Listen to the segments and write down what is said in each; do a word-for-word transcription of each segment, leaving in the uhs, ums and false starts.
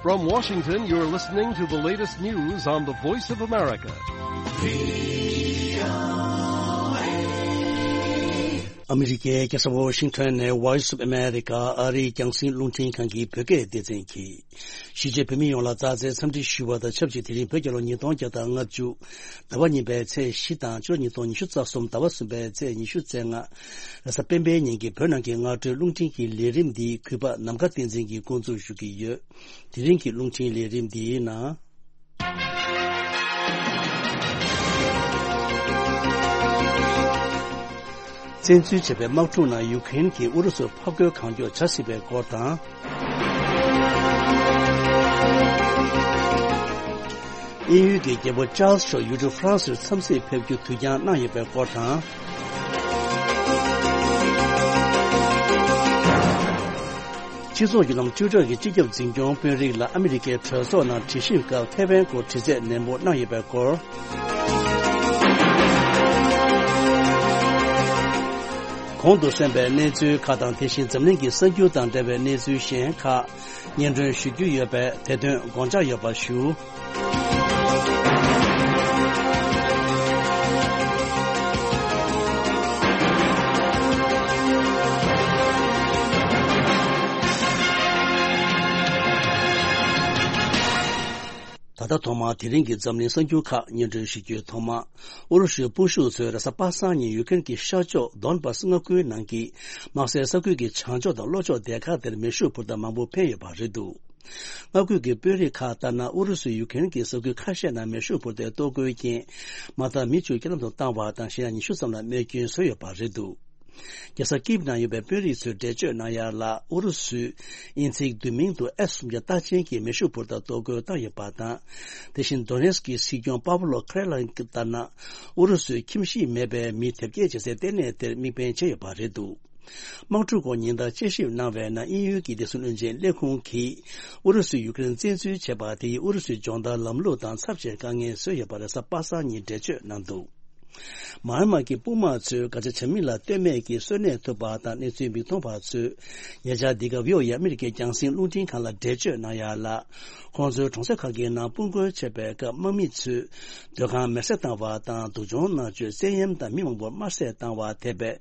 From Washington, you're listening to the latest news on the Voice of America. ཨ་མི་རི་ཀའི་རྒྱལ་ས་ཝོ་ཤིང་ཊོན་ནས་Voice of America ཨ་རིའི་རྒྱང་སྲིང་རླུང་འཕྲིན་ཁང་གི་བོད་སྐད་སྡེ་ཚན་གྱིས། གཞིས་བྱེས་བོད་མི་ཡོངས་ལ་མཛའ་བརྩེའི་འཚམས་འདྲི་ཞུ་བ་དང་ཆབས་ཅིག་དེ་རིང་བོད་རྒྱལ་ལོ་ཉིས་སྟོང་བརྒྱ་དང་ལྔ་བཅུ། ཟླ་བ་གཉིས་པའི་ཚེས་བཞི་དང་ཕྱི་ལོ་ཉིས་སྟོང་ཉི་ཤུ་རྩ་གསུམ་ཟླ་བ་གསུམ་པའི་ཚེས་ཉི་ཤུ་རྩ་ལྔ། རེས་གཟའ་སྤེན་པའི་ཉིན་གྱི་བོད་ནང་གི་སྔ་དྲོའི་རླུང་འཕྲིན་གྱི་ལས་རིམ་འདི་གུས་པ་ནམ་མཁའ་བསྟན་འཛིན་གྱིས་འགོ་འཛུགས་ཞུ་གི་ཡོད། དེ་རིང་གི་རླུང་འཕྲིན་ལས་རིམ་འདིའི་ནང་། བཙན་འཛུལ་བྱས་པའི་དམག་འཁྲུག་ནང་ཡུ་ཀེ་རེན་གྱིས་ཨུ་རུ་སུར་འཕབ་རྒོལ་གང་མགྱོགས་བྱ་སྲིད་པའི་སྐོར་དང་། དབྱིན་ཡུལ་གྱི་རྒྱལ་པོ་ཅཱལ་སི་མཆོག་ཡུལ་གྲུ་ཧྥ་རན་སིར་འཚམས་གཟིགས་ཕེབས་རྒྱུ་དུས་འགྱངས་གནང་ཡོད་པའི་སྐོར་དང་། སྤྱི་ཚོགས་བརྒྱུད་ལམ་Twitter གྱི་སྤྱི་ཁྱབ་འཛིན་སྐྱོང་དཔོན་རིགས་ལ་ཨ་མི་རི་ཀའི་གྲོས་ཚོགས་ནང་དྲི་ཞིབ་སྐབས་ཐེ་ཝན་སྐོར་དྲི་རྩད་ནན་པོ་གནང་ཡོད་པའི་སྐོར། གོང་དུ་གསན་པའི་གནས་ཚུལ་ཁག་དང་། དེ་བཞིན་འཛམ་གླིང་གི་གསར་འགྱུར་དང་འབྲེལ་བའི་གནས་ཚུལ་གཞན་ཁག་སྙན་སྒྲོན་ཞུ་རྒྱུ་ཡོད་པས། དེ་དོན་དགོངས་འཇགས་ཡོད་པ་ཞུ། ད་ལྟ་ཐོག་མར་དེ་རིང་གི་འཛམ་གླིང་གསར་འགྱུར་ཁག་སྙན་སྒྲོན་ཞུ་རྒྱུའི་ཐོག་མ། ཨུ་རུ་སུའི་དཔུང་ཤུགས་ཚོས་རེས་གཟའ་པ་སངས་ཉིན་ཡུ་ཀེ་རེན་གྱི་ཤར་ཕྱོགས་དོན་བཱ་སི་མངའ་ཁུལ་ནང་གི་དམག་སའི་ས་ཁུལ་གྱི་བྱང་ཕྱོགས་དང་ལྷོ་ཕྱོགས་སྡེ་ཁག་དེར་མེ་ཤུགས་འཕུར་མདའ་མང་པོ་འཕེན་ཡོད་པ་རེད་འདུག་མངའ་ཁུལ་གྱི་དཔོན་རིགས་ཁག་ལྟར་ན། ཨུ་རུ་སུས་ཡུ་ཀེ་རེན་གྱི་ས་ཁུལ་ཁ་ཤས་ནང་མེ་ཤུགས་འཕུར་མདའི་གཏོར་རྒོལ་རྐྱེན་མ་མཐའ་མི་བཅུ་རྐྱེན་ལམ་དུ་བཏང་བ་དང་། གཞན་ཡང་ཉི་ཤུ་ཙམ་ལ་རྨས་སྐྱོན་བཟོས་ཡོད་པ་རེད་འདུག་རྒྱལ་ས་ཀིབ་ནང་ཡོད་པའི་དཔོན་རིགས་ཚོས་འགྲེལ་བརྗོད་གནང་ཡ་ལ། ཨུ་རུ་སུས་དབྱིན་ཚིག་བསྡུས་མིང་དུ་ཨེས་གསུམ་བརྒྱ་རྟགས་ཅན་གྱི་མེ་ཤུགས་འཕུར་མདའ་གཏོར་རྒོལ་བཏང་ཡོད་པ་དང་། དེ་བཞིན་དོ་ནེ་སི་ཀི་སྲིད་སྐྱོང་པ་བོ་ལོ་ཁེ་རེ་ལ་ལྟར་ན། ཨུ་རུ་སུས་ཁྱིམ་གཞིས་མེད་པའི་མི་དེབ་སྐྱེལ་བྱེད་སའི་ལྟེ་གནས་དེར་དམིགས་འབེན་བྱས་ཡོད་པ་རེད་འདུག་དམག་འཁྲུག་སྐོར་ཉིན་ལྟར་དཔྱད་ཞིབ་གནང་བའི་ནང་། དབྱིན་ཡུལ་གྱི་བདེ་སྲུང་བློན་ཆེན་ལས་ཁུངས་ཀྱིས་ཨུ་རུ་སུས་ཡུ་ཀེ་རེན་བཙན་འཛུལ་བྱས་པ་དེ་ཡིས་ཨུ་རུ་སུའི་སྦྱོང་བརྡར་ལམ་ལུགས་དང་ཚབས་ཆེའི་དཀའ་ངལ་བཟོས་ཡོད་པ་རེད། གཟའ་པ་སངས་ཉིན་འགྲེལ་བརྗོད་གནང་འདུག་མཱ་ཨན་མཱ་གི་དཔུང་དམག་ཚོས་ག་ཆ་བྱ་མིན་ལ་ལྟོས་མེད་ཀྱིས་གསོན་གནས་ཐུབ་པ་དང་། གནས་ཚུལ་མིག་མཐོང་བ་ཚོས་ཉེ་ཆར་འདི་ག་བྷི་ཨོ་ཨེ་ཨ་མི་རི་ཀའི་རྒྱང་སྲིང་རླུང་འཕྲིན་ཁང་ལ་འགྲེལ་བརྗོད་གནང་ཡ་ལ། ཁོང་ཚོའི་གྲོང་གསེབ་ཁག་གི་ནང་དཔུང་རྒོལ་བྱས་པའི་སྐབས། དམག་མི་ཚོས་སྡོད་ཁང་མེར་སྲེག་བཏང་བ་དང་། སྡུག་སྦྱོང་མནར་གཅོད། བཙན་གཡེམ་དང་མི་མང་པོར་དམར་གསོད་བཏང་བ་དེ་བས།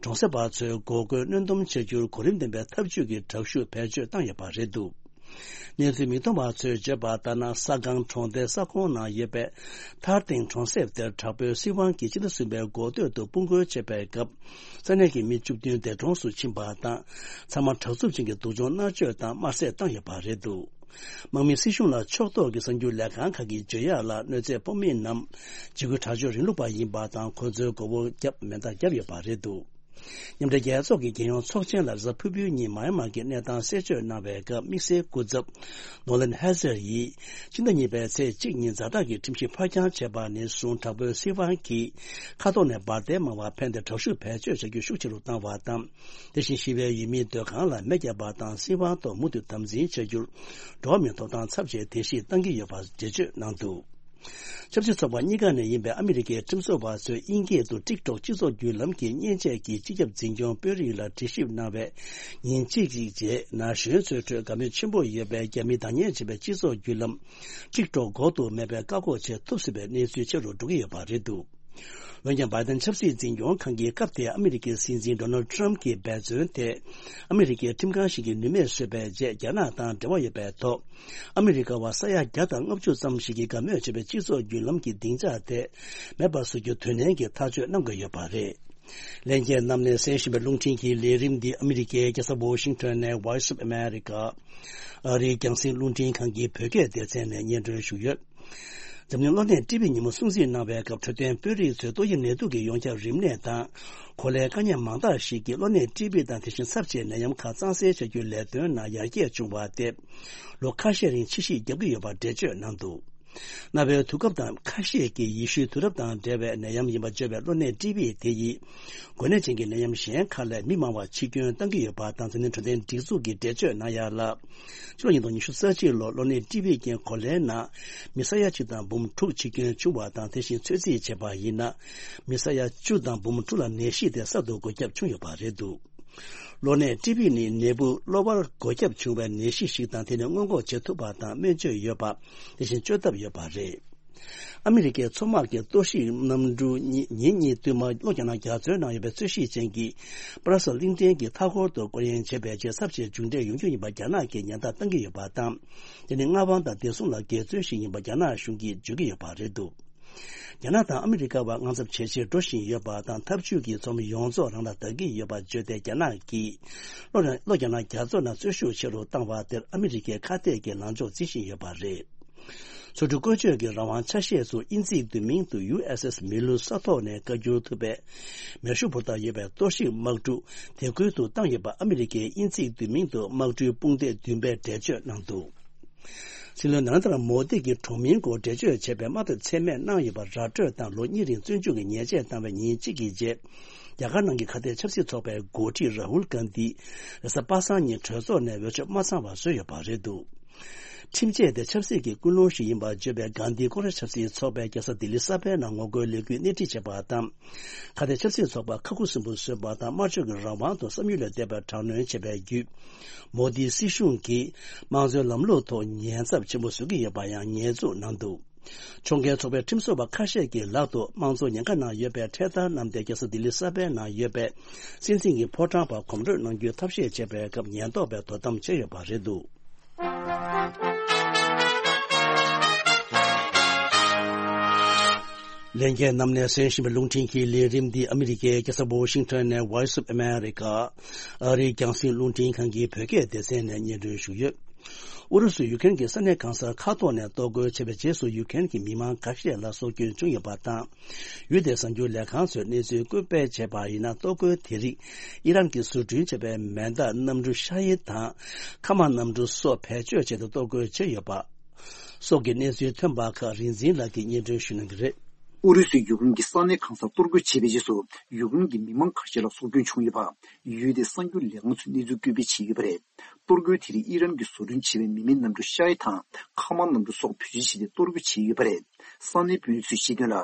གྲོང་གསེབ་པ་ཚོའི་འགོག་རྒོལ་གནོན་སྡོམ་བྱ་རྒྱུར་གོ་རིམ་ལྡན་པའི་ཐབས་ཇུས་ཀྱི་དྲག་ཤུགས་བེད་སྤྱོད་བཏང་ཡོད་པ་རེད་འདུག་གནས་ཚུལ་མིག་མཐོང་བ་ཚོས་བརྗོད་པ་ལྟར་ན། ས་སྒང་གྲོང་སྡེའི་ས་ཁོངས་ནང་ཡོད་པའི་ཐར་སྟེང་གྲོང་གསེབ་དེར་དྲག་པོའི་སྲིད་དབང་གིས་སྤྱི་ཟླ་གསུམ་པའི་འགོ་སྟོད་དུ་དཔུང་རྒོལ་བྱས་པའི་སྐབས། ས་གནས་ཀྱི་མི་བཅུ་བདུན་འདས་གྲོངས་སུ་ཕྱིན་པ་དང་། ཚང་མ་དྲག་རྩུབ་ཅན་གྱི་སྡུག་སྦྱོང་མནར་གཅོད་དང་དམར་གསོད་བཏང་ཡོད་པ་རེད་འདུག་དམག་མིས་སྲིད་གཞུང་ལ་ཕྱོགས་གཏོགས་ཀྱི་གསར་འགྱུར་ལས་ཁང་ཁག་གིས་བརྗོད་ཡག་ལ། གནོད་འཚེ་ཕོག་མི་རྣམས་འཇིགས་སྐུལ་དྲག་སྤྱོད་རིང་ལུགས་པ་ཡིན་པ་དང་། ཁོ་ཚོའི་མགོ་བོར་རྒྱབ་མེ་མདའ་བརྒྱབ་ཡོད་པ་རེད་འདུག་མཉམ་འབྲེལ་རྒྱལ་ཚོགས་ཀྱི་རྒྱལ་ཡོངས་ཚོགས་ཆེན་ལ་རེས་གཟའ་ཕུར་བུའི་ཉིན་མཱ་ཡན་མཱ་གི་གནས་སྟངས་གསལ་བརྗོད་གནང་བའི་སྐབས། དམིགས་བསལ་སྐུ་ཚབ་ནོ་ལན་ཧེ་ཟེར་ཡིས། ཕྱི་ཟླ་གཉིས་པའི་ཚེས་གཅིག་ཉིན་ཛ་དྲག་གི་ཁྲིམས་གཞི་ཕར་འགྱངས་བྱས་པ་ནས་བཟུང་། དྲག་པོའི་སྲིད་དབང་གིས་མཁའ་ཐོག་ནས་འབར་མདེལ་མང་བ་འཕེན་ཏེ། དྲག་ཤུགས་བེད་སྤྱོད་བྱ་རྒྱུ་ཤུགས་ཆེ་རུ་བཏང་བ་དང་། དེ་བཞིན་ཞི་བའི་ཡུལ་མིའི་སྡོད་ཁང་ལ་མེ་བརྒྱབ་པ་དང་། སྲིད་དབང་ཐོག་མུ་མཐུད་དམ་འཛིན་བྱ་རྒྱུར་འགྲོ་བ་མིའི་ཐོབ་ཐང་ཚབས་ཆེའི་གདན་ཞུ་བཏང་གི་ཡོད་པ་འགྲེལ་བརྗོད་གནང་འདུག་ཆབ་སྲིད་ཚོགས་པ་གཉིས་ཀ་ནས་ཡིན་པའི་ཨ་མི་རི་ཀའི་ཁྲིམས་བཟོ་བ་ཚོས་དབྱིན་སྐད་དུ་ཊིག་ཊོག་སྤྱི་ཚོགས་བརྒྱུད་ལམ་གྱི་མཉེན་ཆས་ཀྱི་སྤྱི་ཁྱབ་འཛིན་སྐྱོང་དཔོན་རིགས་ལ་དྲི་ཞིབ་གནང་བའི་ཉིན་གཅིག་ཅིག་རྗེས། ན་གཞོན་ཚོའི་ཁྲོད་དགའ་མོས་ཆེན་པོ་ཡོད་པའི་རྒྱ་མིས་བདག་གཉེར་བྱས་པའི་སྤྱི་ཚོགས་བརྒྱུད་ལམ་ཊིག་ཊོག་འགོག་ཏུ་མེད་པའི་བཀག་འགོག་བྱེད་ཐུབ་སྲིད་པའི་གནས་ཚུལ་ཆེ་རུ་འགྲོ་གི་ཡོད་པ་རེད་འདུག་འོན་ཀྱང་། བྷའི་ཏན་ཆབ་སྲིད་འཛིན་སྐྱོང་ཁང་གིས་སྐབས་དེའི་ཨ་མི་རི་ཀའི་སྲིད་འཛིན་ཌོ་ནལ་ཌི་ཊརམ་ཕི་གྱི་འབད་བརྩོན་དེ། ཨ་མི་རི་ཀའི་ཁྲིམས་ཁང་ཞིག་གིས་ནུས་མེད་བཟོས་པའི་རྗེས། རྒྱ་ནག་དང་འབྲེལ་བ་ཡོད་པའི་ཐོག་ཨ་མི་རི་ཀ་བ་ས་ཡ་བརྒྱ་དང་ལྔ་བཅུ་ཙམ་ཞིག་གིས་དགའ་མོས་བྱེད་པའི་སྤྱི་ཚོགས་བརྒྱུད་ལམ་གྱི་སྡིངས་ཆ་དེ་མེད་པར་བཟོ་རྒྱུ་དོན་ལྡན་གྱི་ཐག་གཅོད་གནང་དགོས་ཡོད་པ་རེད། ལྷན་རྒྱས་རྣམས་ནས་གསན་བཞིན་པའི་རླུང་འཕྲིན་གྱི་ལས་རིམ་འདི་ཨ་མི་རི་ཀའི་རྒྱལ་ས་ཝོ་ཤིང་ཊོན་ནས་Voice of America ཨ་རིའི་རྒྱང་སྲིང་རླུང་འཕྲིན་ཁང་གི་བོད་སྐད་སྡེ་ཚན་ནས་སྙན་སྒྲོན་ཞུས་ཡོད། འཛམ་གླིང་གློ་ནད་ཀྲི་བི་ཉིན་མོ་སྲུང་བརྩི་གནང་བའི་སྐབས། འཕྲོད་བསྟེན་དཔོན་རིགས་ཚོས་ཏོག་དབྱིབས་ནད་དུག་གི་ཡོངས་ཁྱབ་རིམས་ནད་དང་། གོ་ལའི་དཀའ་ཉེན་མང་དག་ཞིག་གིས་གློ་ནད་ཀྲི་བི་དང་། དེ་བཞིན་ཚབས་ཆེའི་ནད་ཡམས་ཁག་གཙང་སེལ་བྱ་རྒྱུའི་ལས་དོན་ནང་ཡར་རྒྱས་བྱུང་བ་དེ་ལོ་ཁ་ཤས་རིང་ཕྱི་བཤིག་བརྒྱབ་ཀྱི་ཡོད་པར་འགྲེལ་བརྗོད་གནང་འདུག་གནའ་བོའི་དུས་སྐབས་དང་ཁ་ཤས་ཀྱིས་ཡེ་ཤུའི་དུས་རབས་དང་འབྲེལ་བའི་ནད་ཡམས་ཡིན་པར་བརྗོད་པའི་གློ་ནད་ཀྲི་བི་དེ་ཡིས། འགོས་ནད་ཅན་གྱི་ནད་ཡམས་གཞན་ཁག་ལས་མི་མང་བ་འཆི་སྐྱོན་བཏང་གི་ཡོད་པ་དང་། འཛམ་གླིང་འཕྲོད་བསྟེན་སྒྲིག་འཛུགས་ཀྱིས་འགྲེལ་བརྗོད་གནང་ཡ་ལ། ཕྱི་ལོ་ཉིས་སྟོང་ཉི་ཤུ་རྩ་གཅིག་ལོར་གློ་ནད་ཀྲི་བི་རྐྱེན་གོ་ལའི་ནང་མི་ས་ཡ་གཅིག་དང་འབུམ་དྲུག་འཆི་སྐྱོན་བྱུང་བ་དང་། དེ་བཞིན་ཚོད་རྩིས་བྱས་པ་ཡིན་ན། མི་ས་ཡ་བཅུ་དང་འབུམ་དྲུག་ལ་ནད་གཞི་དེ་གསར་དུ་འགོས་ཁྱབ་བྱུང་ཡོད་པ་རེད་འདུག་གློ་ནད་ཊི་བི་ནི་ནད་འབུ་གློ་བར་འགོས་ཁྱབ་བྱུང་བའི་ནད་གཞི་ཞིག་དང་། དེ་ནི་སྔོན་འགོག་བྱེད་ཐུབ་པ་དང་སྨན་བཅོས་ཡོད་པ། དེ་བཞིན་བཅོས་ཐབས་ཡོད་པ་རེད། ཨ་མི་རི་ཀའི་མཚོ་དམག་གི་གཏོར་བཤིག་གནམ་གྲུ་གཉིས་ཉིན་གཉིས་བསྟུད་མར་ལྷོ་རྒྱ་ནག་རྒྱ་མཚོའི་ནང་ཡོད་པའི་རྩོད་གཞི་ཅན་གྱི་པ་ར་སེལ་གླིང་ཕྲན་གྱི་མཐའ་འཁོར་དུ་སྐོར་གཡེང་བྱས་པའི་རྗེས། ཚབས་ཆེའི་མཇུག་འབྲས་ཡོང་རྒྱུ་ཡིན་པར་རྒྱ་ནག་གིས་ཉེན་བརྡ་བཏང་གི་ཡོད་པ་དང་། དེ་ནི་མངའ་དབང་དང་བདེ་སྲུང་ལ་འགལ་འཛོལ་ཞིག་ཡིན་པ་རྒྱ་ནག་གཞུང་གིས་བརྗོད་ཀྱི་ཡོད་པ་རེད་འདུག་རྒྱ་ནག་དང་ཨ་མི་རི་ཀ་བར་དངངས་འཚབ་ཇེ་ཆེར་འགྲོ་བཞིན་ཡོད་པ་དང་། འཐབ་ཇུས་ཀྱི་ཚོགས་མི་ཡོངས་རྫོགས་རང་ལ་བདག་གི་ཡོད་པ་བརྗོད་དེ། རྒྱ་ནག་གིས་ལྷོ་ལྷོ་རྒྱ་ནག་རྒྱ་མཚོ་ནང་རྩོད་ཤུགས་ཆེ་རུ་བཏང་བ་དེར་ཨ་མི་རི་ཀས་ཁ་གཏད་ཀྱི་ལངས་ཕྱོགས་འཛིན་བཞིན་ཡོད་པ་རེད། མཚོ་གྲུ་བཀོལ་སྤྱོད་ཀྱི་རང་དབང་ཆ་ཤས་སུ་དབྱིན་ཇིའི་བསྡུས་མིང་དུ་ཡུ་ཨེས་ཨེས་མི་ལུ་ས་ཐོག་ནས་བཀའ་འགྱུར་ཐུབ་པའི་མེ་ཤུགས་འབོར་ཐང་ཡོད་པའི་གཏོར་བཤིག་དམག་གྲུ་དེ་ཁུལ་དུ་བཏང་ཡོད་པ། ཨ་མི་རི་ཀས་དབྱིན་ཇིའི་བསྡུས་མིང་དུ་དམག་གྲུའི་དཔུང་སྡེ་བདུན་པས་འགྲེལ་བརྗོད་གནང་འདུག་སྲིད་བློན་ནཱ་རེན་དྲ་མོ་དི་གིས་གྲོང་མིའི་སྐོར་འགྲེལ་བརྗོད་བྱས་པའི་དམག་འཐབ་མཚན་སྨད་གནང་ཡོད་པ་ར་སྤྲོད་དང་། ལོ་གཉིས་རིང་བཙོན་འཇུག་གི་ཉེས་ཆད་བཏང་བའི་ཉིན་གཅིག་གི་རྗེས། རྒྱ་གར་ནང་གི་ཁ་གཏད་ཆབ་སྲིད་ཚོགས་པའི་འགོ་ཁྲིད་རཱ་ཧུལ་གྷན་དྷི་རེས་གཟའ་པ་སངས་ཉིན་གྲོས་ཚོགས་ནས་འོས་ཆོག་མ་ཚང་བ་བཟོས་ཡོད་པ་རེད་འདུག་ཁྲིམས་ཆད་དེ་ཆབ་སྲིད་ཀྱི་ཀུན་སློང་ཞིག་ཡིན་པར་བརྗོད་པའི་གྷན་དྷི་ཀོང་རེས་ཆབ་སྲིད་ཚོགས་པས་རྒྱལ་ས་ལྡི་ལི་གསར་པའི་ནང་ངོ་རྒོལ་ལས་འགུལ་སྣེ་ཁྲིད་བྱས་པ་དང་། ཁ་གཏད་ཆབ་སྲིད་ཚོགས་པ་ཁ་ཁུ་སིམ་པོ་བཟོས་པ་དང་། སྨྲ་བརྗོད་ཀྱི་རང་དབང་དང་བསམ་ཡུལ་ལ་བརྟེན་པའི་དྲག་གནོན་བྱས་པའི་བརྒྱུད། མོ་དིའི་སྲིད་གཞུང་གིས་དམངས་གཙོའི་ལམ་ལུགས་ཐོག་ཉེན་ཚབས་ཆེན་པོ་བཟོ་གི་ཡོད་པ་ཡང་ཉེས་འཛུགས་གནང་འདུག་ཕྱོགས་འགལ་ཚོགས་པའི་ཁྲིམས་བཟོ་བ་ཁ་ཤས་ཀྱི་ལག་ཏུ་དམངས་གཙོ་ཉེན་ཁ་ནང་ཡོད་པའི་ཁྲལ་དར་བསྣམས་ཏེ། རྒྱལ་ས་ལྡི་ལི་གསར་པའི་ནང་ཡོད་པའི་སྲིད་འཛིན་གྱི་ཕོ་བྲང་བར་གོམ་བགྲོད་གནང་རྒྱུའི་ཐབས་ཤེས་བྱས་པའི་སྐབས་ཉེན་རྟོག་པས་དོ་དམ་བྱས་ཡོད་པ་རེད་འདུག་ལྷན་རྒྱས་རྣམས་ནས་གསན་བཞིན་པའི་རླུང་འཕྲིན་གྱི་ལས་རིམ་འདི་ཨ་མི་རི་ཀའི་རྒྱལ་ས་ཝོ་ཤིང་ཊོན་ནས་Voice of America ཨ་རིའི་རྒྱང་སྲིང་རླུང་འཕྲིན་ཁང་གི་བོད་སྐད་སྡེ་ཚན་ནས་སྙན་སྒྲོན་ཞུས་ཡོད། ཨུ་རུ་སུས་ཡུ་ཀེ་རེན་གྱི་ས་གནས་གང་སར་མཁའ་ཐོག་ནས་གཏོར་རྒོལ་བྱས་པའི་རྗེས་སུ། ཡུ་ཀེ་རེན་གྱི་མི་མང་ཁ་ཤས་ལ་སྲོག་སྐྱོན་བྱུང་ཡོད་པ་དང་། ཡུལ་དེའི་གསར་འགྱུར་ལས་ཁང་ཚོས་གནས་ཚུལ་བཀོད་སྤེལ་བྱས་པ་ཡིན་ན། གཏོར་རྒོལ་དེ་རིགས་ཨི་རན་གྱིས་བཟོ་སྐྲུན་བྱས་པའི་མེ་མདའ་གནམ་གྲུ་ཤ་ཡི་དང་མཁའ་དམག་གནམ་གྲུ་སོགས་བེད་སྤྱོད་བྱས་ཏེ་གཏོར་རྒོལ་བྱས་ཡོད་པ་སོགས་ཀྱི་གནས་ཚུལ་ཐོན་པ་ཁག་རིག་འཛིན་ལགས་ཀྱིས་སྙན་སྒྲོན་ཞུ་གནང་གི་རེད། ཨུ་རུ་སུས་ཡུཀ་རེན་གྱི་ས་གནས་གང་སར་གཏོར་རྒོལ་བྱས་པའི་རྗེས་སུ། ཡུཀ་རེན་གྱི་མི་མང་ཁ་ཤས་ལ་སྲོག་སྐྱོན་བྱུང་ཡོད་པ། ཡུལ་དེའི་གསར་འགྱུར་ལས་ཁང་ཚོས་གནས་ཚུལ་བཀོད་སྤེལ་བྱས་ཡོད་པ་རེད། གཏོར་རྒོལ་དེ་རིགས་ཨི་རན་གྱིས་བཟོ་སྐྲུན་བྱས་པའི་མི་མེད་གནམ་གྲུ་ཤ་ཡི་དང་མཁའ་དམག་གནམ་གྲུ་སོགས་བེད་སྤྱོད་བྱས་ཏེ་གཏོར་རྒོལ་བྱས་ཡོད་པ་རེད། ས་གནས་དཔོན་རིགས་ཚོས་བཤད་དོན་ལ།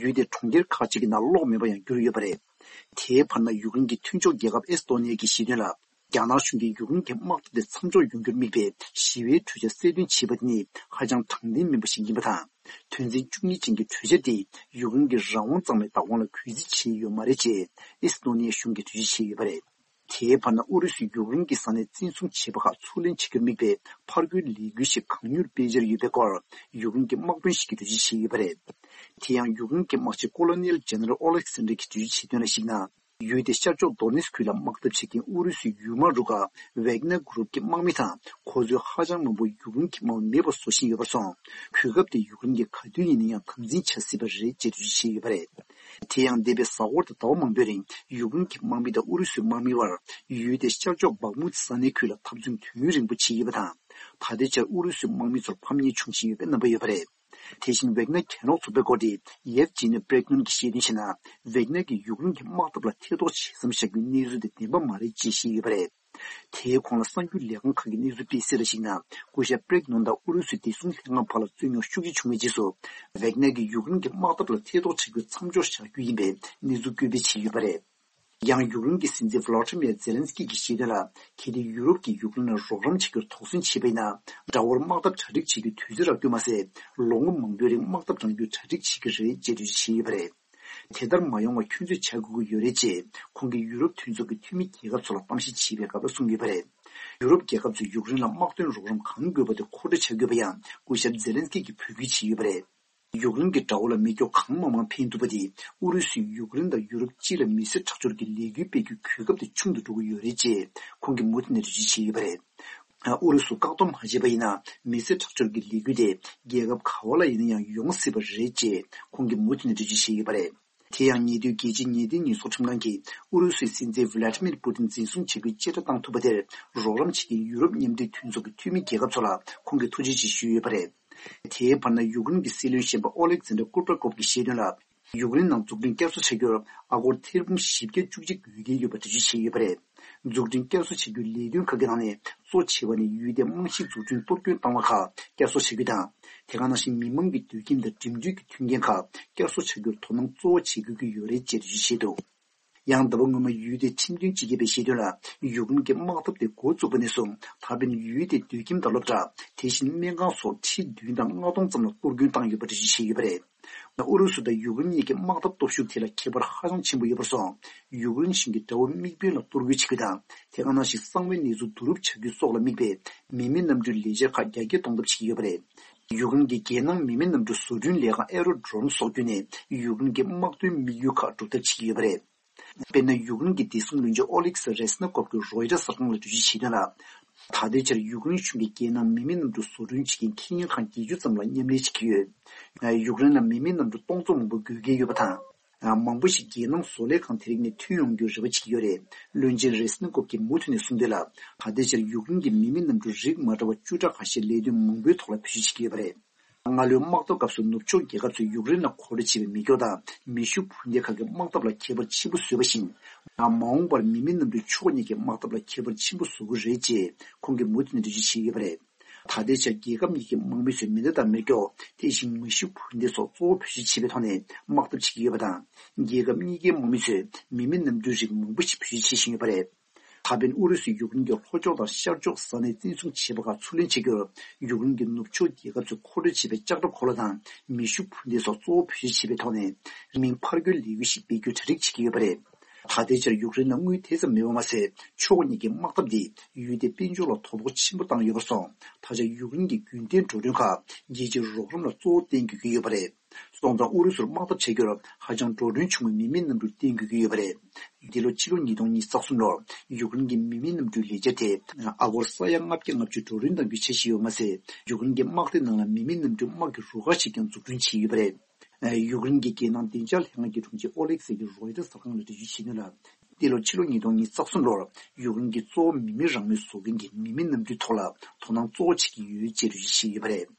ཡུལ་དེའི་གྲོང་ཁྱེར་ཁག་ཅིག་གི་ནང་གློག་མེད་པར་ཡང་གྱུར་ཡོད་པ་རེད། དེའི་བར་ན། ཡུཀ་རེན་གྱི་མཐུན་ཕྱོགས་རྒྱལ་ཁབ་ཨེ་སི་ཏོ་ནི་ཡ་གིས་བཤད་དོན་ལ། རྒྱ་ནག་གཞུང་གིས་ཡུཀ་རེན་གྱི་དམག་འཐབ་དེ་མཚམས་འཇོག་ཡོང་རྒྱུར་དམིགས་པའི་ཞི་བའི་གྲོས་འཆར་གསལ་སྟོན་བྱས་པ་དེ་ནི་ཧ་ཅང་དྲང་བདེན་མིན་པ་ཞིག་ཡིན་པ་དང་། དོན་ཚན་བཅུ་གཉིས་ཅན་གྱི་གྲོས་འཆར་དེས་ཡུཀ་རེན་གྱི་རང་དབང་གཙང་མའི་བདག་དབང་ལ་གུས་བརྩི་བྱས་ཡོད་མ་རེད་ཅེས་ཨེ་སི་ཏོ་ནི་ཡ་གཞུང་གིས་འགྲེལ་བརྗོད་བྱས་ཡོད་པ་རེད། དེའི་བར་ན། ཨུ་རུ་སུས་ཡུཀ་རེན་གྱི་ས་གནས་བཙན་བཟུང་བྱས་པ་ཁག་ཚུར་ལེན་བྱ་རྒྱུར་དམིགས་པའི་ཕར་རྒོལ་ལས་འགུལ་ཞིག་གང་མྱུར་སྤེལ་འཆར་ཡོད་པའི་སྐོར་ཡུཀ་རེན་གྱི་དམག་དཔོན་ཞིག་གིས་འགྲེལ་བརྗོད་བྱས་ཡོད་པ་རེད། དེ་ཡང་ཡུཀ་རེན་གྱི་དམག་སྤྱི་ཀོ་ལོ་ནེལ་ཇེ་ནེ་རལ་ཨོ་ལེག་སན་དྲ་གྱིས་འགྲེལ་བརྗོད་བྱས་དོན་ལ་གཞིགས་ན། ཡུལ་དེ་ཤར་ཕྱོགས་དོ་ནེ་སི་ཁུལ་ལ་དམག་འཐབ་བྱེད་མཁན་ཨུ་རུ་སུའི་ཡུལ་དམག་རུ་ཁག་ཝེག་ནར་གུ་རུབ་ཀྱི་དམག་མི་དང་། ཁོ་ཚོའི་ཧ་ཅང་མང་པོ་ཡུཀ་རེན་གྱི་དམག་མི་མེད་པར་བཟོ་བཞིན་ཡོད་པར་སོང་། གོ་སྐབས་དེ་ཡུཀ་རེན་གྱིས་ག་དུས་ཡིན་ན་ཡང་དམ་འཛིན་བྱ་སྲིད་པ་རེད་ཅེས་འགྲེལ་བརྗོད་བྱས་ཡོད་པ་རེད། དེ་ཡང་། འདས་པའི་གཟའ་འཁོར་དང་ཟླ་བ་མང་པོའི་རིང་ཡུཀ་རེན་གྱི་དམག་མི་དང་ཨུ་རུ་སུའི་དམག་མིའི་བར་ཡུལ་དེའི་ཤར་ཕྱོགས་སྦག་མུད་ས་གནས་ཁུལ་ལ་འཐབ་འཛིང་དུས་ཡུན་རིང་པོ་བྱས་ཡོད་པ་དང་། ད་ལྟའི་ཆར་ཨུ་རུ་སུའི་དམག་མི་ཚོར་ཕམ་ཉེས་བྱུང་བཞིན་ཡོད་པའི་རྣམ་པ་ཡོད་པ་རེད། དེ་བཞིན་ཝེག་ནར་གྱེན་ལོག་ཚོགས་པའི་འགོ་ཁྲིད་ཡེབ་ཇི་ནི་པྲེག་ནོན་གྱིས་བཤད་དོན་བྱས་ན། ཝེག་ནར་གྱིས་ཡུཀ་རེན་གྱི་དམག་འཐབ་ལ་ཐེ་གཏོགས་བྱེད་མཚམས་བཞག་རྒྱུའི་གནས་ཚུལ་དེ་བདེན་པ་མ་རེད་ཅེས་བཤད་ཡོད་པ་རེད། དེའི་གོང་ལ་གསར་འགྱུར་ལས་ཁང་ཁག་གི་གནས་ཚུལ་སྤེལ་གསལ་ལ་གཞིགས་ན། སྐུ་ཞབས་པྲེག་ནོན་དང་ཨུ་རུ་སུའི་བདེ་སྲུང་ལྷན་ཁང་བར་ལ་རྩོད་རྙོག་ཤུགས་ཆེ་བྱུང་བའི་རྗེས་སུ། ཝེག་ནར་གྱིས་ཡུཀ་རེན་གྱི་དམག་འཐབ་ལ་ཐེ་གཏོགས་བྱ་རྒྱུ་མཚམས་འཇོག་བྱ་རྒྱུ་ཡིན་པའི་གནས་ཚུལ་བཀོད་སྤེལ་བྱས་ཡོད་པ་རེད། ཡང་ཡུཀ་རེན་གྱི་སྲིད་འཛིན་ཝ་ལོ་ཏི་མིར་ཛེ་ལན་སི་ཀི་གིས་བཤད་དོན་ལ། གལ་ཏེ་ཡུ་རོབ་ཀྱིས་ཡུཀ་རེན་ལ་རོགས་རམ་བྱ་རྒྱུར་དོགས་ཟོན་བྱས་པ་ཡིན་ན། དགྲ་བོར་དམག་འཐབ་གྲ་སྒྲིག་བྱེད་རྒྱུའི་དུས་ཚོད་རག་རྒྱུ་མ་ཟད། ལོ་ངོ་མང་པོའི་རིང་དམག་འཐབ་རང་རྒྱུད་གྲ་སྒྲིག་བྱེད་ཀྱི་རེད་ཅེས་འགྲེལ་བརྗོད་བྱས་ཡོད་པ་རེད། དེ་ལྟར་མ་ཡོང་བར་ཁྱོད་ཚོས་བྱ་དགོས་ཀྱི་ཡོད་རེད་ཅེས། ཁོང་གིས་ཡུ་རོབ་མཐུན་ཚོགས་ཀྱི་འཐུས་མི་རྒྱལ་ཁབ་ཚོ་ལ་གཏམ་བཤད་བྱེད་པའི་སྐབས་ལ་གསུངས་ཡོད་པ་རེད། ཡུ་རོབ་རྒྱལ་ཁབ་ཚོས་ཡུཀ་རེན་ལ་དམག་དོན་རོགས་རམ་གང་དགོས་པ་དེ་མཁོ་སྤྲོད་བྱ་དགོས་པ་ཡང་སྐུ་ཞབས་ཛེ་ལན་སི་ཀི་གིས་འབོད་སྐུལ་བྱས་ཡོད་པ་རེད། ཡུཀ་རེན་གྱི་དགྲ་བོ་ལ་མེ་སྒྱོགས་གང་མང་མང་འཕེན་ཐུབ་པ་དེས། ཨུ་རུ་སུས་ཡུཀ་རེན་དང་ཡུ་རོབ་སྤྱི་ལ་མི་སེར་ཁྲག་སྦྱོར་གྱི་ལས་འགུལ་སྤེལ་རྒྱུའི་གོ་སྐབས་དེ་ཆུང་དུ་འགྲོ་གི་ཡོད་རེད་ཅེས་ཁོང་གིས་མུ་མཐུད་ནས་འགྲེལ་བརྗོད་བྱས་ཡོད་པ་རེད། ཨུ་རུ་སུ་བཀག་སྡོམ་མ་བྱས་པ་ཡིན་ན། མི་སེར་ཁྲག་སྦྱོར་གྱི་ལས་འགུལ་དེ་རྒྱལ་ཁབ་ག་བ་ལ་ཡིན་ན་ཡང་ཡོང་སྲིད་པ་རེད་ཅེས་ཁོང་གིས་མུ་མཐུད་ནས་འགྲེལ་བརྗོད་བྱས་ཡོད་པ་རེད། དེ་ཡང་ཉེ་དུས་རྒྱལ་སྤྱིའི་ཉེས་དོན་ཉེས་གསོག་ཁྲིམས་ཁང་གིས་ཨུ་རུ་སུའི་སྲིད་འཛིན་ཝི་ལ་ཏི་མིར་པུ་ཏིན་འཛིན་བཟུང་བྱ་རྒྱུའི་བཅད་ཁྲ་བཏང་ཐུབ་པ་དེར་རོགས་རམ་བྱེད་མཁན་ཡུ་རོབ་མཉམ་འབྲེལ་མཐུན་ཚོགས་ཀྱི་འཐུས་མི་རྒྱལ་ཁབ་ཚོ་ལ་ཁོང་གིས་ཐུགས་རྗེ་ཆེ་ཞུས་ཡོད་པ་རེད། དེའི་བར་ན། ཡུཀ་རེན་གྱི་སྲིད་བློན་གཞོན་པ་ཨོ་ལེག་ཛན་དྲ་ཀུ་པྲ་ཀོབ་ཀྱིས་བཤད་དོན་ལ། ཡུཀ་རེན་ནང་འཛུགས་སྐྲུན་བསྐྱར་གསོ་བྱ་རྒྱུར་ཨ་སྒོར་ཐེར་འབུམ་བཞི་བརྒྱ་བཅུ་གཅིག་དགོས་གལ་ཡོད་པ་འགྲེལ་བརྗོད་བྱས་ཡོད་པ་རེད། འཛུགས་སྐྲུན་བསྐྱར་གསོ་བྱ་རྒྱུའི་ལས་དོན་ཁག་གི་ནང་ནས་གཙོ་ཆེ་བ་ནི་ཡུལ་དེའི་རྨང་གཞིའི་འཛུགས་སྐྲུན་གཏོར་སྐྱོན་བཏང་བ་ཁག་བསྐྱར་གསོ་བྱ་རྒྱུ་དང་། དེ་ག་ནང་བཞིན་མི་མང་གི་སྡོད་ཁྱིམ་དང་འགྲིམ་འགྲུལ་གྱི་མཐུན་རྐྱེན་ཁག་བསྐྱར་གསོ་བྱ་རྒྱུར་དོ་སྣང་གཙོ་བོ་བྱེད་དགོས་ཀྱི་ཡོད་རེད་ཅེས་འགྲེལ་བརྗོད་བྱས་འདུག་ཡང་ཟླ་བ་སྔོན་མ་ཡུལ་དེའི་ཁྲིམས་དོན་སྤྱི་ཁྱབ་པས་བཤད་དོན་ལ། ཡུཀ་རེན་གྱི་དམག་འཐབ་དེ་འགོ་བཙུགས་པ་ནས་བཟུང་ད་ཕན་ཡུལ་དེའི་སྡོད་ཁྱིམ་དང་སློབ་གྲྭ། དེ་བཞིན་སྨན་ཁང་སོགས་ཁྲི་བདུན་དང་ལྔ་སྟོང་ཙམ་ལ་གཏོར་སྐྱོན་བཏང་ཡོད་པ་འགྲེལ་བརྗོད་བྱས་ཡོད་པ་རེད། ཨུ་རུ་སུ་དང་ཡུཀ་རེན་གཉིས་ཀྱི་དམག་འཐབ་སྟོབས་ཤུགས་དེ་ལ་ཁྱད་པར་ཧ་ཅང་ཆེན་པོ་ཡོད་པར་སོང་། ཡུཀ་རེན་གཞུང་གིས་དགྲ་བོ་དམིགས་འབེན་ལ་གཏོར་རྒོལ་བྱེད་རྒྱུ་དང་། དེ་ག་ནང་བཞིན་གསང་བའི་གནས་ཚུལ་བསྡུ་རུབ་བྱ་རྒྱུ་སོགས་ལ་དམིགས་པའི་མི་མེད་གནམ་གྲུའི་ལས་འཆར་ཁག་རྒྱ་སྐྱེད་གཏོང་ཐབས་བྱེད་ཀྱི་ཡོད་པ་རེད། ཡུཀ་རེན་གྱི་རྒྱལ་ནང་མི་མེད་གནམ་གྲུ་བཟོ་སྐྲུན་ལས་ཁང་Aerodrome་སོགས་བརྒྱུད་ནས་ཡུཀ་རེན་གྱི་དམག་དོན་དམིགས་ཡུལ་ཁག་སྒྲུབ་ཐབས་བྱེད་ཀྱི་ཡོད་པ་རེད། དཔེར་ན། ཡུཀ་རེན་གྱི་བདེ་སྲུང་བློན་ཆེན་ཨོ་ལེག་སི་རེས་ནི་ཀོབ་ཀྱིས་རོའི་ཊར་གསར་ཁང་ལ་འགྲེལ་བརྗོད་བྱས་དོན་ལ། ད་ལྟའི་ཆར་ཡུཀ་རེན་གཞུང་གིས་རྒྱལ་ནང་མི་མེད་གནམ་གྲུ་བཟོ་སྐྲུན་བྱེད་མཁན་ཁེ་ཉིན་ཁང་བརྒྱད་ཅུ་ཙམ་ལ་མཉམ་ལས་བྱེད་ཀྱི་ཡོད། ཡུཀ་རེན་ལ་མི་མེད་གནམ་གྲུ་སྟོང་ཚོ་མང་པོ་དགོས་གལ་ཡོད་པ་དང་། མང་པོ་ཞིག་རྒྱལ་ནང་བཟོ་ལས་ཁང་དེ་རིགས་ནས་ཐོན་ཡོང་རྒྱུར་རེ་བ་བྱེད་ཀྱི་ཡོད་རེད། བློན་ཆེན་རེས་ནི་ཀོབ་ཀྱིས་མུ་མཐུད་ནས་གསུངས་དོན་ལ། ད་ལྟའི་ཆར་ཡུཀ་རེན་གྱིས་མི་མེད་གནམ་གྲུ་རིགས་མ་འདྲ་བ་བཅུ་ཕྲག་ཁ་ཤས་ལས་དོན་མང་པོའི་ཐོག་ལ་བེད་སྤྱོད་བྱེད་ཀྱི་ཡོད་པ་རེད། སྔ་ལོའི་དམག་འཐབ་སྐབས་སུ་ནུབ་ཕྱོགས་རྒྱལ་ཁབ་ཚོས་ཡུཀ་རེན་ལ་མཁོ་སྤྲོད་བྱས་པའི་མེ་སྒྱོགས་དང་མེ་ཤུགས་འཕུར་མདེལ་ཁག་གི་དམག་འཐབ་ལ་ཁྱད་པར་ཆེན་པོ་བཟོས་པ་བཞིན། མ་འོངས་པར་མི་མེད་གནམ་གྲུས་ཕྱོགས་གཉིས་ཀྱི་དམག་འཐབ་ལ་ཁྱད་པར་ཆེན་པོ་བཟོ་གི་རེད་ཅེས་ཁོང་གིས་མུ་མཐུད་ནས་འགྲེལ་བརྗོད་བྱས་ཡོད་པ་རེད། ད་ལྟའི་ཆར་རྒྱལ་ཁབ་གཉིས་ཀྱི་དམག་མི་ཚོས་མེ་མདའ་དང་མེ་སྒྱོགས། དེ་བཞིན་མེ་ཤུགས་འཕུར་མདེལ་སོགས་གཙོ་བོ་བེད་སྤྱོད་བྱེད་པའི་ཐོག་ནས་དམག་འཐབ་བྱེད་ཀྱི་ཡོད་པ་དང་། རྒྱལ་ཁབ་གཉིས་ཀའི་དམག་མི་ཚོས་མི་མེད་གནམ་གྲུའི་རིགས་མང་པོ་ཞིག་བེད་སྤྱོད་བྱེད་བཞིན་ཡོད་པ་རེད། ད་ཕན་ཨུ་རུ་སུས་ཡུཀ་རེན་གྱི་ལྷོ་ཕྱོགས་དང་ཤར་ཕྱོགས་ས་གནས་བཙན་བཟུང་བྱས་པ་ཁག་ཚུར་ལེན་བྱེད་རྒྱུར། ཡུཀ་རེན་གྱི་ནུབ་ཕྱོགས་རྒྱལ་ཁབ་ཚོས་མཁོ་སྤྲོད་བྱས་པའི་ལྕགས་ཁྲབ་འཁོར་ལོ་དང་མེ་ཤུགས་འཕུར་མདེལ་སོགས་གཙོ་བོ་བེད་སྤྱོད་བྱས་པའི་ཐོག་ནས། མིང་ཕར་རྒོལ་ལས་འགུལ་ཞིག་སྤེལ་རྒྱུའི་གྲ་སྒྲིག་བྱེད་ཀྱི་ཡོད་པ་རེད། ད་ལྟའི་ཆར་ཡུཀ་རེན་ལ་དངུལ་དེ་ཙམ་མེད་པ་མ་ཟད། ཕྱོགས་གཉིས་ཀྱི་དམག་འཐབ་འདིས་ཡུལ་དེའི་དཔལ་འབྱོར་ལ་དོ་ཕོག་ཆེན་པོ་བཏང་ཡོད་པར་སོང་། ད་ཆ་ཡུཀ་རེན་གྱི་རྒྱུན་གཏན་འགྲོ་གྲོན་ཁག་རྒྱལ་སྤྱིའི་རོགས་རམ་ལ་གཙོ་བོ་བརྟེན་དགོས་ཀྱི་ཡོད་པ་རེད། སོང་ཙང་ཨུ་རུ་སུར་དམག་འཐབ་བྱ་རྒྱུར་ཧ་ཅང་འགྲོ་གྲོན་ཆུང་བའི་མི་མེད་གནམ་གྲུ་བརྟེན་དགོས་ཀྱི་ཡོད་པ་རེད། འདི་ལོ་ཕྱི་ལོ་ཉིས་སྟོང་ཉི་ཤུ་རྩ་གསུམ་ལོར་ཡུཀ་རེན་གྱི་མི་མེད་གནམ་གྲུའི་ལས་འཆར་དེ་ཨ་སྒོར་ས་ཡ་ལྔ་བརྒྱ་ལྔ་བཅུ་འགྲོ་གྲོན་གཏང་རྒྱུའི་འཆར་གཞི་ཡོད་པ་མ་ཟད། ཡུཀ་རེན་གྱི་དམག་སྡེ་ནང་ལ་མི་མེད་གནམ་གྲུའི་དམག་གི་རུ་ཁག་ཞིག་ཀྱང་འཛུགས་སྐྲུན་བྱས་ཡོད་པ་རེད། ཡུཀ་རེན་གྱི་རྒྱལ་ནང་བདེ་འཇགས་ལྷན་ཁང་གི་དྲུང་ཆེ་ཨོ་ལེག་སེ་གིས་རོའི་ཊར་གསར་ཁང་ལ་འགྲེལ་བརྗོད་བྱས་དོན་ལ། འདི་ལོ་ཕྱི་ལོ་ཉིས་སྟོང་ཉི་ཤུ་རྩ་གསུམ་ལོར་ཡུཀ་རེན་གྱིས་གཙོ་བོ་མི་མེད་རང་མོས་བཟོ་མཁན་གྱི་མི་མེད་གནམ་གྲུའི་ཐོག་ལ་དོ་སྣང་གཙོ་བོ་བྱེད་ཀྱི་ཡོད་ཅེས་འགྲེལ་བརྗོད་བྱས་ཡོད་པ་རེད།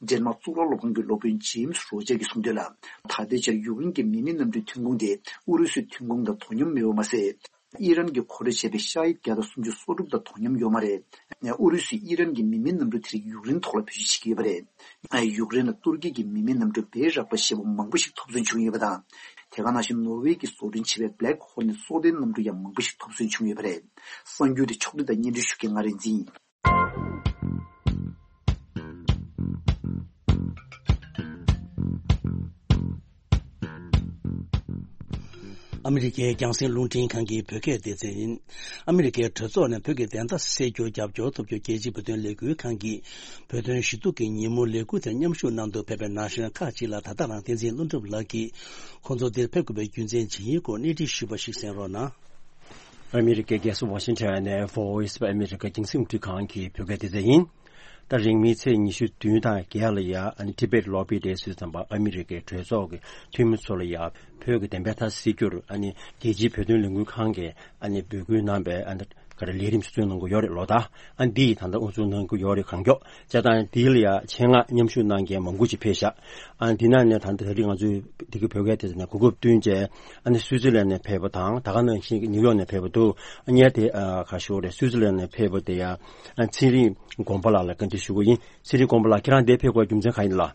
ཌེན་མཱག་གཙུག་ལག་སློབ་ཁང་གི་སློབ་དཔོན་ཇེམ་སི་རོ་ཇར་གྱིས་གསུངས་དོན་ལ། ད་ལྟའི་ཆར་ཡུཀ་རེན་གྱི་མི་མེད་གནམ་གྲུའི་ཐོན་ཁུངས་དེ་ཨུ་རུ་སུའི་ཐོན་ཁུངས་དང་དོ་མཉམ་མེད་པ་མ་ཟད། ཨི་རན་གྱིས་མཁོ་སྤྲོད་བྱས་པའི་ཤ་ཧིད་བརྒྱ་དང་སུམ་ཅུ་སོ་དྲུག་དང་དོ་མཉམ་ཡོད་མ་རེད། ཨུ་རུ་སུས་ཨི་རན་གྱི་མི་མེད་གནམ་གྲུ་དེ་རིགས་ཡུཀ་རེན་ཐོག་ལ་བེད་སྤྱོད་བྱེད་ཀྱི་ཡོད་པ་རེད། ཡུཀ་རེན་ལ་ཏུར་ཀི་གི་མི་མེད་གནམ་གྲུ་བེ་རག་པ་ཞེས་པ་མང་པོ་ཞིག་ཐོབ་ཚུལ་བྱུང་ཡོད་པ་དང་། དེ་ག་ནང་བཞིན་ནོར་ཝེ་གིས་བཟོ་སྐྲུན་བྱས་པའི་Black Hornet་སྲོག་ལྡན་གནམ་གྲུ་ཡང་མང་པོ་ཞིག་ཐོབ་ཚུལ་བྱུང་ཡོད་པ་རེད། གསར་འགྱུར་དེ་ཕྱོགས་སྒྲིག་དང་སྙན་སྒྲོན་ཞུ་མཁན་ང་རིག་འཛིན་ཡིན། ཨ་མི་རི་ཀའི་རྒྱང་སྲིང་རླུང་འཕྲིན་ཁང་གི་བོད་སྐད་སྡེ་ཚན་ཡིན། ཨ་མི་རི་ཀའི་གྲོས་ཚོགས་ནས་བོད་ཀྱི་བདེན་མཐའ་གསལ་རྒྱུར་རྒྱབ་སྐྱོར་ཐོབ་རྒྱུར་རྒྱལ་སྤྱིའི་བོད་དོན་ལས་འགུལ་ཁང་གིས་བོད་དོན་ཞུ་གཏུག་གི་ཉིན་མོ་ལས་འགུལ་དེར་མཉམ་ཞུགས་གནང་དུ་ཕེབས་པའི་ན་གཞོན་ཁག་ཅིག་ལ་ད་ལྟ་རང་བསྟན་འཛིན་ཀླུ་སྒྲུབ་ལགས་ཀྱིས་ཁོང་ཚོ་འདིར་ཕེབས་དགོས་པའི་རྒྱུ་མཚན་ཇི་ཡིན་སྐོར་གནས་འདྲི་ཞུས་པ་ཞིག་གསན་རོགས་གནང་། ཨ་མི་རི་ཀའི་རྒྱལ་ས་ཝ་ཤིང་ཊོན་ནས་Voice of America་རྒྱང་སྲིང་རླུང་འཕྲིན་ཁང་གི་བོད་སྐད་སྡེ་ཚན་ཡིན། ད་རིང་མིན་ཚེས་ཉི་ཤུ་བདུན་དང་བརྒྱད་ལ་ཡ་ཨ་ནི་ཊི་བེཊ་ལོ་བི་ཌེ་ཟེར་དུས་ཙམ་པ་ཨ་མི་རི་ཀའི་གྲོས་ཚོགས་ཀྱི་འཐུས་མི་ཚོ་ལ་ཡ་བོད་ཀྱི་བདེན་པའི་མཐའ་གསལ་རྒྱུར་ཨ་ནི་རྒྱལ་སྤྱིའི་བོད་དོན་ལས་འགུལ་ཁང་གིས་ཨ་ནི་འབོད་སྐུལ་གནང་བའི་ཨ་ནི་ག་རེ་ལས་རིམ་ཞིག་བཙུགས་གནང་གི་ཡོད་རེད་ལོ། ད་ཨ་འདི་ཡིས་ད་ལྟ་དབུ་འཛུགས་གནང་གི་ཡོད་རེད། གང་མགྱོགས་བྱས་ཙང་འདི་ལ་ཡ་ཆེད་མངགས་མཉམ་ཞུགས་གནང་མཁན་མང་པོ་ཞིག་ཕེབས་ཤག་ཨ་འདི་ནང་ནས་ད་ལྟ་ད་རིང་ང་ཚོའི་འདི་གི་བོད་སྐད་སྡེ་ཚན་ནས་གོ་སྐབས་བསྟུན་བྱས་ཨ་ནི་སུའི་ཙི་ལན་ནས་ཕེབས་པ་དང་ད་ག་ནང་བཞིན་ནིའུ་ཡོག་ནས་ཕེབས་པ་འདུག་ཨ་ངས་དེ་ཨ་ག་ཞུ་རེད། སུའི་ཙི་ལན་ནས་ཕེབས་པ་དེ་ཡ་ཨ་ཚེ་རིང་དགོངས་པ་ལགས་ལ་བཀའ་འདྲི་ཞུ་གི་ཡིན། ཚེ་རིང་དགོངས་པ་ལགས་ཁྱེད་རང་འདིར་ཕེབས་དགོས་རྒྱུ་མཚན་གང་ཡིན་ལགས།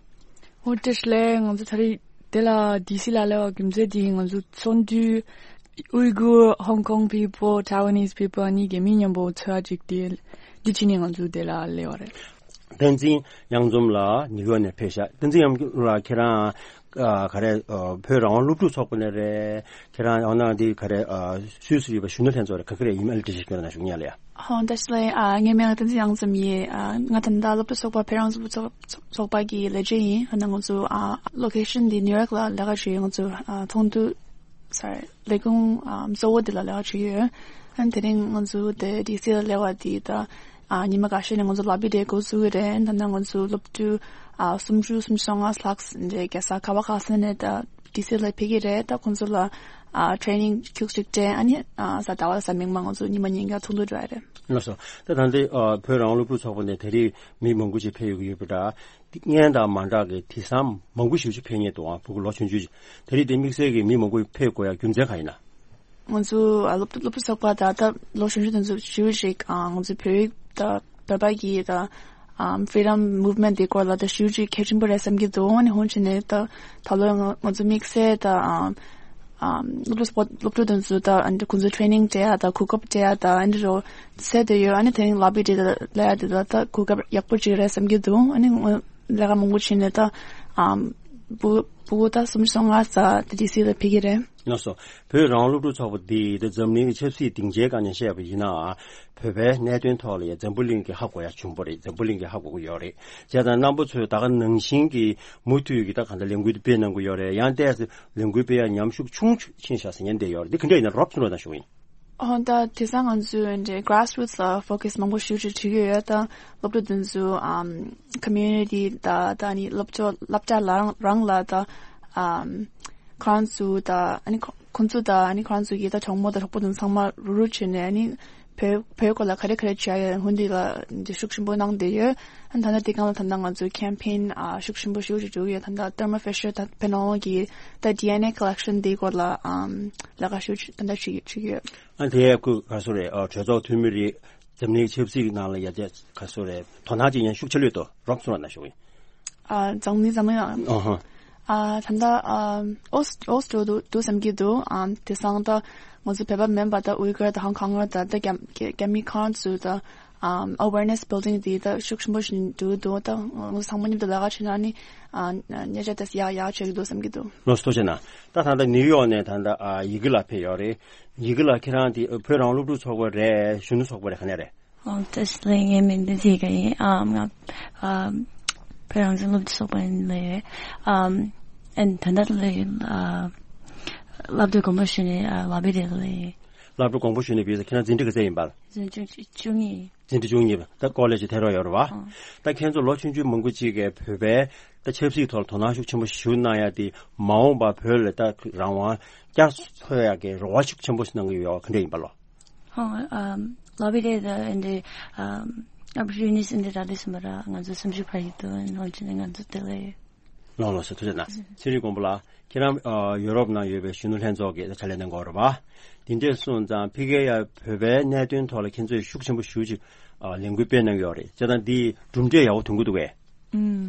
འོ་བཀྲ་ཤིས་བདེ་ལེགས། ང་ཚོ་ད་རེས་འདི་ལ་ཌི་སི་ལ་སླེབས་པའི་རྒྱུ་མཚན་དེ་ང་ཚོ་ཚོགས་འདུ་Uyghur Hong Kong people Taiwanese people གཉིས་ཀྱི་མི་མཉམ་པོ་ཚོགས་ཡ་ཅིག་དེ་འདི་བྱས་ནས་ང་ཚོ་འདི་ལ་སླེབས་པ་རེད། བསྟན་འཛིན་གཡང་འཛོམས་ལགས་ནིའུ་ཡོག་ནས་ཕེབས་ཤག་བསྟན་འཛིན་གཡང་འཛོམས་ལགས་ཁྱེད་རང་ཨ་ག་རེ་ཨ་བོད་རང་དབང་སློབ་ཕྲུག་ཚོགས་པ་ནས་རེད། ཁྱེད་རང་ཡང་ན་འདི་ག་རེ་ཨ་སུད་སི་ཡོད་པ་གཞོན་ནུ་ལྷན་ཚོགས་རེད། ག་གི་རེད། ཡིན་ཨ་ལི་ཏི་ཞིག་ཁྱོད་རང་ཞུ་ཉན་ལ་ཡ། ཧོ་བཀྲ་ཤིས་བདེ་ལེགས། ཨ་ངའི་མིང་ལ་བསྟན་འཛིན་གཡང་འཛོམས་ཡིན། ཨ་ང་ད་ལྟ་སློབ་ཕྲུག་ཚོགས་པ་བོད་རང་དབང་སློབ་ཕྲུག་ཚོགས་ཚོགས་པ་གི་ལས་བྱེད་ཡིན། ཨ་ན་ང་ཚོ་ཨ་ལོ་ཀེ་ཤན་འདི་ནིའུ་ཡོག་ལ་ལས་ཀ་བྱེད་ཡོད། ང་ཚོ་ཨ་ཚོགས་འདུ་སོ་རི་ལས་ཁུངས་ཨ་གཙོ་བོ་འདི་ལ་ལས་ཀ་བྱེད་ཡོད། ཨ་དེ་རིང་ང་ཚོ་དེ་ཌི་སི་ལ་སླེབས་པ་འདི་ད་ཨ་ཉི་མ་འགའ་ཤས་ནས་ང་ཚོ་ལོ་བི་ཌེ་འགོ་བཙུགས་ཀྱི་རེད། ད་ནང་ང་ཚོ་སློབ་ཕྲུག་ཨ་སུམ་ཅུ་སུམ་ཅུ་སོ་ལྔ་ལྷག་འདྲ་རྒྱལ་ས་ག་བ་ག་ས་ནས་ད་ཌི་སི་ལ་ཕེབས་ཀྱི་རེད། ད་ཁོང་ཚོ་ལ་ཨ་ཊེ་རེ་ནིང་ཁྱུག་ཅིག་སྤྲད། ཨ་ནི་ཨ་གཟའ་ཟླ་བ་གཟའ་མིག་དམར་ང་ཚོ་ཉི་མ་ཉིན་འགའ་ཚོགས་འདུ་འགྲོ་ཡ་རེད། ལགས་སོ། ད་ད་འདི་ཨ་བོད་རང་དབང་སློབ་ཕྲུག་ཚོགས་པ་ནས་ད་རེས་མི་མང་པོ་ཞིག་ཕེབས་ཡོང་གི་ཡོད་པ་འདྲ། སྔོན་དང་མ་འདྲ་གི་དུས་མཚམས་མང་པོ་ཞིག་ཕེབས་མཁན་འདུག་ཨ་ཕྲུ་གུ་ལོ་ཆུང་ཆུང་ཞིག་ད་རེས་དེ་དམིགས་བསལ་གྱི་མི་མང་པོ་ཕེབས་དགོས་ཡ་རྒྱུ་མཚན་གང་ཡིན་ན། ང་ཚོ་ཨ་སློབ་སློབ་ཕྲུག་ཚོགས་པ་ད་ལྟ་ལོ་གཞོན་ཤོས་དེ་ཚོ་ཞེ་པོ་ཅིག་ཨ་ང་ཚོའི་བོད་རིགས་དང་བོད་པ་གི་ད་ཨ་Freedom Movement་དེ་སྐོར་ལ་ད་ཞེ་པོ་ཅིག་གལ་ཆེན་པོ་རེད་བསམ་གྱི་འདུག་ཨ་ནི་འོན་ཀྱང་ནས་ད་ད་ལོ་ང་ང་ཚོ་དམིགས་བསལ་ད་ཨ་ ཨམ་སློབ་ཕྲུག་སློབ་ཕྲུག་དེ་ཚོ་ད་ཨ་ནི་ཁོང་ཚོ་ཊི་རེ་ནིང་སྤྲད་ཡ་ད་གོ་སྐབས་སྤྲད་ཡ་ད་ཨ་ནི་རོ་སེ་དེ་ཡོད། ཨ་ནི་དེ་རིང་ལ་བི་དེ་ལ་ཡ་དེ་ད་ད་གོ་སྐབས་ཡག་པོ་ཅིག་རེད་བསམ་གྱི་འདུག་ཨ་ནི་ངོ་ལས་ཀ་མང་པོ་བྱས་ནས་ད་ཨམ་ཕྲུ་གུ་ཕྲུ་གུ་ད་སུམ་ཅུ་སོ་ལྔ་ཙམ་ད་ཌི་སི་ལ་ཕེབས་ཀྱི་རེད། ལགས་སོ། བོད་རང་དབང་སློབ་ཕྲུག་ཚོགས་པ་འདིས་ད་འཛམ་གླིང་གི་ཆབ་སྲིད་སྡིངས་ཆའི་སྒང་ནས་བཤད་པ་ཡིན་ན། བོད་པའི་གནད་དོན་ཐོག་ལ་ཡང་འཛམ་བུ་གླིང་གིས་ཧ་གོ་ཡ་བྱུང་པ་རེད། འཛམ་བུ་གླིང་གིས་ཧ་གོ་གི་ཡོད་རེད། བྱས་ཙང་རྣམ་པ་ཚོས་ད་ག་ནང་བཞིན་གྱི་མུ་མཐུད་ཀྱི་ད་གང་ལྟར་ལས་འགུལ་དེ་སྤེལ་གནང་གི་ཡོད་རེད། ཡང་ཏོག་ཙམ་ལས་འགུལ་སྤེལ་ཡ་ཉམས་ཤུགས་ཆུང་ཆུང་ཕྱིན་ཤག་ཟེར་མཁན་དེ་ཡོད་རེད། འདི་ག་འདྲ་ཡིན་ན་རོབ་ཚུར་ལ་ད་ཞུ་ཡིན། ཨོ་ད་དེང་སང་ང་ཚོས་འདྲ་grassroots་ལ་focus་མང་པོ་ཞེ་པོ་ཅིག་བྱེད་ཀྱི་ཡོད། ད་སློབ་ཕྲུག་དེ་ཚོ་ཨམ་community་ད་ད་ནི་སློབ་གྲྭ་སློབ་གྲྭ་ལ་རང་རང་ལ་ད་ཨམ་ཁོ་རང་ཚོ་ད་ཨ་ནི་ཁོ་ཁོང་ཚོ་ད་ཨ་ནི་ཁོ་རང་ཚོ་གི་ད་གྲོགས་མོ་དང་གྲོགས་པོ་དང་ཚང་མ་རུ་རུ་བྱས་ནས་ཨ་ནི་བོད་བོད་སྐོར་ལ་ག་རེ་ག་རེ་བྱས་ཡོད་ཧུན་དི་ལ་འདི་ཤུགས་ཆེན་པོ་གནང་བསྡད་ཡོད། ཨ་ནི་ད་ལྟ་དེ་སྒང་ལ་ད་ལྟ་ང་ཚོ་campaign་ཨ་ཤུགས་ཆེན་པོ་ཞེ་པོ་ཅིག་འགྲོ་གི་ཡོད། ད་ལྟ་Thermo Fisher་ད་ཕེ་ནོ་གི་ད་ཌི་ཨེན་ཨེ་collection་དེའི་སྐོར་ལ་ཨམ་ལས་ཀ་ཞེ་པོ་ཅིག་ད་ལྟ་བྱེད་ཀྱི་བྱེད་ཀྱི་ཡོད། ཨ་དེ་ཡ་ཁུ་ག་སོ་རེད། ཨ་གྲོས་ཚོགས་འཐུས་མི་རེད། འཛམ་གླིང་ཆབ་སྲིད་ནང་ལ་ཡ་དེ་ག་སོ་རེད། དོ་སྣང་ཅིག་ཡང་ཤུགས་ཆེ་ལོས་དོ་རོབ་སོང་བ་ན་ཞུ་ཡིན། ཨ་འཛམ་གླིང་འཛམ་གླིང་ཨ་ཧ། ཨ་ད་ལྟ་ཨ་ཨོ་ཨོ་སི་ཏྲེ་ལི་ཡ་འདུག་འདུག་བསམ་གྱི་འདུག་ཨ་དེང་སང་ད་ང་ཚོ་བོད་པ་མིན་པ་ད་ཝི་གར་ད་ཧོང་ཀོང་ད་ད་རྒྱ་རྒྱ་མི་ཁོང་ཚོ་ད་ཨམ་awareness building་དེ་ད་ཤུགས་ཆེན་པོ་ཞིག་འགྲོ་གི་འདུག་ད་ང་ཚོ་ཚང་མ་མཉམ་དུ་ལས་ཀ་བྱས་ན་ནི་ཨ་ཉེ་ཆར་ད་ཡག་ཡག་བྱེད་ཀྱི་འདུག་བསམ་གྱི་འདུག་ལགས་སོ་ཐུགས་རྗེ་གནང་། ད་ད་ལྟ་ནིའུ་ཡོག་ནས་ད་ལྟ་ཨ་ཡི་གེ་ལགས་ཕེབས་ཡོད་རེད། ཡི་གེ་ལགས་ཁྱེད་རང་དེ་བོད་རང་དབང་སློབ་ཕྲུག་ཚོགས་པ་རེད། གཞོན་ནུ་ཚོགས་པ་རེད། ག་ནས་རེད། ཨོ་ད་ལན་ངའི་མིང་འདི་ཡི་གེ་ཡིན། ཨ་ང་ཨ་བོད་རང་བཙན་སློབ་ཕྲུག་ཚོགས་པ་ཡིན་ལས། ཨ་ཨན་ད་ལྟ་ལས་ཨ་བསླབ་དེབ་དགོངས་པ་ཞུས་ནས་ཨ་ལ་བི་རེད་ལས། བསླབ་དེབ་དགོངས་པ་ཞུས་ནས་བི་ཟེར་ཁྱེད་རང་འཛིན་གྲྭ་ག་ཚད་ཡིན་པ། འཛིན་གྲྭ་བཅུ་གཉིས། འཛིན་གྲྭ་བཅུ་གཉིས་པ་ད་ཀོ་ལེ་ཇི་ཐད་རོགས་ཡོད་རེད་བ། ཨ་ད་ཁྱེད་ཚོ་ལོ་ཆུང་ཆུང་མང་པོ་ཅིག་གིས་བོད་པའི་ད་ཆབ་སྲིད་ཐོག་ལ་དོ་སྣང་ཤུགས་ཆེན་པོ་ཞིག་གནང་ཡ་དེ་མ་འོངས་པ་བོད་ལ་ད་རང་དབང་བསྐྱར་གསོ་ཡ་གི་རེ་བ་ཤུགས་ཆེན་པོ་ཞིག་གནང་གི་ཡོད་པ་ག་འདྲ་ཡིན་པ་ལོ། ཧོ་ཨམ་ལ་བི་རེད་ད་ཨེ་འདྲ་ཨམ་opportunities་ཨེ་འདྲ་རག་དུས་སུ་མ་ར་ང་ཚོ་སུམ་ཅུ་ཕར་ཡིན་དུ་ནོར་གྱི་ནས་ང་ཚོ་དེ་ལས། ལགས་ལགས་སོ་ཐུགས་རྗེ་གནང་། ཚེ་རིང་མགོན་པོ་ལགས་ཁྱེད་རང་ཨ་ཡུ་རོབ་ནང་ཡོད་པའི་གཞོན་ནུ་ལྷན་ཚོགས་ཀྱི་ཕྱག་ལས་གནང་གི་ཡོད་རེད་བ། དེ་འདྲས་སོང་ཙང་ཕ་གིར་ཡ་བོད་པའི་གནད་དོན་ཐོག་ལ་ཁྱེད་ཚོས་ཤུགས་ཆེན་པོ་ཞེ་པོ་ཅིག་ཨ་ལས་འགུལ་སྤེལ་གནང་གི་ཡོད་རེད། བྱས་ཙང་འདི་གྲུབ་འབྲས་ཡག་པོ་ཐོན་གྱི་འདུག་གས། ཨུམ།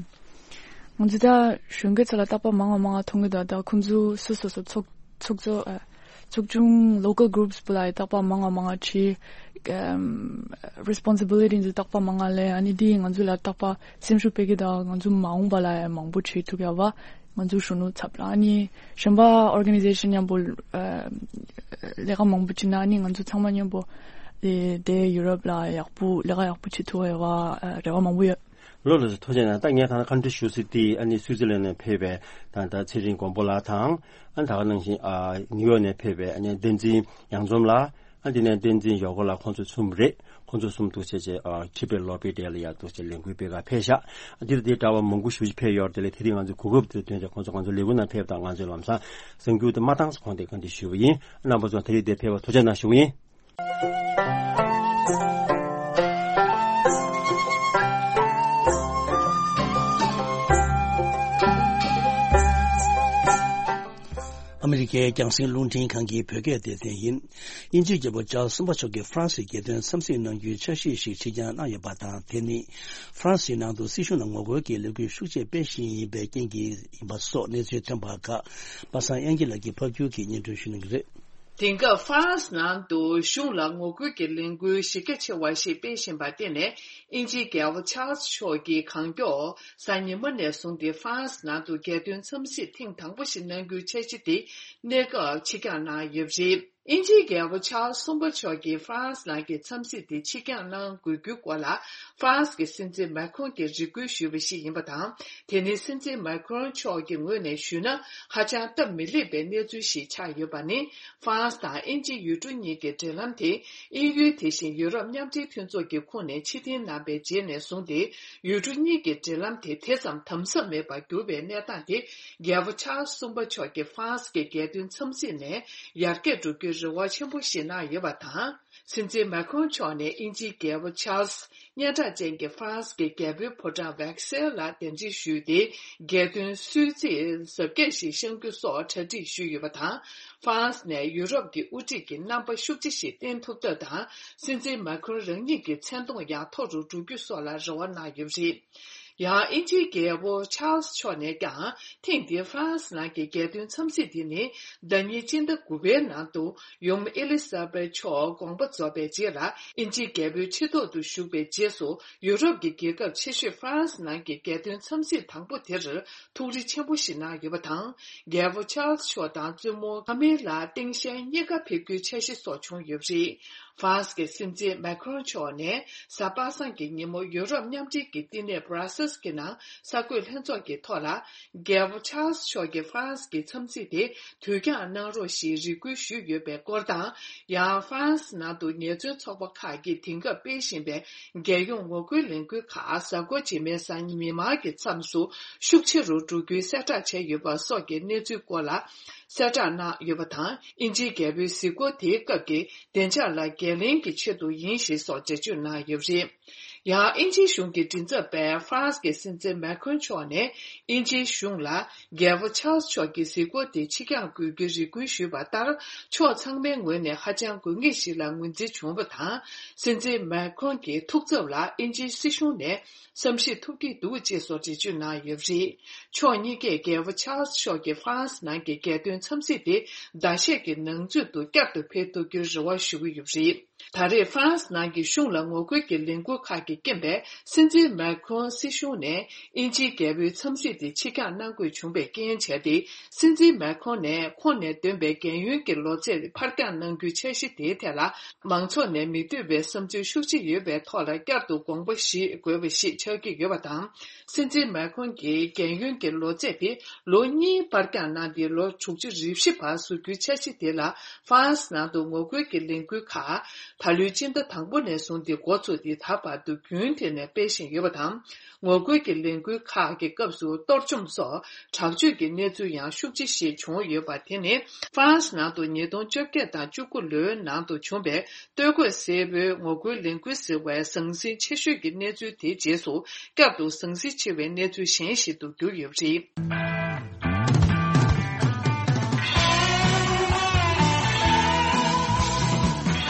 ང་ཚོ་ད་གཞོན་སྐྱེས་ཚོ་ལ་རྟག་པར་མང་བ་མང་བ་མཐོང་གི་འདུག་ད་ཁོང་ཚོ་སོ་སོ་སོ་ཚོགས་ཚོགས་གཙོ་ཨ་ཚོགས་ཆུང་local groups་པོ་ལ་རྟག་པར་མང་བ་མང་བ་བྱས། ཨམ་responsibility་ཚོ་རྟག་པར་མང་བ་ལས། ཨ་ནི་འདི་ང་ཚོ་ལ་རྟག་པར་སེམས་ཤུགས་སྤེལ་གི་འདུག་ང་ཚོ་མ་འོངས་པ་ལ་ཡང་མང་པོ་བྱེད་ཐུབ་ཡ་བ་ང་ཚོ་གཞོན་ནུ་ཚབ་ལ། ཨ་ནི་གཞན་པ་organization་མཉམ་པོ་ཨ་ལས་ཀ་མང་པོ་བྱེད་ན་ཨ་ནི་ང་ཚོ་ཚང་མ་མཉམ་པོ་དེ་དེ་ཡུ་རོབ་ལ་ཡག་པོ་ལས་ཀ་ཡག་པོ་བྱེད་ཐུབ་ཡ་བ་ཨ་རེ་བ་མང་པོ་ཡོད། ལགས་ལགས་སོ་ཐུགས་རྗེ་གནང་། ད་ངས་ད་ལྟ་བཀའ་འདྲི་ཞུ་ས་དེ་ཨ་ནི་སུའི་ཙི་ལན་ནས་ཕེབས་པའི་ད་ལྟ་ཚེ་རིང་མགོན་པོ་ལགས་དང་། ཨ་ནི་ད་ག་ནང་བཞིན་ཨ་ནིའུ་ཡོག་ནས་ཕེབས་པའི་ཨ་ནི་བསྟན་འཛིན་གཡང་འཛོམས་ལགས། ཨ་དེ་ནས་བསྟན་འཛིན་ཡོ་གོ་ལགས། ཁོང་ཚོ་གསུམ་རེད། ཁོང་ཚོ་གསུམ་འདུག་བྱས་བྱས་ཨ་ཁྲི་པའི་ལོ་པི་ཏེ་ལ་ཡ་འདུག་བྱས་ལས་འགུལ་སྤེལ་ག་ཕེབས་ཤག་འདིར་འདི་འདྲ་བ་མང་པོ་ཞེ་པོ་ཅིག་ཕེབས་ཡོད་རེད། དེ་ལས་དེ་རིང་ང་ཚོས་གོ་སྐབས་དེ་ཐོན་བྱས་ཁོང་ཚོ་ང་ཚོའི་ལས་འགུལ་ནང་ཕེབས་དང་། ང་ཚོས་ལམ་སང་གསར་འགྱུར་དེ་མ་བཏང་ས་གོང་དེ་བཀའ་འདྲི་ཞུས་པ་ཡིན། རྣམ་པ་ཚོ་དེ་རིང་འདིར་ཕེབས་པར་ཐུགས་རྗེ་གནང་ཞུ་གི་ཡིན། ཨ་མི་རི་ཀའི་རྒྱང་སྲིང་རླུང་འཕྲིན་ཁང་གི་བོད་སྐད་སྡེ་ཚན་ཡིན། དབྱིན་ཇིའི་རྒྱལ་པོ་ཅཱལ་གསུམ་པ་མཆོག་གིས་ཧྥ་རན་སིའི་རྒྱལ་དོན་འཚམས་གཟིགས་གནང་རྒྱུའི་འཆར་གཞི་ཞིག་ཕྱིར་འགྱངས་གནང་ཡོད་པ་དང་། དེ་ནི་ཧྥ་རན་སིའི་ནང་དུ་སྲིད་གཞུང་ལ་ངོ་རྒོལ་གྱི་ལས་འགུལ་ཤུགས་ཆེ་སྤེལ་བཞིན་ཡིན་པའི་རྐྱེན་གྱིས་ཡིན་པ་སོགས་གནས་ཚུལ་ཐོན་པ་ཁག་པ་སངས་དབྱངས་སྐྱིད་ལགས་ཀྱིས་ཕབ་སྒྱུར་གྱིས་སྙན་སྒྲོན་ཞུ་གནང་གི་རེད། དེང་སྐབས་ཧྥ་རན་སི་ནང་དུ་གཞུང་ལ་ངོ་རྒོལ་གྱི་ལས་འགུལ་གཞི་རྒྱ་ཆེ་བ་ཞིག་སྤེལ་བཞིན་པར་བརྟེན་ནས། དབྱིན་ཇིའི་རྒྱལ་པོ་ཆཱལ་སི་མཆོག་གིས་གང་མགྱོགས་གཟའ་ཉི་མ་ནས་བཟུང་སྟེ་ཧྥ་རན་སི་ནང་དུ་རྒྱལ་དོན་འཚམས་གཟིགས་ཐེངས་དང་པོ་ཞིག་གནང་རྒྱུའི་འཆར་གཞི་དེ་གནས་སྐབས་ཕྱིར་འགྱངས་གནང་ཡོད་པ་རེད། དབྱིན་ཇིའི་རྒྱལ་པོ་ཆཱལ་སི་གསུམ་པ་མཆོག་གིས་ཧྥ་རན་སི་ནང་གི་འཚམས་གཟིགས་དེ་ཕྱིར་འགྱངས་གནང་དགོས་རྒྱུའི་སྐོར་ལ། ཧྥ་རན་སི་གི་སྲིད་འཛིན་མཱ་ཁྲོན་གྱིས་རེ་སྐུལ་ཞུས་པ་ཞིག་ཡིན་པ་དང་། དེ་ནི་སྲིད་འཛིན་མཱ་ཁྲོན་མཆོག་གི་ངོས་ནས་ཞུས་ན་ཧ་ཅང་སྟབས་མི་ལེགས་པའི་གནས་ཚུལ་ཞིག་ཆགས་ཡོད་པ་ནི། ཧྥ་རན་སི་དང་དབྱིན་ཇི་ཡུལ་གྲུ་གཉིས་ཀྱི་འབྲེལ་ལམ་དེ་དབྱིན་ཡུལ་དེ་བཞིན་ཡུ་རོབ་མཉམ་འབྲེལ་མཐུན་ཚོགས་ཀྱི་ཁོངས་ནས་ཕྱིར་འཐེན་གནང་པའི་རྗེས་ནས་བཟུང་སྟེ། ཡུལ་གྲུ་གཉིས་ཀྱི་འབྲེལ་ལམ་དེ་དེ་ཙམ་དམ་ཟབ་མེད་པར་གྱུར་པའི་གནས་སྟངས་དེ། རྒྱལ་པོ་ཆཱལ་སི་གསུམ་པ་མཆོག་གིས་ཧྥ་རན་སི་གི་རྒྱལ་དོན་འཚམས་གཟིགས་ནས་ཡར་རྒྱས་འགྲོ་རྒྱུའི་རེ་བ་ཆེན་པོ་ཞིག་གནང་ཡོད་པ་དང་། སྲིད་འཛིན་མཱ་ཁྲོན་མཆོག་ནས་དབྱིན་ཇིའི་རྒྱལ་པོ་ཆཱལ་སི། སྙན་གྲགས་ཅན་གྱི་ཧྥ་རན་སི་གི་རྒྱལ་པོའི་ཕོ་བྲང་ཝེག་སེལ་ལ་གདན་འདྲེན་ཞུས་ཏེ། རྒྱལ་དོན་གསོལ་ཚིགས་གཟབ་རྒྱས་ཤིག་བཤམས་རྒྱུ་སོགས་གྲ་སྒྲིག་ཞུས་ཡོད་པ་དང་། ཧྥ་རན་སི་ནས་ཡུ་རོབ་ཀྱི་དབུ་ཁྲིད་ཀྱི་རྣམ་པ་ཤུགས་ཆེ་ཞིག་བསྟན་ཐུབ་ཐབས་དང་། སྲིད་འཛིན་མཱ་ཁྲོན་རང་ཉིད་ཀྱི་མཚན་མཐོང་ཡང་མཐོ་རུ་འགྲོ་རྒྱུ་སོགས་ལ་རེ་བ་གནང་ཡོད་པ་རེད། ཡང་དབྱིན་ཇིའི་རྒྱལ་པོ་ཆཱལ་སི་མཆོག་ནས་ཀྱང་ཐེངས་འདིའི་ཧྥ་རན་སི་ནང་གི་རྒྱལ་སྟོན་འཚམས་གཟིགས་དེ་ནི་ཟླ་ཉིན་སྤྱི་ཟླ་དགུ་པའི་ནང་དུ་ཡུམ་ཨེ་ལི་ས་བེད་མཆོག་དགོངས་པ་རྫོགས་པའི་རྗེས་ལ་དབྱིན་ཇིའི་རྒྱལ་པོའི་ཁྲི་ཐོག་ཏུ་བཞུགས་པའི་རྗེས་སུ་ཡུ་རོབ་ཀྱི་རྒྱལ་ཁབ་ཆེ་ཤོས་ཧྥ་རན་སི་ནང་གི་རྒྱལ་སྟོན་འཚམས་གཟིགས་དང་པོ་དེར་ཐུགས་རེ་ཆེན་པོ་ཞིག་གནང་ཡོད་པ་དང་། རྒྱལ་པོ་ཆཱལ་སི་མཆོག་དང་བཙུན་མོ་ཁ་མི་ལ་སྟངས་དཔྱལ་གཉིས་ཀ་ཕེབས་རྒྱུའི་འཆར་གཞི་སོགས་བྱུང་ཡོད་པ་རེད། ཧྥ་རན་སི་གི་སྲིད་འཛིན་མེ་ཁ་རོན་མཆོག་ནས་གཟའ་པ་སངས་ཀྱི་ཉིན་མོ་ཡུ་རོབ་མཉམ་འབྲེལ་གྱི་བསྟི་གནས་བྷ་ར་སེལ་སི་གི་ནང་གསར་འགོད་ལྷན་ཚོགས་ཀྱི་ཐོག་ལ། རྒྱལ་པོ་ཆཱལ་སི་མཆོག་གིས་ཧྥ་རན་སི་གི་འཚམས་གཟིགས་དེ་དུས་འགྱངས་གནང་རོགས་ཞེས་རེ་སྐུལ་ཞུས་ཡོད་པའི་སྐོར་དང་། ཡང་ཧྥ་རན་སི་ནང་དུ་ཉེས་ཚབས་ཚོགས་པ་ཁག་གིས་དེང་སྐབས་སྤེལ་བཞིན་པའི་རྒྱལ་ཡོངས་ངོ་རྒོལ་ལས་འགུལ་ཁག་གཟའ་འཁོར་རྗེས་མའི་གཟའ་ཉི་མ་གི་མཚམས་སུ་ཤུགས་ཆེ་རུ་འགྲོ་རྒྱུའི་གསལ་བསྒྲགས་བྱས་ཡོད་པ་སོགས་ཀྱི་གནས་ཚུལ་སྐོར་ལ་གསལ་བསྒྲགས་གནང་ཡོད་པ་དང་། དབྱིན་ཇིའི་རྒྱལ་པོའི་གཟིགས་སྐོར་དེའི་སྐབས་ཀྱི་བདེ་འཇགས་ལ་འགན་ལེན་གྱི་ཆེད་དུ་ཡིན་ཞེས་སོགས་འགྲེལ་བརྗོད་གནང་ཡོད་པ་རེད། ཡང་དབྱིན་ཇིའི་གཞུང་གི་མགྲིན་ཚབ་པས་ཧྥ་རན་སི་གི་སྲིད་འཛིན་མེ་ཁོན་མཆོག་ནས་དབྱིན་ཇིའི་གཞུང་ལ་རྒྱལ་པོ་ཆཱལ་སི་མཆོག་གི་གཟིགས་སྐོར་དེ་ཕྱིར་འགྱངས་དགོས་རྒྱུའི་རེ་སྐུལ་ཞུས་པ་ལྟར། ཕྱོགས་ཚང་མའི་ངོས་ནས་ཧ་ཅང་དགོས་ངེས་ཤིག་ལ་ངོས་འཛིན་བྱུང་བ་དང་། སྲིད་འཛིན་མེ་ཁོན་གྱི་ཐུགས་འཚབ་ལ་དབྱིན་ཇིའི་སྲིད་གཞུང་ནས་བསམ་ཤེས་ཐུབ་ཀྱི་འདུག་ཅེས་སོགས་འགྲེལ་བརྗོད་གནང་ཡོད་པ་རེད། ཕྱོགས་གཉིས་ཀས་རྒྱལ་པོ་ཆཱལ་སི་མཆོག་གིས་ཧྥ་རན་སི་ནང་གི་རྒྱལ་སྟོན་འཚམས་གཟིགས་དེ་ཟླ་ཤས་ཀྱི་ནང་ཚུད་དུ་བསྐྱར་དུ་འཕེལ་ཐུབ་རྒྱུའི་རེ་བ་ཞུ་གི་ཡོད་པ་རེད། ད་རེས་ཧྥ་རན་སི་ནང་གི་གཞུང་ལ་ངོ་རྒོལ་གྱི་ལས་འགུལ་ཁག་གི་རྐྱེན་པས། སྲིད་འཛིན་མེ་ཁོན་སྲིད་གཞུང་ནས་དབྱིན་ཇིའི་རྒྱལ་པོའི་འཚམས་གཟིགས་དེ་ཕྱིར་འགྱངས་གནང་དགོས་བྱུང་བའི་རྐྱེན་བྱས་ཏེ། སྲིད་འཛིན་མེ་ཁོན་ནས་ཁོང་ནས་འདོན་པའི་རྒན་ཡོལ་གྱི་ལོ་ཚད་ཕར་འགྱངས་གནང་རྒྱུའི་འཆར་གཞི་དེའི་ཐད་ལ། མང་ཚོགས་ནས་མི་འདོད་པའི་བསམ་ཚུལ་ཤུགས་ཆེ་ཡོད་པའི་ཐོག་ལ། བསྐྱར་དུ་དགོངས་པ་བཞེས་དགོས་པ་ཞིག་ཆགས་ཀྱི་ཡོད་པ་དང་། སྲིད་འཛིན་མེ་ཁོན་གྱི་རྒན་ཡོལ་གྱི་ལོ་ཚད་དེ་ལོ་གཉིས་ཕར་འགྱངས་གནང་སྟེ། ལོ་དྲུག་ཅུ་རེ་བཞི་བར་བཟོ་རྒྱུའི་འཆར་གཞི་དེ་ལ། ཧྥ་རན་སི་ནང་དུ་ངོ་རྒོལ་གྱི་ལས་འགུལ་ཁག་ད་ལོའི་སྤྱི་ཟླ་དང་པོ་ནས་བཟུང་སྟེ་འགོ་ཚུགས་ཏེ། ད་བར་དུ་རྒྱུན་མཐུད་ནས་སྤེལ་བཞིན་ཡོད་པ་དང་། ངོ་རྒོལ་གྱི་ལས་འགུལ་ཁག་གི་སྐབས་སུ་གཏོར་བཅོམ་སོགས་དྲག་སྤྱོད་ཀྱི་གནས་ཚུལ་ཡང་ཤུགས་ཆེ་ཞིག་བྱུང་ཡོད་པ། དེ་ནི་ཧྥ་རན་སི་ནང་དུ་ཉིས་སྟོང་བཅོ་བརྒྱད་དང་བཅུ་དགུ་ལོའི་ནང་དུ་བྱུང་བའི་སྟོད་གོས་སེར་པོའི་ངོ་རྒོལ་ལས་འགུལ་ཟེར་བའི་ཟང་ཟིང་ཆེ་ཤོས་ཀྱི་གནས་ཚུལ་དེའི་རྗེས་སུ། བསྐྱར་དུ་ཟང་ཟིང་ཆེ་བའི་གནས་ཚུལ་གཞན་ཞིག་ཏུ་གྱུར་ཡོད་པ་རེད།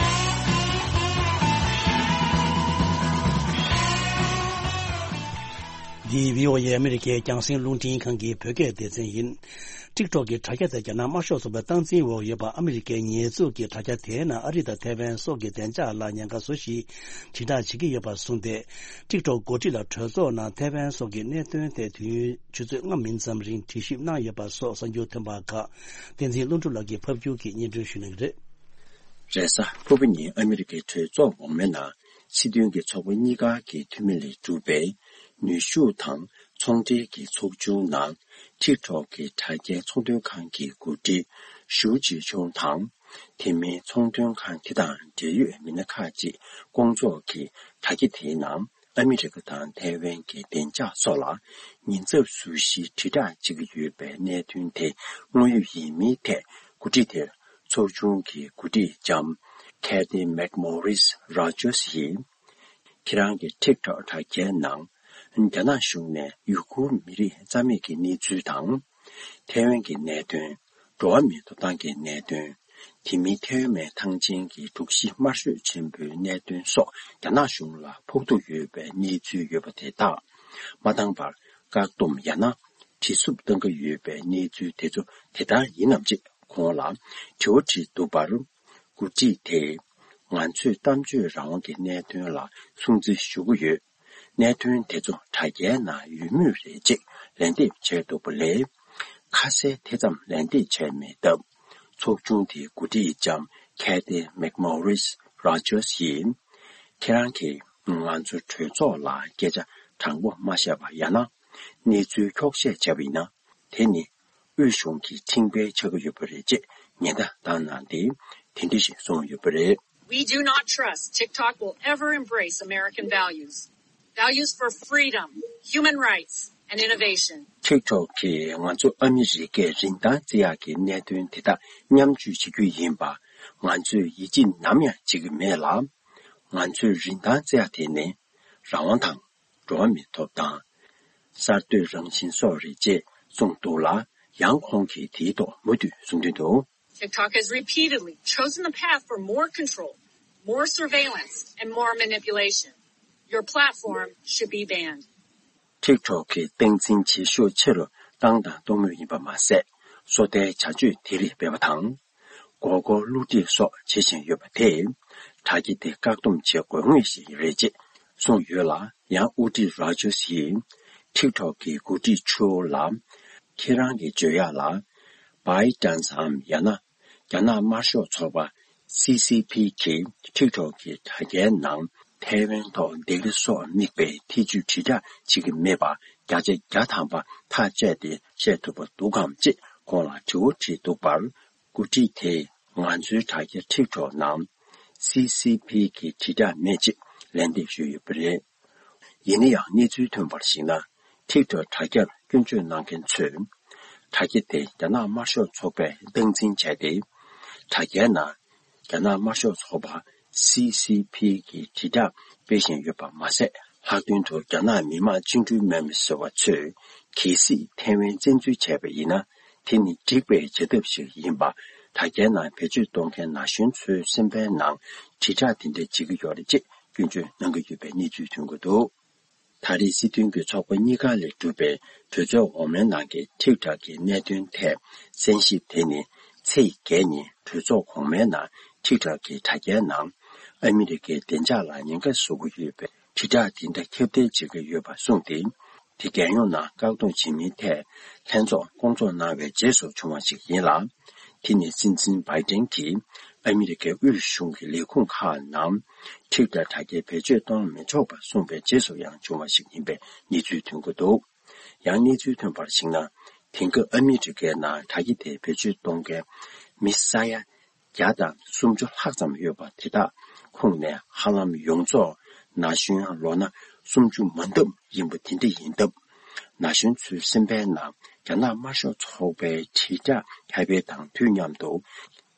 འདི་བྷི་ཨོ་ཨེ་ཨ་མི་རི་ཀའི་རྒྱང་སྲིང་རླུང་འཕྲིན་ཁང་གི་བོད་སྐད་སྡེ་ཚན་ཡིན། ཊིག་ཊོག་གི་དྲ་རྒྱ་དེ་རྒྱ་ནག་དམར་ཤོག་ཚོགས་པའི་སྟངས་འཛིན་འོག་ཡོད་པ། ཨ་མི་རི་ཀའི་ཉེས་འཛུགས་ཀྱི་དྲ་རྒྱ་དེའི་ནང་ཨ་རི་དང་ཐའེ་ཝན་སོགས་ཀྱི་བདེ་འཇགས་ལ་ཉེན་ཁ་བཟོ་གཞིའི་དྲིལ་བསྒྲགས་བྱེད་ཀྱི་ཡོད་པར་བཟུང་སྟེ། ཊིག་ཊོག་འགོ་ཁྲིད་ལ་གྲོས་ཚོགས་ནང་ཐའེ་ཝན་སོགས་ཀྱི་གནད་དོན་ཐད་དུས་ཡུན་ཆུ་ཚོད་ལྔ་མིན་ཙམ་རིང་དྲི་ཞིབ་གནང་ཡོད་པ་སོགས་གསར་འགྱུར་ཐོན་པ་ཁག་བསྟན་འཛིན་ཀླུ་སྒྲུབ་ལགས་ཀྱིས་ཕབ་སྒྱུར་གྱིས་སྙན་སྒྲོན་ཞུ་གནང་གི་རེད། རེས་གཟའ་ཕུར་བུ་ཉིན་ཨ་མི་རི་ཀའི་གྲོས་ཚོགས་འོག་མའི་ནང་སྲིད་དོན་གྱི་ཚོགས་པ་གཉིས་ཀ་གི་འཐུས་མི་ལས་གྲུབ་པའི་ནུས་ཤུགས་དང་ཚོང་འབྲེལ་གྱི་ཚོགས་ཆུང་ནང་ཊིག་ཊོག་གི་དྲ་རྒྱའི་ཚོང་དོན་ཁང་གི་འགོ་ཁྲིད་ཞུའུ་ཅི་ཆུང་དང་། དེ་མིན་ཚོང་དོན་ཁང་དེ་དང་འབྲེལ་ཡོད་མི་སྣ་ཁག་ཅིག་སྐོང་ཚོགས་ཀྱིས་དྲ་རྒྱ་དེའི་ནང་ཨ་མི་རི་ཀ་དང་ཐའེ་ཝན་གྱི་བདེ་འཇགས་སོགས་ལ་ཉེན་ཚབས་བཟོ་གཞིའི་དྲིལ་བསྒྲགས་བྱེད་ཀྱི་ཡོད་པའི་གནད་དོན་དེ་དངོས་ཡོད་ཡིན་མིན་ཐད་འགོ་ཁྲིད་དེར་ཚོགས་ཆུང་གི་འགོ་ཁྲིད་ལྕམ་Kathy McMorris Rogers་ཡིས། ཁྱེད་རང་གི་ཊིག་ཊོག་དྲ་རྒྱའི་ནང་རྒྱ་ནག་གཞུང་ནས་ཡུ་གུར་མི་རིགས་རྩ་མེད་ཀྱི་གནས་ཚུལ་དང་། ཐའེ་ཝན་གྱི་གནད་དོན། འགྲོ་བ་མིའི་ཐོབ་ཐང་གི་གནད་དོན། དེ་མིན་ཐའེ་ཝན་ཐང་ཆེན་གྱི་དྲུག་བཞི་དམར་ཤོས་ཆེན་པོའི་གནད་དོན་སོགས་རྒྱ་ནག་གཞུང་ལ་ཕོག་ཐུག་ཡོད་པའི་གནས་ཚུལ་ཡོད་པ་དེ་དག་མ་བཏང་བར་བཀག་སྡོམ་ཡང་ན་བྲེལ་འཚུབ་གཏང་གི་ཡོད་པའི་གནས་ཚུལ་དེ་ཚོ་དེ་ལྟར་ཡིན་ནམ་ཅེས་ཁོང་ལ་དྲི་བ་དྲིས་འདུག་པར། འགོ་ཁྲིད་དེས་ང་ཚོས་གཏམ་བརྗོད་རང་དབང་གི་གནད་དོན་ལ་སྲུང་བརྩི་ཞུ་གི་ཡོད། གནད་དོན་དེ་ཚོ་དྲ་རྒྱའི་ནང་ཡོད་མུས་རེད་ཅེས་ལན་འདེབས་བྱས་འདུག་པ་ལས། ཁ་གསལ་དེ་ཙམ་ལན་འདེབས་བྱས་མེད་སྟབས། ཚོགས་ཆུང་དེའི་འགོ་ཁྲིད་ལྕམ་Kathy McMorris Rogers་ཡིས། ཁྱེད་རང་གིས་ང་ཚོ་གྲོས་ཚོགས་ལ་སྐད་ཆ་དྲང་པོ་མ་བཤད་པ་ཡང་ན་གནས་ཚུལ་འཁྱོག་བཤད་བྱས་པ་ཡིན་ན། དེ་ནི་དབུས་གཞུང་གི་ཁྲིམས་འགལ་ཆགས་ཀྱི་ཡོད་པ་རེད་ཅེས་ཉེན་བརྡ་བཏང་གནང་སྟེ་དེ་འདྲ་ཞིག་གསུངས་ཡོད་པ་རེད། We do not trust TikTok will ever embrace American values. Values for freedom, human rights, and innovation. ཊིག་ཊོག་གིས་ང་ཚོ་ཨ་མི་རི་ཀའི་རིན་ཐང་བརྩི་ཡག་གི་གནད་དོན་དེ་དག་མཉམ་སྤྱོད་བྱེད་རྒྱུ་ཡིན་པ་ང་ཚོས་ཡིད་ཆེས་ནམ་ཡང་བྱེད་ཀྱི་མེད་ལ། ང་ཚོའི་རིན་ཐང་བརྩི་ཡག་དེ་ནི་རང་དབང་དང་། འགྲོ་བ་མིའི་ཐོབ་ཐང་། གསར་གཏོད་རང་བཞིན་སོགས་རེད་ཅེས་གསུངས་འདུག་ལ། ཡང་ཁོང་གིས་དེའི་ཐོག་མུ་མཐུད་གསུང་དོན་དུ། TikTok has repeatedly chosen the path for more control, more surveillance, and more manipulation. Your platform should be banned. ཊིག་ཊོག་གིས་སྟངས་འཛིན་བྱེད་ཤུགས་ཆེ་རུ་བཏང་དང་གཏོང་མུས་ཡིན་པ་མ་ཟད། སོ་ལྟའི་བྱ་སྤྱོད་དེ་རིགས་སྤེལ་བ་དང་། མགོ་སྐོར་བསླུ་བྲིད་སོགས་བྱེད་བཞིན་ཡོད་པ་དེས། དྲ་རྒྱ་དེ་བཀག་སྡོམ་བྱེད་དགོས་ངེས་ཤིག་རེད་ཅེས་གསུངས་ཡོད་ལ། ཡང་དབུ་ཁྲིད་རོ་ཇར་སི་ཡིས་ཊིག་ཊོག་གི་འགོ་ཁྲིད་ཆུའོ་ལ། ཁྱེད་རང་གི་བརྗོད་ཡག་ལ། ByteDance འམ་ཡང་ན། རྒྱ་ནག་དམར་ཤོག་ཚོགས་པ། སི་སི་ཕི་གིས་ཊིག་ཊོག་གི་དྲ་རྒྱའི་ནང་ཐའེ་ཝན་ཐོག་སྡིགས་ར་སོགས་དམིགས་པའི་ཐེ་ཇུས་དྲིལ་བསྒྲགས་བྱེད་ཀྱི་མེད་པ་བརྒྱ་ཆ་བརྒྱ་ཐམ་པ་ཐག་བཅད་དེ་བཤད་ཐུབ་པ་འདུག་གམ་ཅེས་ཁོང་ལ་དྲི་བ་དྲིས་འདུག་པར། འགོ་ཁྲིད་དེས་ང་ཚོའི་དྲ་རྒྱ་ཊིག་ཊོག་ནང་སི་སི་ཕི་གི་དྲིལ་བསྒྲགས་མེད་ཅེས་ལན་འདེབས་ཞུས་ཡོད་པ་རེད། ཡིན་ན་ཡང་གནས་ཚུལ་ཐོན་པར་གཞིགས་ན། ཊིག་ཊོག་དྲ་རྒྱར་སྐྱོན་བརྗོད་གནང་མཁན་ཚོས། དྲ་རྒྱ་དེ་རྒྱ་ནག་དམར་ཤོག་ཚོགས་པས་སྟངས་འཛིན་བྱས་ཏེ། དྲ་རྒྱའི་ནང་རྒྱ་ནག་དམར་ཤོག་ཚོགས་པ་སི་སི་ཕི་གི་དྲིལ་བསྒྲགས་སྤེལ་བཞིན་ཡོད་པ་མ་ཟད། ལྷག་དོན་དུ་རྒྱ་ནག་མི་དམངས་བཅིངས་འགྲོལ་དམག་མི་ཟེར་བ་ཚོས་གལ་སྲིད་ཐའེ་ཝན་བཙན་འཛུལ་བྱས་པ་ཡིན་ན། དེ་ནི་འགྲིག་པའི་བྱ་ཐབས་ཤིག་ཡིན་པ། དྲ་རྒྱའི་ནང་བེད་སྤྱོད་གཏོང་མཁན་ན་གཞོན་ཚོའི་སེམས་པའི་ནང་དྲིལ་བསྒྲགས་དེ་འདྲ་བྱེད་ཀྱི་ཡོད་རེད་ཅེས་སྐྱོན་བརྗོད་གནང་གི་ཡོད་པའི་གནས་ཚུལ་ཐོན་གྱི་འདུག་ད་རེས་སྲིད་དོན་གྱི་ཚོགས་པ་གཉིས་ཀ་ལས་གྲུབ་པའི་གྲོས་ཚོགས་འོག་མའི་ནང་གི་ཊིག་ཊོག་གི་གནད་དོན་ཐད་གསན་ཞིབ་དེ་ནི་ཚེས་བརྒྱད་ཉིན་གྲོས་ཚོགས་གོང་མའི་ནང་ཊིག་ཊོག་གི་དྲ་རྒྱའི་ནང་ཨ་མི་རི་ཀའི་བདེ་འཇགས་ལ་ཉེན་ཁ་བཟོ་གི་ཡོད་པའི་དྲིལ་བསྒྲགས་དེ་འདྲ་ཁྱབ་གདལ་བྱེད་ཀྱི་ཡོད་པ་གསུངས་ཏེ། དེ་རྒྱལ་ཡོངས་ནང་བཀག་སྡོམ་བྱེད་མིན་ཐད་ལྷན་ཚོགས་སྐོང་ཚོགས་གནང་བའི་རྗེས་སུ་བྱུང་བ་ཞིག་ཡིན་ལ། དེ་ནི་སྲིད་འཛིན་བྷའི་ཏིན་གྱིས་ཨ་མི་རི་ཀའི་དབུས་གཞུང་གི་ལས་ཁུངས་ཁག་ནང་ཊིག་ཊོག་དྲ་རྒྱ་བེད་སྤྱོད་གཏོང་མི་ཆོག་པ་གསུངས་པའི་རྗེས་སུ་ཡང་བྱུང་བ་ཞིག་ཡིན་པའི་གནས་ཚུལ་ཐོན་གྱི་འདུག་ཡང་གནས་ཚུལ་ཐོན་པར་གཞིགས་ན། དེང་སྐབས་ཨ་མི་རི་ཀའི་ནང་དྲ་རྒྱ་དེ་བེད་སྤྱོད་གཏོང་མཁན་མི་ས་ཡ་བརྒྱ་དང་སུམ་ཅུ་ལྷག་ཙམ་ཡོད་པ་དེ་དག་ཁོངས་ནས་ཧ་ལམ་ཡོངས་རྫོགས་ན་གཞོན་ལོ་ན་སུམ་ཅུ་མ་འདབ་ཡིན་པ་དེ་འདྲ་ཡིན་སྟབས། ན་གཞོན་ཚོའི་སེམས་པའི་ནང་རྒྱ་ནག་དམར་ཤོག་ཚོགས་པའི་དྲིལ་བསྒྲགས་ཁྱབ་སྤེལ་དང་དུས་མཉམ་དུ།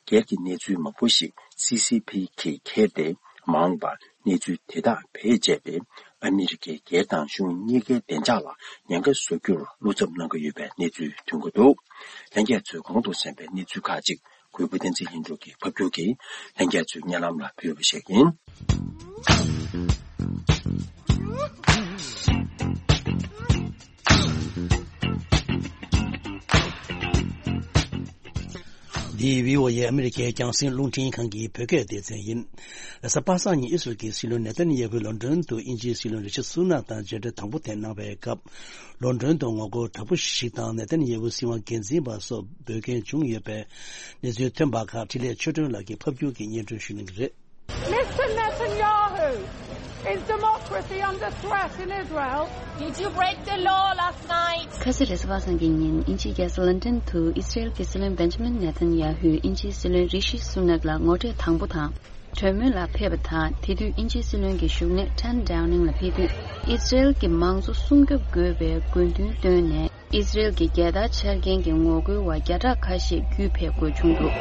སྒེར་གྱི་གནས་ཚུལ་མང་པོ་ཞིག་སི་སི་ཕི་གིས་འཁྱེར་ཏེ་མ་འོངས་པར་གནས་ཚུལ་དེ་དག་བེད་སྤྱད་དེ་ཨ་མི་རི་ཀའི་སྒེར་དང་གཞུང་གཉིས་ཀའི་བདེ་འཇགས་ལ་ཉེན་ཁ་བཟོ་རྒྱུར་བློ་འཚབ་གནང་གི་ཡོད་པའི་གནས་ཚུལ་ཐོན་གྱི་འདུག་ལྷན་རྒྱས་ཚོས་གོང་དུ་གསན་པའི་གནས་ཚུལ་ཁག་ཅིག་གུས་པ་བསྟན་འཛིན་ལྷུན་གྲུབ་ཀྱིས་ཕབ་སྒྱུར་གྱིས་ལྷན་རྒྱས་ཚོའི་སྙན་ལམ་ལ་ཕུལ་བ་ཞིག་ཡིན། འདི་བྷི་ཨོ་ཨེ་ཨ་མི་རི་ཀའི་རྒྱང་སྲིང་རླུང་འཕྲིན་ཁང་གི་བོད་སྐད་སྡེ་ཚན་ཡིན། རེས་གཟའ་པ་སངས་ཉིན་ཨི་སི་རལ་གྱི་སྲིད་བློན་ནེ་ཐན་ཡེ་ཧུ་ལོན་ཌོན་དུ་དབྱིན་ཇིའི་སྲིད་བློན་རི་ཤི་སུ་ནག་དང་མཇལ་འཕྲད་དང་པོ་དེ་གནང་བའི་སྐབས། ལོན་ཌོན་དུ་ངོ་རྒོལ་དྲག་པོ་ཞིག་དང་ནེ་ཐན་ཡེ་ཧུ་སྲིད་དབང་སྒེར་འཛིན་པ་སོགས་འབོད་མཁན་བྱུང་ཡོད་པའི་གནས་ཚུལ་ཐོན་པ་ཁག་འཕྲིན་ལས་ཆོས་སྒྲོན་ལགས་ཀྱིས་ཕབ་སྒྱུར་གྱིས་སྙན་སྒྲོན་ཞུ་གནང་གི་རེད། Mister Netanyahu, is democracy under threat in Israel? Did you break the law last night? ཁ་སང་རེས་གཟའ་པ་སངས་ཀྱི་ཉིན་དབྱིན་ཇིའི་རྒྱལ་ས་ལོན་ཌོན་དུ་ཨི་སི་རེལ་གྱི་སྲིད་བློན་བེན་ཇ་མིན་ནེ་ཐན་ཡ་ཧུས་དབྱིན་ཇིའི་སྲིད་བློན་རི་ཤི་སུ་ནག་ལ་ངོ་འཕྲད་དང་པོ་དང་། གྲོས་མོལ་ལ་ཕེབས་པ་དང་། དེ་དུས་དབྱིན་ཇིའི་སྲིད་བློན་གྱི་བཞུགས་གནས་ཊན་ཌའོ་ནིང་ལ་ཕེབས་དུས། ཨི་སི་རེལ་གྱི་མང་གཙོ་སྲུང་སྐྱོབ་དགོས་པའི་དགོས་འདུན་བཏོན་ནས། ཨི་སི་རེལ་གྱི་རྒྱལ་དར་འཕྱར་མཁན་གྱི་ངོ་རྒོལ་བ་བརྒྱ་ཕྲག་ཁ་ཤས་བརྒྱུད་ཕེབས་དགོས་བྱུང་འདུག་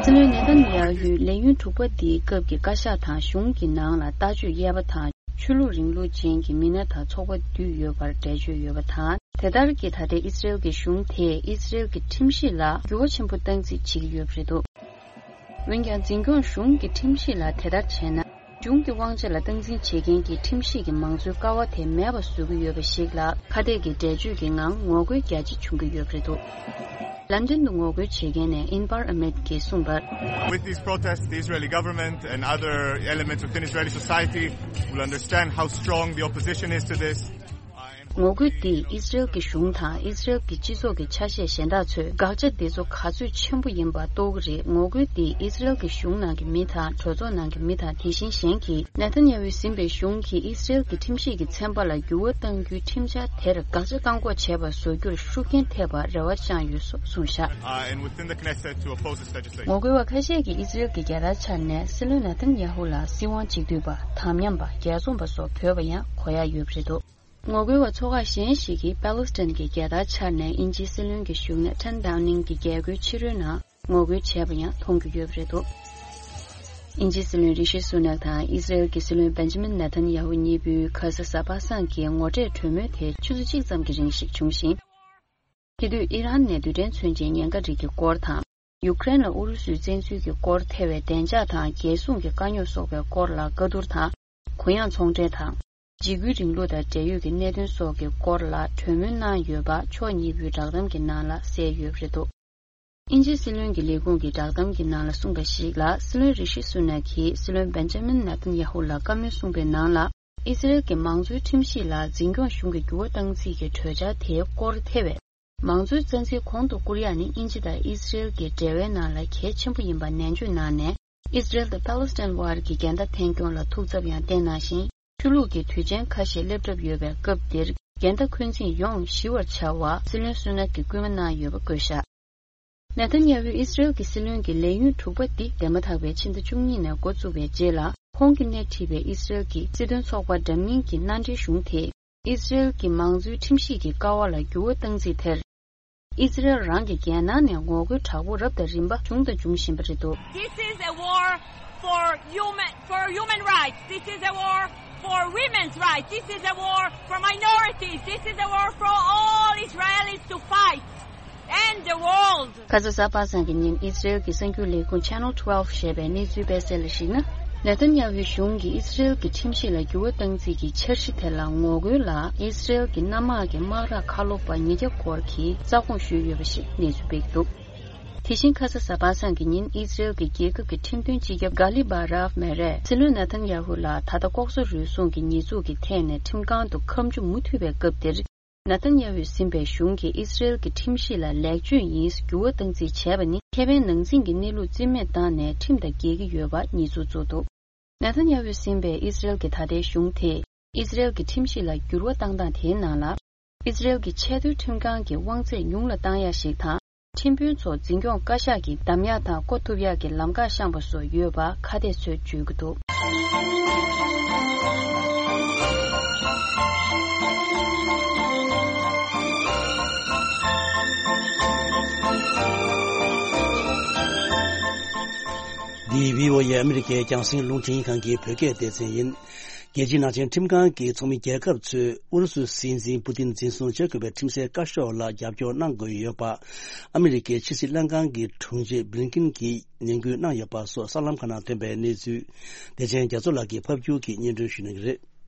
སྲིད་བློན་ནེ་ཐན་ཡ་ཧུའི་ལས་ཡུན་དྲུག་པ་འདིའི་སྐབས་ཀྱི་བཀའ་ཤག་དང་གཞུང་གི་ནང་ལ་ལྟ་སྤྱོད་གཡར་པ་དང་། ཆོས་ལུགས་རིང་ལུགས་ཅན་གྱི་མི་སྣ་དང་ཚོགས་པ་འདུས་ཡོད་པར་འགྲེལ་བརྗོད་ཡོད་པ་དང་། དེ་ལྟར་གྱི་ད་ལྟའི་ཨི་སི་རེལ་གྱི་གཞུང་དེས་ཨི་སི་རེལ་གྱི་ཁྲིམས་གཞི་ལ་འགྱུར་བ་ཆེན་པོ་བཏང་རྩིས་བྱེད་ཀྱི་ཡོད་པ་རེད་འདུག་འོན་ཀྱང་། འཛིན་སྐྱོང་གཞུང་གི་ཁྲིམས་གཞི་ལ་དེ་ལྟར་བྱས་ན། གཞུང་གི་དབང་ཆ་ལ་སྟངས་འཛིན་བྱེད་མཁན་གྱི་ཁྲིམས་ཞིབ་ཀྱི་མང་གཙོའི་ཀ་བ་དེ་མེད་པ་བཟོ་གི་ཡོད་པ་ཞིག་ལ། ཁ་གཏད་ཀྱི་འགྲེལ་བརྗོད་ཀྱི་ངང་ངོ་རྒོལ་རྒྱ་ཆེ་བྱུང་གི་ཡོད་པ་རེད་འདུག་ལན་ཌོན་དུ་ངོ་རྒོལ་བྱེད་མཁན་ནས་ཨིན་བར་ཨ་མེད་ཀྱིས་གསུངས་པར། With these protests, the Israeli government and other elements within Israeli society will understand how strong the opposition is to this. ངོ་རྒོལ་འདིས་ཨི་སི་རེལ་གྱི་གཞུང་དང་ཨི་སི་རེལ་གྱི་སྤྱི་ཚོགས་ཀྱི་ཆ་ཤས་གཞན་དག་ཚོས་དགག་བྱ་འདི་ཚོ་ག་ཚོད་ཆེན་པོ་ཡིན་པ་རྟོགས་ཀྱི་རེད། ངོ་རྒོལ་འདིས་ཨི་སི་རེལ་གྱི་གཞུང་ནང་གི་མི་དང་གྲོས་ཚོགས་ནང་གི་མི་དང་། དེ་བཞིན་གཞན་གྱིས་ནེ་ཐན་ཡ་ཧུས་འཛིན་པའི་གཞུང་གིས་ཨི་སི་རེལ་གྱི་ཁྲིམས་ཞིབ་ཀྱི་ཚན་པ་ལ་འགྱུར་བ་གཏང་རྒྱུའི་ཁྲིམས་འཆར་དེར་དགག་བྱ་བཀག་འགོག་བྱས་པ་བཟོ་རྒྱུར་ཤུགས་རྐྱེན་ཐེབས་པར་རེ་བ་བཅངས་ཡོད་སོགས་གསུངས་བཞག Uh, and within the Knesset to oppose this legislation. ངོ་རྒོལ་བ་ཁ་ཤས་ཀྱིས་ཨི་སི་རེལ་གྱི་རྒྱལ་དར་འཕྱར་ནས་སྲིད་བློན་ནེ་ཐན་ཡ་ཧུ་ལ་སྲིད་དབང་གཅིག་སྡུད་པ། དམ་ཉམས་པ། རྒྱལ་བཙོང་པ་སོགས་འབོད་པ་ཡང་གོ་ཡག་ཡོད་པ་རེད་འདུག་ངོ་རྒོལ་བ་ཚོ་ཁག་གཞན་ཞིག་གིས་པ་ལོ་སི་ཐན་གྱི་རྒྱལ་དར་འཕྱར་ནས་དབྱིན་ཇིའི་སྲིད་བློན་གྱི་བཞུགས་གནས་ཊན་ཌའོ་ནིང་གི་རྒྱལ་སྒོའི་ཕྱི་རོལ་ནང་ངོ་རྒོལ་བྱས་པ་ཡང་མཐོང་རྒྱུ་ཡོད་པ་རེད་འདུག་དབྱིན་ཇིའི་སྲིད་བློན་རི་ཤི་སུ་ནག་དང་ཨི་སི་རེལ་གྱི་སྲིད་བློན་བེན་ཇ་མིན་ནེ་ཐན་ཡ་ཧུ་གཉིས་པོའི་ཁ་ས་གཟའ་པ་སངས་ཀྱི་ངོ་འཕྲད་གྲོས་མོལ་དེ་ཆུ་ཚོད་གཅིག་ཙམ་གྱི་རིང་ཞིག་བྱུང་ཞིང་། དེ་དུས་ཨི་རན་ནས་རྡུལ་ཕྲན་མཚོན་ཆའི་ཉེན་ཁ་རིགས་ཀྱི་སྐོར་དང་། ཡུཀ་རེན་ལ་ཨུ་རུ་སུའི་བཙན་འཛུལ་གྱི་སྐོར་ཐེ་བའི་བདེ་འཇགས་དང་རྒྱལ་སྲུང་གི་དཀའ་རྙོག་སོགས་པའི་སྐོར་ལ་བཀའ་བསྡུར་དང་། གུ་ཡངས་ཚོང་འབྲེལ་དང་། འཇིགས་སྐུལ་རིང་ལུགས་དང་འབྲེལ་ཡོད་ཀྱི་གནད་དོན་སོགས་ཀྱི་སྐོར་ལ་གྲོས་མོལ་གནང་ཡོད་པ་ཕྱོགས་གཉིས་པོའི་བསྒྲགས་གཏམ་གྱི་ནང་ལ་གསལ་ཡོད་པ་རེད་འདུག་དབྱིན་ཇིའི་སྲིད་བློན་གྱི་ལས་ཁུངས་ཀྱི་བསྒྲགས་གཏམ་གྱི་ནང་ལ་གསུངས་པ་ཞིག་ལ། སྲིད་བློན་རི་ཤི་སུ་ནག་གིས་སྲིད་བློན་བེན་ཇ་མིན་ནེ་ཐན་ཡ་ཧུ་ལ་བཀའ་མོལ་གསུངས་པའི་ནང་ལ། ཨི་ཟི་རེལ་གྱི་མང་གཙོའི་ཁྲིམས་གཞི་ལ་འཛིན་སྐྱོང་གཞུང་གིས་འགྱུར་བ་བཏང་རྩིས་ཀྱི་གྲོས་འཆར་དེའི་སྐོར་ཐེ་བའི་མང་གཙོའི་རྩ་འཛིན་གོང་དུ་བཀུར་ཡག་ནི་དབྱིན་ཇི་དང་ཨི་ཟི་རེལ་གྱི་འབྲེལ་བའི་ནང་ལ་གལ་ཆེན་པོ་ཡིན་པ་ནན་བརྗོད་གནང་ནས། ཨི་ཟི་རེལ་དང་པ་ལེ་སི་ཐན་དབར་གྱི་འགལ་ཟླ་ཐད་སྐྱོང་ལ་ཐུགས་འཚབ་ཡང་བསྟན་གནང་ཞིང་། ཆོས་ལུགས་ཀྱི་དུས་ཆེན་ཁ་ཤས་སླེབས་གྲབས་ཡོད་པའི་སྐབས་འདིར་འགལ་ཟླ་འཁོན་འཛིན་ཡོང་ཞི་བར་བྱ་བ་སྲིད་བློན་སུ་ནག་གིས་སྐུལ་མ་གནང་ཡོད་པ་བཀོད་བཞག་ནེ་ཐན་ཡ་ཧུས་ཨི་སི་རེལ་གྱི་སྲིད་བློན་གྱི་ལས་ཡུན་དྲུག་པ་འདི་འདས་མ་ཐག་པའི་ཕྱི་ཟླ་བཅུ་གཉིས་ནས་འགོ་བཙུགས་པའི་རྗེས་ལ། ཁོང་གིས་སྣེ་ཁྲིད་པའི་ཨི་སི་རེལ་གྱི་སྲིད་དོན་ཚོགས་པ་འདྲ་མིན་གྱི་མནའ་འབྲེལ་གཞུང་དེས་ཨི་སི་རེལ་གྱི་མང་གཙོའི་ཁྲིམས་གཞི་གི་ཀ་བ་ལ་འགྱུར་བ་བཏང་རྩིས་དེར། ཨི་སི་རེལ་རང་གི་རྒྱལ་ནང་ནས་ངོ་རྒོལ་དྲག་པོ་རབ་དང་རིམ་པ་བྱུང་དང་འབྱུང་བཞིན་པ་རེད་འདུག This is a war for human, for human rights. This is a war for women's rights. This is a war for minorities. This is a war for all Israelis to fight and the world. ཁ་ས་གཟའ་པ་སངས་ཀྱི་ཉིན་ཨི་སི་རེལ་གྱི་གསར་འགྱུར་ལས་ཁུངས་Channel twelve ཞེས་པའི་གནས་ཚུལ་སྤེལ་གསལ་ལ་གཞིགས་ན། ནེ་ཐན་ཡ་ཧུའི་གཞུང་གིས་ཨི་སི་རེལ་གྱི་ཁྲིམས་གཞི་ལ་འགྱུར་བ་བཏང་རྩིས་ཀྱི་འཆར་གཞི་དེ་ལ་ངོ་རྒོལ་ལ་ཨི་སི་རེལ་གྱི་གནམ་དམག་གི་དམག་རགས་ཁ་ལོ་པ་ཉིས་བརྒྱ་སྐོར་གྱིས་རྩ་དགོངས་ཞུས་ཡོད་པ་ཞིག་གནས་ཚུལ་སྤེལ་འདུག་དེ་བཞིན་ཁ་ས་གཟའ་པ་སངས་ཀྱི་ཉིན་ཨི་སི་རེལ་གྱི་རྒྱལ་ཁབ་ཀྱི་ཁྲིམས་དོན་སྤྱི་ཁྱབ་གྷ་ལི་བྷ་རཱབ་མེ་རས་སྲིད་བློན་ནེ་ཐན་ཡ་ཧུ་ལ་ད་ལྟ་ལྐོག་ཟ་རུལ་སུངས་ཀྱི་ཉེས་འཛུགས་ཀྱི་ཐད་ནས་ཁྲིམས་ཁང་དུ་ཁ་མཆུ་མུ་མཐུད་པའི་སྐབས་འདིར། ནེ་ཐན་ཡ་ཧུས་ཟིན་པའི་གཞུང་གིས་ཨི་སི་རེལ་གྱི་ཁྲིམས་གཞི་ལ་ལེགས་བཅོས་ཡིན་འགྱུར་བ་བཏང་རྩིས་བྱས་པ་ནི་ཁེ་ཕན་ནང་འཛིང་གི་གནས་ལུགས་རྩིས་མེད་བཏང་ནས་ཁྲིམས་དང་འགལ་གྱི་ཡོད་པ་ཉེས་འཛུགས་བཙུགས་འདུག་ནེ་ཐན་ཡ་ཧུས་ཟིན་པའི་ཨི་སི་རེལ་གྱི་ད་ལྟའི་གཞུང་དེས་ཨི་སི་རེལ་གྱི་ཁྲིམས་གཞི་ལ་འགྱུར་བ་བཏང་སྟངས་དེའི་ནང་ལ། ཨི་སི་རེལ་གྱི་ཆེས་མཐོའི་ཁྲིམས་ཁང་གི་དབང་ཚད་ཉུང་ལ་བཏང་ཡག་ཞིག་དང་། ཁྲིམས་དཔོན་ཚོ་འཛིན་སྐྱོང་བཀའ་ཤག་གིས་བདམས་ཡག་དང་བསྐོ་ཐུབ་ཡག་གི་ལམ་ཁ་བཤངས་པ་སོགས་ཡོད་པ་ཁ་གཏད་ཚོས་བརྗོད་ཀྱི་འདུག་འདི་བྷི་ཨོ་ཨེ་ཨ་མི་རི་ཀའི་རྒྱང་སྲིང་རླུང་འཕྲིན་ཁང་གི་བོད་སྐད་སྡེ་ཚན་ཡིན། རྒྱལ་སྤྱིའི་ནང་ཆེན་ཁྲིམས་ཁང་གི་ཚོགས་མི་རྒྱལ་ཁབ་ཚོས་ཨུ་རུ་སུའི་སྲིད་འཛིན་པུ་ཏིན་འཛིན་བཟུང་བྱེད་དགོས་པའི་ཁྲིམས་སའི་བཀའ་ཤོག་ལ་རྒྱབ་སྐྱོར་གནང་དགོས་ཡོད་པ། ཨ་མི་རི་ཀའི་ཕྱི་སྲིད་ལྷན་ཁང་གི་དྲུང་ཆེ་བྷི་ལིན་ཀིན་གྱིས་ནན་སྐུལ་གནང་ཡོད་པ་སོགས་གསར་ལམ་ཁག་ནང་ཐོན་པའི་གནས་ཚུལ། བདེ་ཆེན་རྒྱ་མཚོ་ལགས་ཀྱིས་ཕབ་སྒྱུར་གྱིས་སྙན་སྒྲོན་ཞུ་གནང་གི་རེད།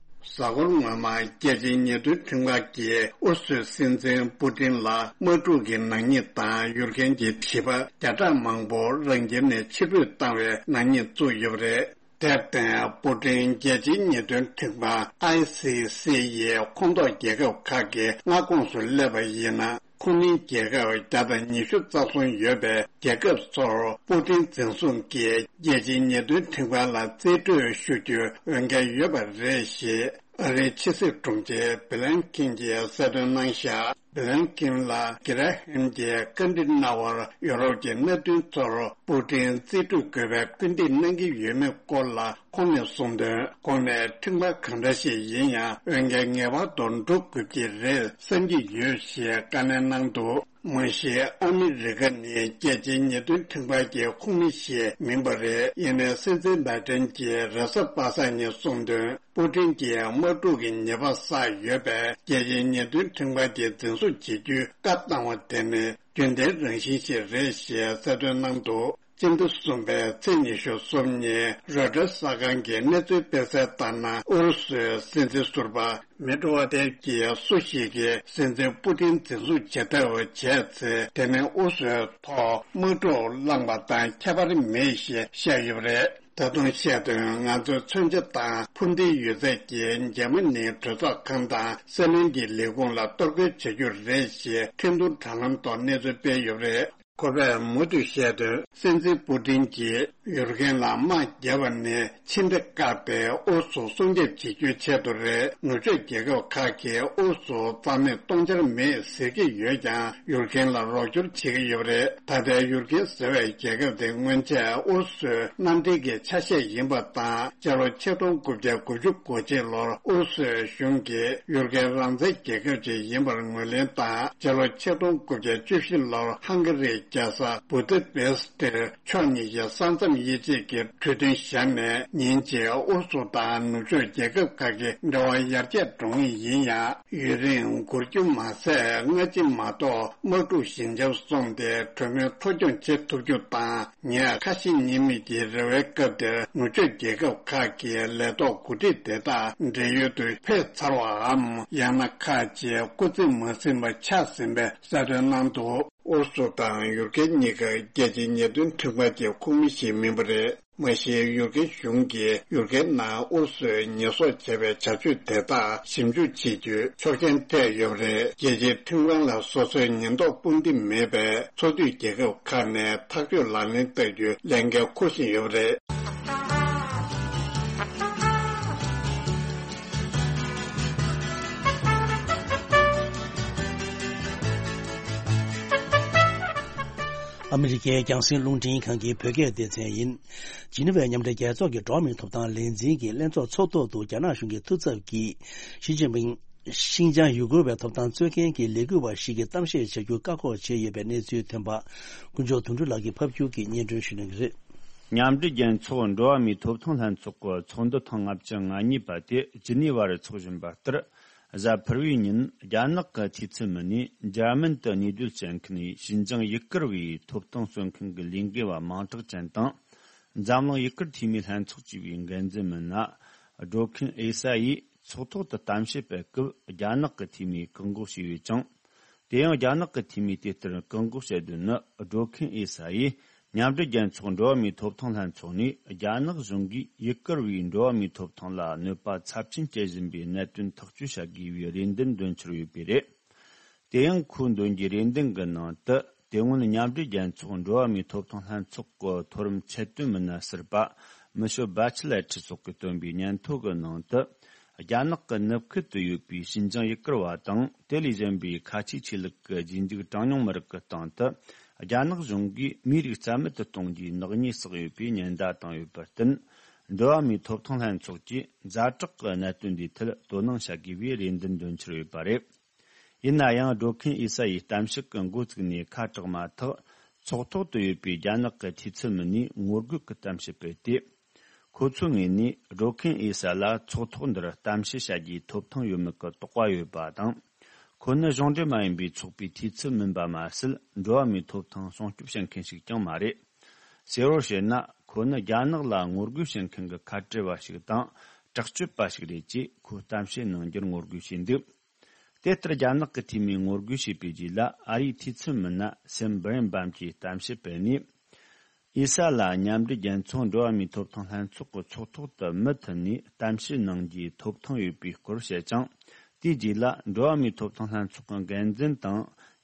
གཟའ་འཁོར་སྔོན་མ་རྒྱལ་སྤྱིའི་ཉེས་དོན་ཁྲིམས་ཁང་གིས་ཨུ་རུ་སུའི་སྲིད་འཛིན་པུ་ཏིན་ལ་དམག་འཁྲུག་གི་ནག་ཉེས་དང་ཡུལ་གན་གྱི་བྱིས་པ་བརྒྱ་ཕྲག་མང་པོ་རང་ཁྱིམ་ནས་ཕྱིར་འབུད་བཏང་བའི་ནག་ཉེས་བཙུགས་ཡོད་པ་རེད། དེར་བརྟེན་པུ་ཏིན་རྒྱལ་སྤྱིའི་ཉེས་དོན་ཁྲིམས་ཁང་ཨའི་སི་སི་ཡི་ཁོངས་གཏོགས་རྒྱལ་ཁབ་ཁག་གི་མངའ་ཁོངས་སུ་སླེབས་པ་ཡིན་ན། ཁོང་རྣམ་རྒྱལ་ཁབ་བརྒྱ་དང་ཉི་ཤུ་རྩ་གསུམ་ཡོད་པའི་རྒྱལ་ཁབ་ཚོར་པུ་ཏིན་འཛིན་བཟུང་གིས་རྒྱལ་སྤྱིའི་ཉེས་དོན་ཁྲིམས་ཁང་ལ་རྩིས་སྤྲོད་ཞུ་རྒྱུའི་འོས་འགན་ཡོད་པ་རེད་ཞེས་ཨ་རིའི་ཕྱི་སྲིད་དྲུང་ཆེ་བྷི་ལན་ཀིན་གྱིས་གསལ་སྟོན་གནང་བཞག་བྷི་ལན་ཀིན་ལ་གྷི་ར་ཧེམ་གྱིས་བཀའ་འདྲི་གནང་བར་ཡོ་རོབ་ཀྱི་མནའ་མཐུན་ཚོར་པུ་ཏིན་རྩིས་སྤྲོད་དགོས་པའི་སྐུལ་འདེད་གནང་གི་ཡོད་མེད་སྐོར་ལ། ཁོང་ནས་གསུངས་དོན། ཁོང་ནས་ཁྲིམས་ཁང་གང་འདྲ་ཞིག་ཡིན་ཡང་འོས་འགན་ངེས་པར་དུ་འགྲོ་དགོས་ཀྱི་རེད་བསམ་གྱི་ཡོད་ཞེས་བཀའ་ལན་གནང་འདུག་མ་གཞི་ཨ་མི་རི་ཀ་ནི་རྒྱལ་སྤྱིའི་ཉེས་དོན་ཁྲིམས་ཁང་གི་ཁོངས་མི་ཞིག་མིན་པ་རེད། ཡིན་ནའི་སྲིད་འཛིན་བྷའི་ཏན་གྱིས་རེས་གཟའ་པ་སངས་ཉིན་གསུངས་དོན། པུ་ཏིན་གྱིས་དམག་འཁྲུག་གི་ཉེས་པ་བསགས་ཡོད་པས་རྒྱལ་སྤྱིའི་ཉེས་དོན་ཁྲིམས་ཁང་གིས་འཛིན་བཟུང་བྱེད་རྒྱུའི་བཀའ་བཏང་བ་དེ་ནི་རྒྱུན་ལྡན་རང་བཞིན་ཞིག་རེད་ཞེས་གསལ་སྟོན་གནང་འདུག་སྤྱི་ཟླ་གསུམ་པའི་ཚེས་ཉི་ཤུ་གསུམ་ཉིན་རོའི་ཊར་གསར་ཁང་གིས་གནས་ཚུལ་སྤེལ་གསལ་ལྟར་ན། ཨུ་རུ་སུའི་སྲིད་འཛིན་ཟུར་པ་མེ་ཏྲོ་ཝ་ཏེབ་ཀྱིས་སུ་ཞིག་གིས་སྲིད་འཛིན་པུ་ཏིན་འཛིན་བཟུང་བྱེད་ཐབས་བྱས་ཚེ། དེ་ནི་ཨུ་རུ་སུའི་ཐོག་དམག་འཁྲུག་བསླངས་པ་དང་ཁྱད་པར་མེད་ཞེས་བཤད་ཡོད་པ་རེད། ད་དུང་བཤད་དོན། ང་ཚོའི་མཚོན་ཆ་དང་འཕུར་མདེལ་ཡོད་ཚད་ཀྱིས་འཇར་མ་ནིའི་གྲོས་ཚོགས་ཁང་དང་སྲིད་བློན་གྱི་ལས་ཁུངས་ལ་གཏོར་རྒོལ་བྱ་རྒྱུ་རེད་ཞེས་འཕྲིན་ཐུང་དྲ་ལམ་ཐོག་གནས་ཚུལ་སྤེལ་ཡོད་པ་རེད། ཁོ་པས་མུ་མཐུད་བཤད་དོན། སྲིད་འཛིན་པུ་ཏིན་གྱིས་ཡུལ་གན་ལ་དམག་བརྒྱབ་པ་ནི་ཕྱི་འབྲེལ་བཀག་སྟེ་ཨུ་རུ་སུ་སྲུང་སྐྱོབ་བྱེད་རྒྱུའི་ཆེད་དུ་རེད། ནུབ་ཕྱོགས་རྒྱལ་ཁབ་ཁག་གིས་ཨུ་རུ་སུ་རྩ་མེད་གཏོང་འཆར་མེད་ཟེར་གྱི་ཡོད་ཀྱང་ཡུལ་གན་ལ་རོགས་སྐྱོར་བྱེད་ཀྱི་ཡོད་པ་རེད། ད་ལྟའི་ཡུལ་གན་ཟེར་བའི་རྒྱལ་ཁབ་དེ་སྔོན་ཆད་ཨུ་རུ་སུའི་མནའ་འབྲེལ་གྱི་ཆ་ཤས་ཡིན་པ་དང་། སྤྱི་ལོ་ཆིག་སྟོང་དགུ་བརྒྱ་དགུ་བཅུ་གོ་གཅིག་ལོར་ཨུ་རུ་སུའི་གཞུང་གིས་ཡུལ་གན་རང་བཙན་རྒྱལ་ཁབ་ཅིག་ཡིན་པར་ངོས་ལེན་དང་། སྤྱི་ལོ་ཆིག་སྟོང་དགུ་བརྒྱ་བཅུ་བཞི་ལོར་ཧང་ག་རིའི་ རྒྱལ་ས་བུ་ད་པེ་སི་ཏིར་ཕྱོགས་གཉིས་ཀྱི་ས་མཚམས་དབྱེ་འབྱེད་ཀྱི་གྲོས་མཐུན་བཞག་ནས། ཉིན་གཅིག་ཨུ་རུ་སུ་དང་ནུབ་ཕྱོགས་རྒྱལ་ཁབ་ཁག་གི་འབྲེལ་བ་ཡར་རྒྱས་འགྲོ་ངེས་ཡིན་ཡང་། ཡུན་རིང་འགོར་རྒྱུ་མ་ཟད། སྔ་ཕྱི་མ་གཏོགས་དམག་འཁྲུག་ཞི་འཇམ་སོང་སྟེ་གྲོས་མོལ་འཕྲོ་སྐྱོད་བྱེད་ཐུབ་རྒྱུ་དང་། ཉེ་ཁ་ཞེ་གཉིས་མེད་ཀྱི་རེ་བའི་སྐབས་དེར་ནུབ་ཕྱོགས་རྒྱལ་ཁབ་ཁག་གི་ལས་ཐོག་འགོ་ཁྲིད་དེ་དག་བགྲེས་ཡོལ་དུ་ཕེབས་ཚར་བའམ། ཡང་ན་ཁག་ཅིག་སྐུ་ཚེ་མ་ཟིན་པ་ཆགས་ཟིན་པའི་གསལ་སྟོན་གནང་འདུག་ཨུ་རུ་སུ་དང་ཡུ་རོབ་གཉིས་ཀ་རྒྱལ་སྤྱིའི་ཉེས་དོན་ཁྲིམས་ཁང་གི་ཁོངས་མི་ཞིག་མིན་པ་རེད། མ་གཞི་ཡུ་རོབ་གཞུང་གིས་ཡུ་རོབ་ནང་ཨུ་རུ་སུས་ཉེས་གསོག་བྱས་པའི་བྱ་སྤྱོད་དེ་དག་ཞིབ་འཇུག་བྱེད་རྒྱུའི་ཆོག་མཆན་སྤྲད་ཡོད་པ་རེད། རྒྱལ་སྤྱིའི་ཁྲིམས་ཁང་ལ་སོ་སོའི་ཉེན་རྟོག་དཔུང་སྡེ་མེད་པས། ཚོགས་འཐུས་རྒྱལ་ཁབ་ཁག་ནས་ཐག་གཅོད་ལག་ལེན་བསྟར་རྒྱུའི་ལས་འགན་འཁུར་བཞིན་ཡོད་པ་རེད། ཨ་མི་རི་ཀའི་རྒྱང་སྲིང་རླུང་འཕྲིན་ཁང་གི་བོད་སྐད་སྡེ་ཚན་ཡིན། ཇི་ནི་ཝའི་མཉམ་འབྲེལ་རྒྱལ་ཚོགས་ཀྱི་འགྲོ་བ་མིའི་ཐོབ་ཐང་ལས་འཛིན་གྱི་ལྷན་ཚོགས་ཚོགས་ཐོག་ཏུ། རྒྱ་ནག་གཞུང་གི་ཐུགས་འཚབ་ཀྱིས། ཞི་ཅིན་ཕིང་ཤིན་ཅང་ཡུ་གུར་བའི་ཐོབ་ཐང་རྩོད་མཁན་གྱི་ལས་འགུལ་བ་ཞིག་གིས་གཏམ་བཤད་བྱ་རྒྱུ་བཀག་འགོག་བྱས་ཡོད་པའི་གནས་ཚུལ་ཐོན་པ། དཀོན་མཆོག་དོན་གྲུབ་ལགས་ཀྱིས་ཕབ་སྒྱུར་གྱིས་སྙན་སྒྲོན་ཞུ་གནང་གི་རེད། མཉམ་འབྲེལ་རྒྱལ་ཚོགས་འགྲོ་བ་མིའི་ཐོབ་ཐང་ལྷན་ཚོགས་ཀྱི་ཚོགས་འདུ་ཐེངས་ལྔ་བཅུ་ང་གཉིས་པ་དེ་ཇི་ནི་ཝ་རུ་འཚོགས་བཞིན་པ་ལྟར། གཟའ་ཕུར་བུའི་ཉིན་རྒྱ་ནག་གི་འཐུས་ཚབ་མི་སྣས་འཇར་མན་དུ་གནས་སྡོད་བྱེད་མཁན་ཞིན་ཅང་ཡུ་གུར་བའི་ཐོབ་ཐང་རྩོད་མཁན་གྱི་ལས་འགུལ་བ་མང་དྲགས་ཅན་དང་། འཛམ་གླིང་ཡུ་གུར་འཐུས་མིའི་ལྷན་ཚོགས་ཞེས་པའི་འགན་འཛིན་མི་སྣ་སྒྲོལ་མཁན་ཨེ་ས་ཡིས་ཚོགས་ཐོག་ཏུ་གཏམ་བཤད་སྤེལ་སྐབས། རྒྱ་ནག་གི་འཐུས་མིས་བཀག་འགོག་བྱས་ཡོད་ཅིང་། དེ་ཡང་རྒྱ་ནག་གི་འཐུས་མིས་དེ་ལྟར་བཀག་འགོག་བྱས་དོན་ནི། སྒྲོལ་མཁན་ཨེ་ས་ཡིས་མཉམ་འབྲེལ་རྒྱལ་ཚོགས་འགྲོ་བ་མིའི་ཐོབ་ཐང་ལྷན་ཚོགས་ནས་རྒྱ་ནག་གཞུང་གིས་ཡུ་གུར་བའི་འགྲོ་བ་མིའི་ཐོབ་ཐང་ལ་གནོད་པ་ཚབས་ཆེན་སྐྱེལ་བཞིན་པའི་གནད་དོན་ཐག་གཅོད་བྱ་དགོས་པའི་རེ་འདུན་འདོན་འཆར་ཡོད་པས་རེད། དེ་ཡང་ཁོས་འདོན་རྒྱུའི་རེ་འདུན་གྱི་ནང་དུ། དེ་སྔོན་མཉམ་འབྲེལ་རྒྱལ་ཚོགས་འགྲོ་བ་མིའི་ཐོབ་ཐང་ལྷན་ཚོགས་ཀྱི་མཐོ་རིམ་ཆེད་དོན་མི་སྣ་ཟུར་པ་མི་ཤོ་བྷ་ཆི་ལེ་ཁྲི་སོགས་ཀྱིས་བཏོན་པའི་སྙན་ཐོ་གི་ནང་དུ། རྒྱ་ནག་གི་ནུབ་ཁུལ་དུ་ཡོད་པའི་ཤིན་ཅང་ཡུ་གུར་བ་དང་། དེ་ལས་གཞན་པའི་ཁ་ཆེའི་ཆོས་ལུགས་ཀྱི་རྗེས་འཇུག་གྲངས་ཉུང་མི་རིགས་ཀྱི་སྟེང་དུ། རྒྱ་ནག་གཞུང་གིས་མིའི་རིགས་རྩ་མེད་དུ་གཏོང་རྒྱུའི་ནག་ཉེས་བསགས་ཡོད་པའི་ཉེན་བརྡ་བཏང་ཡོད་པར་བརྟེན། འགྲོ་བ་མིའི་ཐོབ་ཐང་ལྷན་ཚོགས་ཀྱིས་ཛ་དྲག་གི་གནད་དོན་འདིའི་ཐད་དོ་སྣང་བྱ་དགོས་པའི་རེ་འདུན་འདོན་འཆར་ཡོད་པ་རེད། ཡིན་ན་ཡང་། སྒྲོལ་མཁན་ཨེ་ས་ཡིས་གཏམ་བཤད་ཀྱི་འགོ་བཙུགས་ནས་ཁ་གྲགས་མ་ཐག་ཚོགས་ཐོག་ཏུ་ཡོད་པའི་རྒྱ་ནག་གི་འཐུས་ཚབ་མི་སྣས་ངོ་རྒོལ་གྱི་གཏམ་བཤད་སྤེལ་ཏེ། ཁོ་ཚོའི་ངོས་ནས་སྒྲོལ་མཁན་ཨེ་ས་ལ་ཚོགས་ཐོག་འདིར་གཏམ་བཤད་བྱ་རྒྱུའི་ཐོབ་ཐང་ཡོད་མེད་ཀྱི་དོགས་པ་ཡོད་པ་དང་། ཁོ་ནི་གཞུང་འབྲེལ་མ་ཡིན་པའི་ཚོགས་པའི་འཐུས་ཚབ་མིན་པ་མ་ཟད། འགྲོ་བ་མིའི་ཐོབ་ཐང་སྲུང་སྐྱོབ་བྱེད་མཁན་ཞིག་ཀྱང་མ་རེད། གསལ་བོར་བཤད་ན། ཁོ་ནི་རྒྱ་ནག་ལ་ངོ་རྒོལ་བྱེད་མཁན་གྱི་ཁ་བྲལ་བ་ཞིག་དང་། དྲག་སྤྱོད་པ་ཞིག་རེད་ཅེས་ཁོས་གཏམ་བཤད་གནང་རྒྱུར་ངོ་རྒོལ་བྱས་འདུག་དེ་ལྟར་རྒྱ་ནག་གི་འཐུས་མིས་ངོ་རྒོལ་བྱས་པའི་རྗེས་ལ། ཨ་རིའི་འཐུས་ཚབ་མི་སྣ་སེམ་བྷི་རེན་བམ་གྱིས་གཏམ་བཤད་སྤེལ་ནས། ཨེ་ས་ལ་མཉམ་འབྲེལ་རྒྱལ་ཚོགས་འགྲོ་བ་མིའི་ཐོབ་ཐང་ལྷན་ཚོགས་ཀྱི་ཚོགས་ཐོག་ཏུ་མུ་མཐུད་ནས་གཏམ་བཤད་གནང་རྒྱུའི་ཐོབ་ཐང་ཡོད་པའི་སྐོར་བཤད་ཅིང་། དེའི་རྗེས་ལ། འགྲོ་བ་མིའི་ཐོབ་ཐང་ལྷན་ཚོགས་ཀྱི་འགན་འཛིན་དང་།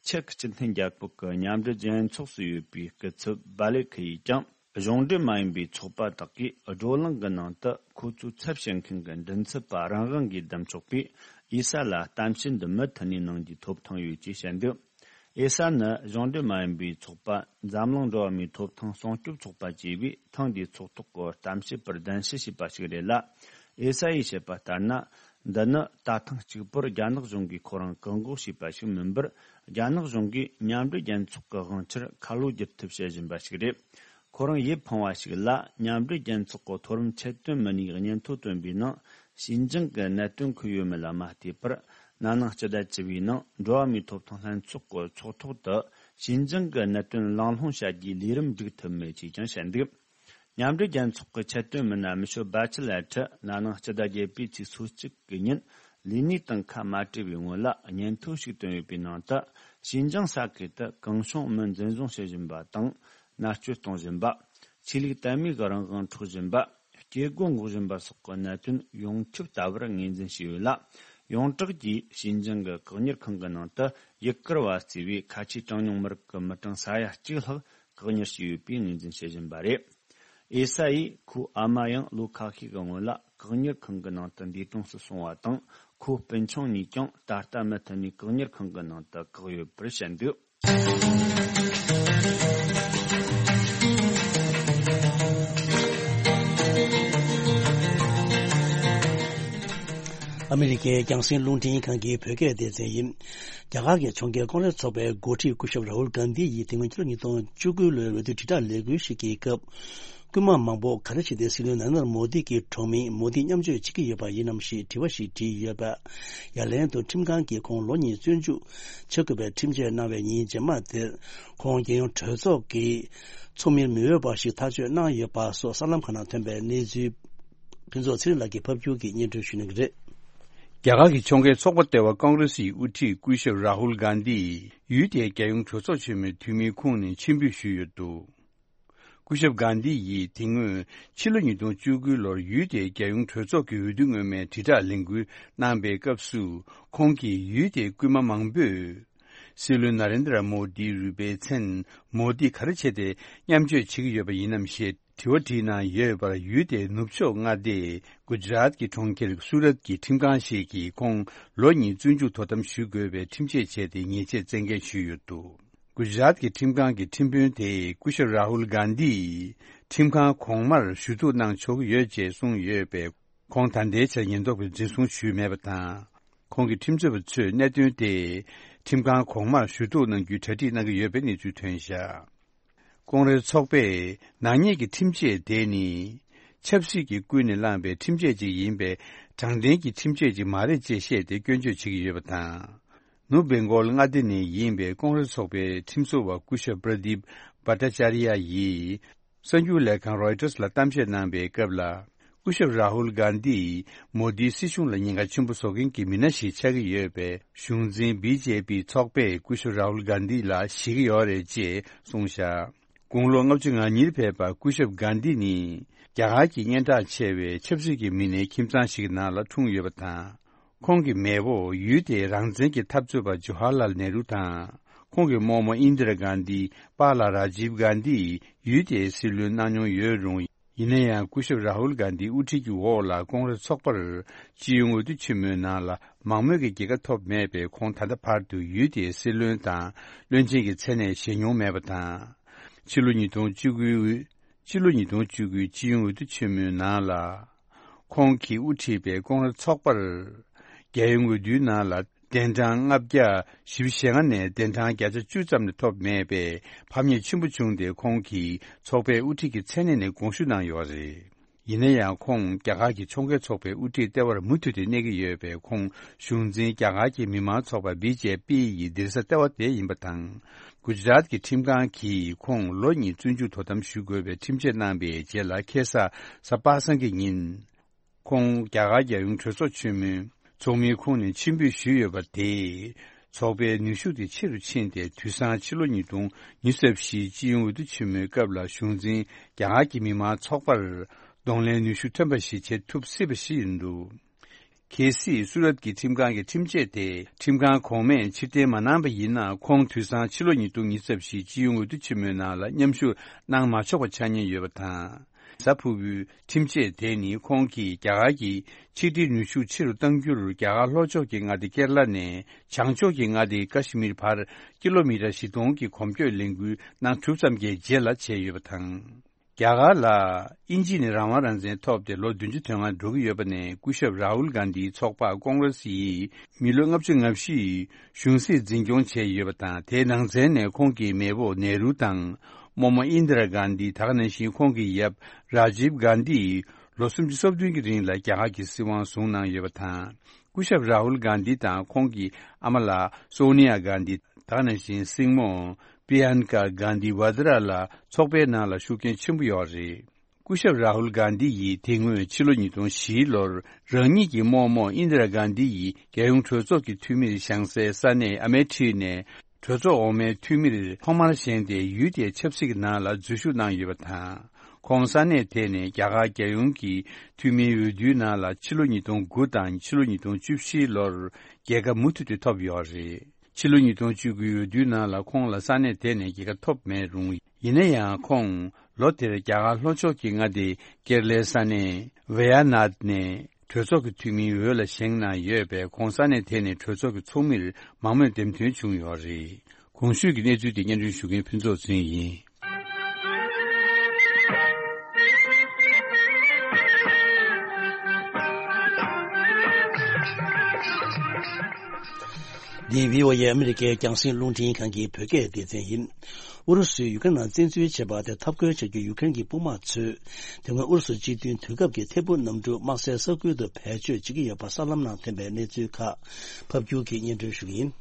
ཅེཀ་སྤྱི་མཐུན་རྒྱལ་ཁབ་ཀྱི་མཉམ་འབྲེལ་རྒྱལ་ཚོགས་སུ་ཡོད་པའི་སྐུ་ཚབ་བྷ་ལེ་ཁི་ཡིས་ཀྱང་། གཞུང་འབྲེལ་མ་ཡིན་པའི་ཚོགས་པ་དག་གིས་བགྲོ་གླེང་གི་ནང་དུ། ཁོ་ཚོའི་ཚབ་བྱེད་མཁན་གྱི་མགྲིན་ཚབ་པ་རང་དབང་གིས་བདམས་ཆོག་པས། ཨེ་ས་ལ་གཏམ་བཤད་འདི་མུ་མཐུད་ནས་གནང་རྒྱུའི་ཐོབ་ཐང་ཡོད་ཅེས་བཤད་འདུག་ཨེ་ས་ནི་གཞུང་འབྲེལ་མ་ཡིན་པའི་ཚོགས་པ་འཛམ་གླིང་འགྲོ་བ་མིའི་ཐོབ་ཐང་སྲུང་སྐྱོབ་ཚོགས་པ་ཅེས་པས་ཐེངས་འདིའི་ཚོགས་ཐོག་གི་གཏམ་བཤད་པར་གདན་ཞུ་བྱས་པ་ཞིག་རེད་ལ། ཨེ་ས་ཡིས་བཤད་པ་ལྟར་ན། འདི་ནི་ད་ཐེངས་གཅིག་པུར་རྒྱ་ནག་གཞུང་གིས་ཁོ་རང་བཀག་འགོག་བྱས་པ་ཞིག་མིན་པར། རྒྱ་ནག་གཞུང་གིས་མཉམ་འབྲེལ་རྒྱལ་ཚོགས་ཀྱི་དབང་ཆར་ཁ་ལོ་བསྒྱུར་ཐབས་བྱེད་བཞིན་པ་ཞིག་རེད། ཁོ་རང་ཡིད་ཕངས་པ་ཞིག་ལ། མཉམ་འབྲེལ་རྒྱལ་ཚོགས་ཀྱི་མཐོ་རིམ་ཆེད་དོན་མི་སྣས་སྙན་ཐོ་བཏོན་པའི་ནང་། ཞིན་ཅང་གི་གནད་དོན་འཁོད་ཡོད་མེད་ལ་མ་ལྟོས་པར། ན་ནིང་སྤྱི་ཟླ་བཅུ་བའི་ནང་འགྲོ་བ་མིའི་ཐོབ་ཐང་ལྷན་ཚོགས་ཀྱི་ཚོགས་ཐོག་ཏུ། ཞིན་ཅང་གི་གནད་དོན་གླེང་སློང་བྱ་རྒྱུའི་ལས་རིམ་འགྲིག་ཐུབ་མེད་ཅེས་ཀྱང་བཤད་འདུག་མཉམ་འབྲེལ་རྒྱལ་ཚོགས་ཀྱི་ཆེད་དོན་མི་སྣ་མི་ཤོ་བྷ་ཆི་ལེ་ཁྲི་ན་ནིང་སྤྱི་ཟླ་བརྒྱད་པའི་ཚེས་སོ་གཅིག་གི་ཉིན་ལས་གནས་དང་ཁ་མ་བྲལ་བའི་སྔོན་ལ་སྙན་ཐོ་ཞིག་བཏོན་ཡོད་པའི་ནང་དུ། ཞིན་ཅང་ས་ཁུལ་དུ་གང་བྱུང་མི་འཛིན་བཟུང་བྱེད་བཞིན་པ་དང་། མནར་གཅོད་གཏོང་བཞིན་པ། ཆོས་ལུགས་དད་མོས་ཀྱི་རང་དབང་འཕྲོག་བཞིན་པ། སྐྱེ་སྒོ་འགོག་བཞིན་པ་སོགས་ཀྱི་གནད་དོན་ཡོངས་ཁྱབ་ལྟ་བུར་ངོས་འཛིན་བྱས་ཡོད་ལ། ཡོངས་གྲགས་ཀྱིས་ཞིན་ཅང་གི་བཀག་ཉར་ཁང་གི་ནང་དུ་ཡུ་གུར་བ་གཙོས་པའི་ཁ་ཆེའི་གྲངས་ཉུང་མི་རིགས་ཀྱི་མི་གྲངས་ས་ཡ་གཅིག་ལྷག་བཀག་ཉར་བྱས་ཡོད་པའི་ངོས་འཛིན་བྱེད་བཞིན་པ་རེད། ཨེ་ས་ཡིས་ཁོའི་ཨ་མ་ཡང་ལོ་ཁ་ཤས་ཀྱི་སྔོན་ལ་བཀག་ཉར་ཁང་གི་ནང་དུ་འདས་གྲོངས་སུ་སོང་བ་དང་། ཁོའི་སྤུན་ཆུང་གཉིས་ཀྱང་ད་ལྟ་མུ་མཐུད་ནས་བཀག་ཉར་ཁང་གི་ནང་དུ་བཀག་ཡོད་པར་བཤད་འདུག་ཨ་མི་རི་ཀའི་རྒྱང་སྲིང་རླུང་འཕྲིན་ཁང་གི་བོད་སྐད་སྡེ་ཚན་ཡིན། རྒྱ་གར་གྱི་ཕྱོགས་འགལ་ཀོང་རེས་ཚོགས་པའི་འགོ་ཁྲིད་སྐུ་ཞབས་རཱ་ཧུལ་གྷན་དྷི་ཡིས་དེ་སྔོན་ཕྱི་ལོ་ཉིས་སྟོང་བཅུ་དགུ་ལོའི་འོས་བསྡུ་དྲིལ་བསྒྲགས་ལས་འགུལ་ཞིག་གི་སྐབས། སྐུལ་མ་མང་པོ་ག་རེ་བྱས་ཏེ་སྲིད་བློན་ནཱ་རེན་དྲ་མོ་དི་གི་གྲོགས་མི་མོ་དི་མཉམ་སྤྱོད་བྱེད་ཀྱི་ཡོད་པ་ཡིན་ནམ་ཞེས་དྲི་བ་ཞིག་དྲིས་ཡོད་པ། ཡ་ལན་དུ་ཁྲིམས་ཁང་གིས་ཁོང་ལོ་གཉིས་བཙོན་འཇུག་བྱ་དགོས་པའི་ཁྲིམས་ཆད་གནང་བའི་ཉིན་རྗེས་མ་དེར། ཁོང་རྒྱལ་ཡོངས་གྲོས་ཚོགས་ཀྱི་ཚོགས་མིར་མི་འོས་པ་ཞིག་ཐག་གཅོད་གནང་ཡོད་པ་སོགས་གསར་ལམ་ཁག་ནང་ཐོན་པའི་གནས་ཚུལ། ཕུན་ཚོགས་ཚེ་རིང་ལགས་ཀྱིས་ཕབ་སྒྱུར་གྱིས་སྙན་སྒྲོན་ཞུ་གནང་གི་རེད། རྒྱ་གར་གྱི་ཕྱོགས་འགལ་ཚོགས་པ་ལྟེ་བ་ཀོང་རེ་སིའི་དབུ་ཁྲིད་སྐུ་ཞབས་རཱ་ཧུལ་གྷན་དྷི་ཡུལ་དེའི་རྒྱལ་ཡོངས་གྲོས་ཚོགས་ཆེན་མོའི་འཐུས་མིའི་ཁོངས་ནས་ཕྱིར་འབུད་ཞུས་ཡོད་འདུག་སྐུ་ཞབས་གྷན་དྷི་ཡིས་དེ་སྔོན་ཕྱི་ལོ་ཉིས་སྟོང་བཅུ་དགུ་ལོར་ཡུལ་དེའི་རྒྱལ་ཡོངས་གྲོས་ཚོགས་ཀྱི་འོས་བསྡུ་སྔོན་མའི་དྲིལ་བསྒྲགས་ལས་འགུལ་གནང་པའི་སྐབས་སུ། ཁོང་གིས་ཡུལ་དེའི་སྐུལ་མ་མང་པོས་སྲིད་བློན་ནཱ་རེན་དྲ་མོ་དིའི་རུས་པའི་མཚན་མོ་དི་ག་རེ་བྱས་ཏེ་མཉམ་སྤྱོད་བྱེད་ཀྱི་ཡོད་པ་ཡིན་ནམ་ཞེས། དྲི་བ་དྲིས་གནང་ཡོད་པར། ཡུལ་དེའི་ནུབ་ཕྱོགས་མངའ་སྡེ་གུ་ཇ་རཱཏ་གྱི་གྲོང་ཁྱེར་སུ་རཏ་གྱི་ཁྲིམས་ཁང་ཞིག་གིས་ཁོང་ལོ་གཉིས་བཙོན་འཇུག་དོ་དམ་ཞུ་དགོས་པའི་ཁྲིམས་ཆད་བཅད་དེ་ཉེས་ཆད་བཙན་འགེལ་ཞུས་ཡོད་འདུག་གུ་ཇ་རཱཏ་ཀྱི་ཁྲིམས་ཁང་གི་ཁྲིམས་དཔོན་དེས་སྐུ་ཞབས་རཱ་ཧུལ་གྷན་དྷིས་ཁྲིམས་ཁང་གོང་མར་ཞུ་གཏུག་གནང་ཆོག་གི་ཡོད་ཅེས་གསུངས་ཡོད་པས། ཁོང་ད་ལྟའི་ཆར་ཉེན་རྟོག་པས་འཛིན་བཟུང་ཞུས་མེད་པ་དང་། ཁོང་གི་ཁྲིམས་རྩོད་པ་ཚོས་གནད་དོན་དེ་ཁྲིམས་ཁང་གོང་མར་ཞུ་གཏུག་གནང་རྒྱུའི་གྲ་སྒྲིག་གནང་གི་ཡོད་པའི་གནས་ཚུལ་ཐོན་བཞག་ཀོང་རེས་ཚོགས་པས་ནག་ཉེས་ཀྱི་ཁྲིམས་ཆད་དེ་ནི་ཆབ་སྲིད་ཀྱིས་ཀུན་ནས་བསླངས་པའི་ཁྲིམས་ཆད་ཅིག་ཡིན་པས། དྲང་བདེན་གྱི་ཁྲིམས་ཆད་ཅིག་མ་རེད་ཅེས་བཤད་དེ་སྐྱོན་བརྗོད་བྱེད་ཀྱི་ཡོད་པ་དང་། ནུབ་བེང་གོལ་མངའ་སྡེ་ནས་ཡིན་པའི་ཀོང་རེས་ཚོགས་པའི་ཁྲིམས་བཟོ་བ་སྐུ་ཞབས་པྲ་དིབ་བྷ་ཊ་ཅཱ་རི་ཡ་ཡིས། གསར་འགྱུར་ལས་ཁང་རོའི་ཊར་ལ་གཏམ་བཤད་གནང་པའི་སྐབས་ལ། སྐུ་ཞབས་རཱ་ཧུལ་གྷན་དྷིས་མོ་དིའི་སྲིད་གཞུང་ལ་ཉེན་ཁ་ཆེན་པོ་བཟོ་མཁན་གྱི་མི་སྣ་ཞིག་ཆགས་ཀྱི་ཡོད་པས། གཞུང་འཛིན་བི་ཇེ་པི་ཚོགས་པས་སྐུ་ཞབས་རཱ་ཧུལ་གྷན་དྷི་ལ་ཞེད་ཀྱི་ཡོད་རེད་ཅེས་གསུངས་བཞག་དགུང་ལོ་ལྔ་བཅུ་ང་གཉིས་ལ་ཕེབས་པ་སྐུ་ཞབས་གྷན་དྷི་ནི་རྒྱ་གར་གྱི་སྙན་གྲགས་ཆེ་བའི་ཆབ་སྲིད་ཀྱི་མི་སྣའི་ཁྱིམ་ཚང་ཞིག་གི་ནང་ལ་འཁྲུངས་ཡོད་པ་དང་། ཁོང་གི་མེས་པོ་ཡུལ་དེའི་རང་བཙན་གྱི་འཐབ་རྩོད་པ་ཇོ་ཧར་ལཱལ་ནེ་རུ་དང་། ཁོང་གི་རྨོ་མོ་ཨིན་དི་ར་གྷན་དྷི། པཱ་ལགས་རཱ་ཇིབ་གྷན་དྷི་ཡིས་ཡུལ་དེའི་སྲིད་བློན་གནང་མྱོང་ཡོད་རུང་། ཡིན་ན་ཡང་སྐུ་ཞབས་རཱ་ཧུལ་གྷན་དྷིའི་དབུ་ཁྲིད་ཀྱི་འོག་ལ་ཀོང་རེས་ཚོགས་པར་སྤྱི་ཡོངས་འོས་བསྡུ་ཆེན་མོའི་ནང་ལ་མང་མོས་ཀྱི་རྒྱལ་ཁ་ཐོབ་མེད་པས། ཁོང་ད་ལྟ་བར་དུ་ཡུལ་དེའི་སྲིད་བློན་དང་བློན་ཆེན་གྱི་མཚན་གནས་བཞེས་མྱོང་མེད་པ་དང་། ཕྱི་ལོ་ཉིས་སྟོང་བཅུ་དགུ། ཕྱི་ལོ་ཉིས་སྟོང་བཅུ་དགུ་སྤྱི་ཡོངས་འོས་བསྡུ་ཆེན་མོའི་ནང་ལ། ཁོང་གིས་དབུ་ཁྲིད་པའི་ཀོང་རེས་ཚོགས་པར། རྒྱལ་ཡོངས་འོས་བསྡུའི་ནང་ལ་གདན་གྲངས་ལྔ་བརྒྱ་བཞི་བཅུ་ཞེ་ལྔ་ནས་གདན་གྲངས་བརྒྱ་ཆ་བཅུ་ཙམ་ལས་ཐོབ་མེད་པས། ཕམ་ཉེས་ཆེན་པོ་བྱུང་སྟེ། ཁོང་གིས་ཚོགས་པའི་དབུ་ཁྲིད་ཀྱི་མཚན་གནས་ནས་དགོངས་ཞུ་གནང་ཡོད་རེད། ཡིན་ན་ཡང་། ཁོང་རྒྱ་གར་གྱི་ཕྱོགས་འགལ་ཚོགས་པའི་དབུ་ཁྲིད་ལྟེ་བར་མུ་མཐུད་དེ་གནས་ཀྱི་ཡོད་པས། ཁོང་གཞུང་འཛིན་རྒྱ་གར་གྱི་མི་དམངས་ཚོགས་པ་བི་ཇེ་པི་ཡི་སྡིངས་ས་ལྟེ་བ་དེ་ཡིན་པ་དང་། གུ་ཇ་རཱཏ་ཀྱི་ཁྲིམས་ཁང་གིས་ཁོང་ལོ་གཉིས་བཙོན་འཇུག་དོ་དམ་ཞུ་དགོས་པའི་ཁྲིམས་ཆད་གནང་པའི་རྗེས་ལ། ཁ་སང་གཟའ་པ་སངས་ཀྱི་ཉིན། ཁོང་རྒྱ་གར་རྒྱལ་ཡོངས་གྲོས་ཚོགས་ཆེན་མོའི་ཚོགས་མིའི་ཁོངས་ནས་ཕྱིར་འབུད་ཞུས་ཡོད་པ་དེས། ཚོགས་པའི་ནུས་ཤུགས་དེ་ཆེ་རུ་ཕྱིན་ཏེ། དུས་སང་ཕྱི་ལོ་ཉིས་སྟོང་ཉི་ཤུ་རྩ་བཞིའི་སྤྱི་ཡོངས་འོས་བསྡུ་ཆེན་མོའི་སྐབས་ལ། གཞུང་འཛིན་རྒྱ་གར་གྱི་མི་དམངས་ཚོགས་པར་གདོང་ལེན་ནུས་ཤུགས་ཐོན་པ་ཞིག་བྱེད་ཐུབ་སྲིད་པ་ཞིག་ཡིན་འདུག་གལ་སྲིད་སུ་རཏ་གི་ཁྲིམས་ཁང་གི་ཁྲིམས་ཆད་དེ་ཁྲིམས་ཁང་གོང་མས་ཕྱིར་འཐེན་མ་གནང་པ་ཡིན་ན། ཁོང་དུས་སང་ཕྱི་ལོ་ཉིས་སྟོང་ཉི་ཤུ་རྩ་བཞིའི་སྤྱི་ཡོངས་འོས་བསྡུ་ཆེན་མོའི་ནང་ལ་མཉམ་ཞུགས་གནང་མ་ཆོག་པ་ཆགས་ཉེན་ཡོད་པ་དང་། གཟའ་ཕུར་བུའི་ཁྲིམས་ཆད་དེ་ནི་ཁོང་གིས་རྒྱ་གར་གྱི་ཆིག་སྒྲིལ་ནུས་ཤུགས་ཆེ་རུ་གཏང་རྒྱུར། རྒྱ་གར་ལྷོ་ཕྱོགས་ཀྱི་མངའ་སྡེ་ཀེ་ར་ལ་ནས་བྱང་ཕྱོགས་ཀྱི་མངའ་སྡེ་ཀ་ཤི་མིར་བར་ཀི་ལོ་མི་ཊར་བཞི་སྟོང་གི་གོམ་བགྲོད་ལས་འགུལ་གནང་གྲུབ་ཙམ་གྱི་རྗེས་ལ་བྱས་ཡོད་པ་དང་། རྒྱ་གར་ལ་དབྱིན་ཇི་ནས་རང་དབང་རང་བཙན་ཐོབ་སྟེ་ལོ་བདུན་ཅུ་དོན་ལྔ་འགྲོ་གི་ཡོད་པ་ནས། སྐུ་ཞབས་རཱ་ཧུལ་གྷན་དྷིའི་ཚོགས་པ་ཀོང་རེ་སི་ཡིས་མི་ལོ་ལྔ་བཅུ་ང་བཞི་གཞུང་སྲིད་འཛིན་སྐྱོང་བྱས་ཡོད་པ་དང་། དེའི་ནང་ཚན་ནས་ཁོང་གི་མེས་པོ་ནེ་རུ་དང་། རྨོ་མོ་ཨིན་དི་ར་གྷན་དྷི། ད་ག་ནང་བཞིན་ཁོང་གི་ཡབ་རཱ་ཇིབ་གྷན་དྷི་ཡིས་ལོ་སུམ་ཅུ་སོ་བདུན་གྱི་རིང་ལ་རྒྱ་གར་གྱི་སྲིད་དབང་བཟུང་གནང་ཡོད་པ་དང་། སྐུ་ཞབས་རཱ་ཧུལ་གྷན་དྷི་དང་ཁོང་གི་ཨ་མ་ལགས་སོ་ནི་ཡ་གྷན་དྷི། ད་ག་ནང་བཞིན་སྲིང་མོ་པི་ཡན་ཀ་གྷན་དྷི་ཝ་དྲ་ལ་ཚོགས་པའི་ནང་ལ་ཤུགས་རྐྱེན་ཆེན་པོ་ཡོད་རེད། སྐུ་ཞབས་རཱ་ཧུལ་གྷན་དྷི་ཡིས་དེ་སྔོན་ཕྱི་ལོ་ཉིས་སྟོང་བཞི་ལོར་རང་ཉིད་ཀྱི་རྨོ་མོ་ཨིན་དི་ར་གྷན་དྷི་ཡིས་རྒྱལ་ཡོངས་གྲོས་ཚོགས་ཀྱི་འཐུས་མིར་བཞེངས་སའི་ས་གནས་ཨ་མེ་ཐི་ནས་གྲོས་ཚོགས་འོག་མའི་འཐུས་མིར་ཐོག་མར་བཞེངས་ཏེ། ཡུལ་དེའི་ཆབ་སྲིད་ཀྱི་ནང་ལ་འཛུལ་ཞུགས་གནང་ཡོད་པ་དང་། ཁོང་ས་གནས་དེ་ནས་རྒྱ་གར་རྒྱལ་ཡོངས་ཀྱི་འཐུས་མིའི་འོས་བསྡུའི་ནང་ལ་ཕྱི་ལོ་ཉིས་སྟོང་དགུ་དང་ཕྱི་ལོ་ཉིས་སྟོང་བཅུ་བཞི་ལོར་རྒྱལ་ཁ་མུ་མཐུད་དུ་ཐོབ་ཡོད་རེད། ཕྱི་ལོ་ཉིས་སྟོང་བཅུ་དགུའི་འོས་བསྡུའི་ནང་ལ་ཁོང་ལ་ས་གནས་དེ་ནས་རྒྱལ་ཁ་ཐོབ་མེད་རུང་། ཡིན་ན་ཡང་ཁོང་ལོ་དེར་རྒྱ་གར་ལྷོ་ཕྱོགས་ཀྱི་མངའ་སྡེ་ཀེ་ར་ལའི་ས་གནས་ཝེ་ཡ་ནཱད་ནས་གྲོས་ཚོགས་ཀྱི་འཐུས་མིའི་འོས་ལ་བཞེངས་གནང་ཡོད་པས། ཁོང་ས་གནས་དེ་ནས་གྲོས་ཚོགས་ཀྱི་ཚོགས་མིར་མང་མོས་འདེམས་ཐོན་བྱུང་ཡོད་རེད། གོང་ཞུས་ཀྱི་གནས་ཚུལ་དེ་སྙན་སྒྲོན་ཞུ་མཁན་ཕུན་ཚོགས་ཚེ་རིང་ཡིན། འདི་བྷི་ཨོ་ཨེ་ཨ་མི་རི་ཀའི་རྒྱང་སྲིང་རླུང་འཕྲིན་ཁང་གི་བོད་སྐད་སྡེ་ཚན་ཡིན། ཨུ་རུ་སུས་ཡུ་ཀེ་རེན་ནང་བཙན་འཛུལ་བྱས་པ་དེར་འཐབ་རྒོལ་བྱ་རྒྱུར་ཡུ་ཀེ་རེན་གྱི་དཔུང་དམག་ཚོས། དེ་སྔོན་ཨུ་རུ་སུ་སྤྱི་མཐུན་དུས་སྐབས་ཀྱི་ཐད་འཕུར་གནམ་གྲུ་དམག་སའི་ས་ཁུལ་དུ་བེད་སྤྱོད་བྱེད་ཀྱི་ཡོད་པ་གསར་ལམ་ནང་ཐོན་པའི་གནས་ཚུལ་ཁག་ཕབ་སྒྱུར་གྱིས་སྙན་སྒྲོན་ཞུ་གི་ཡིན།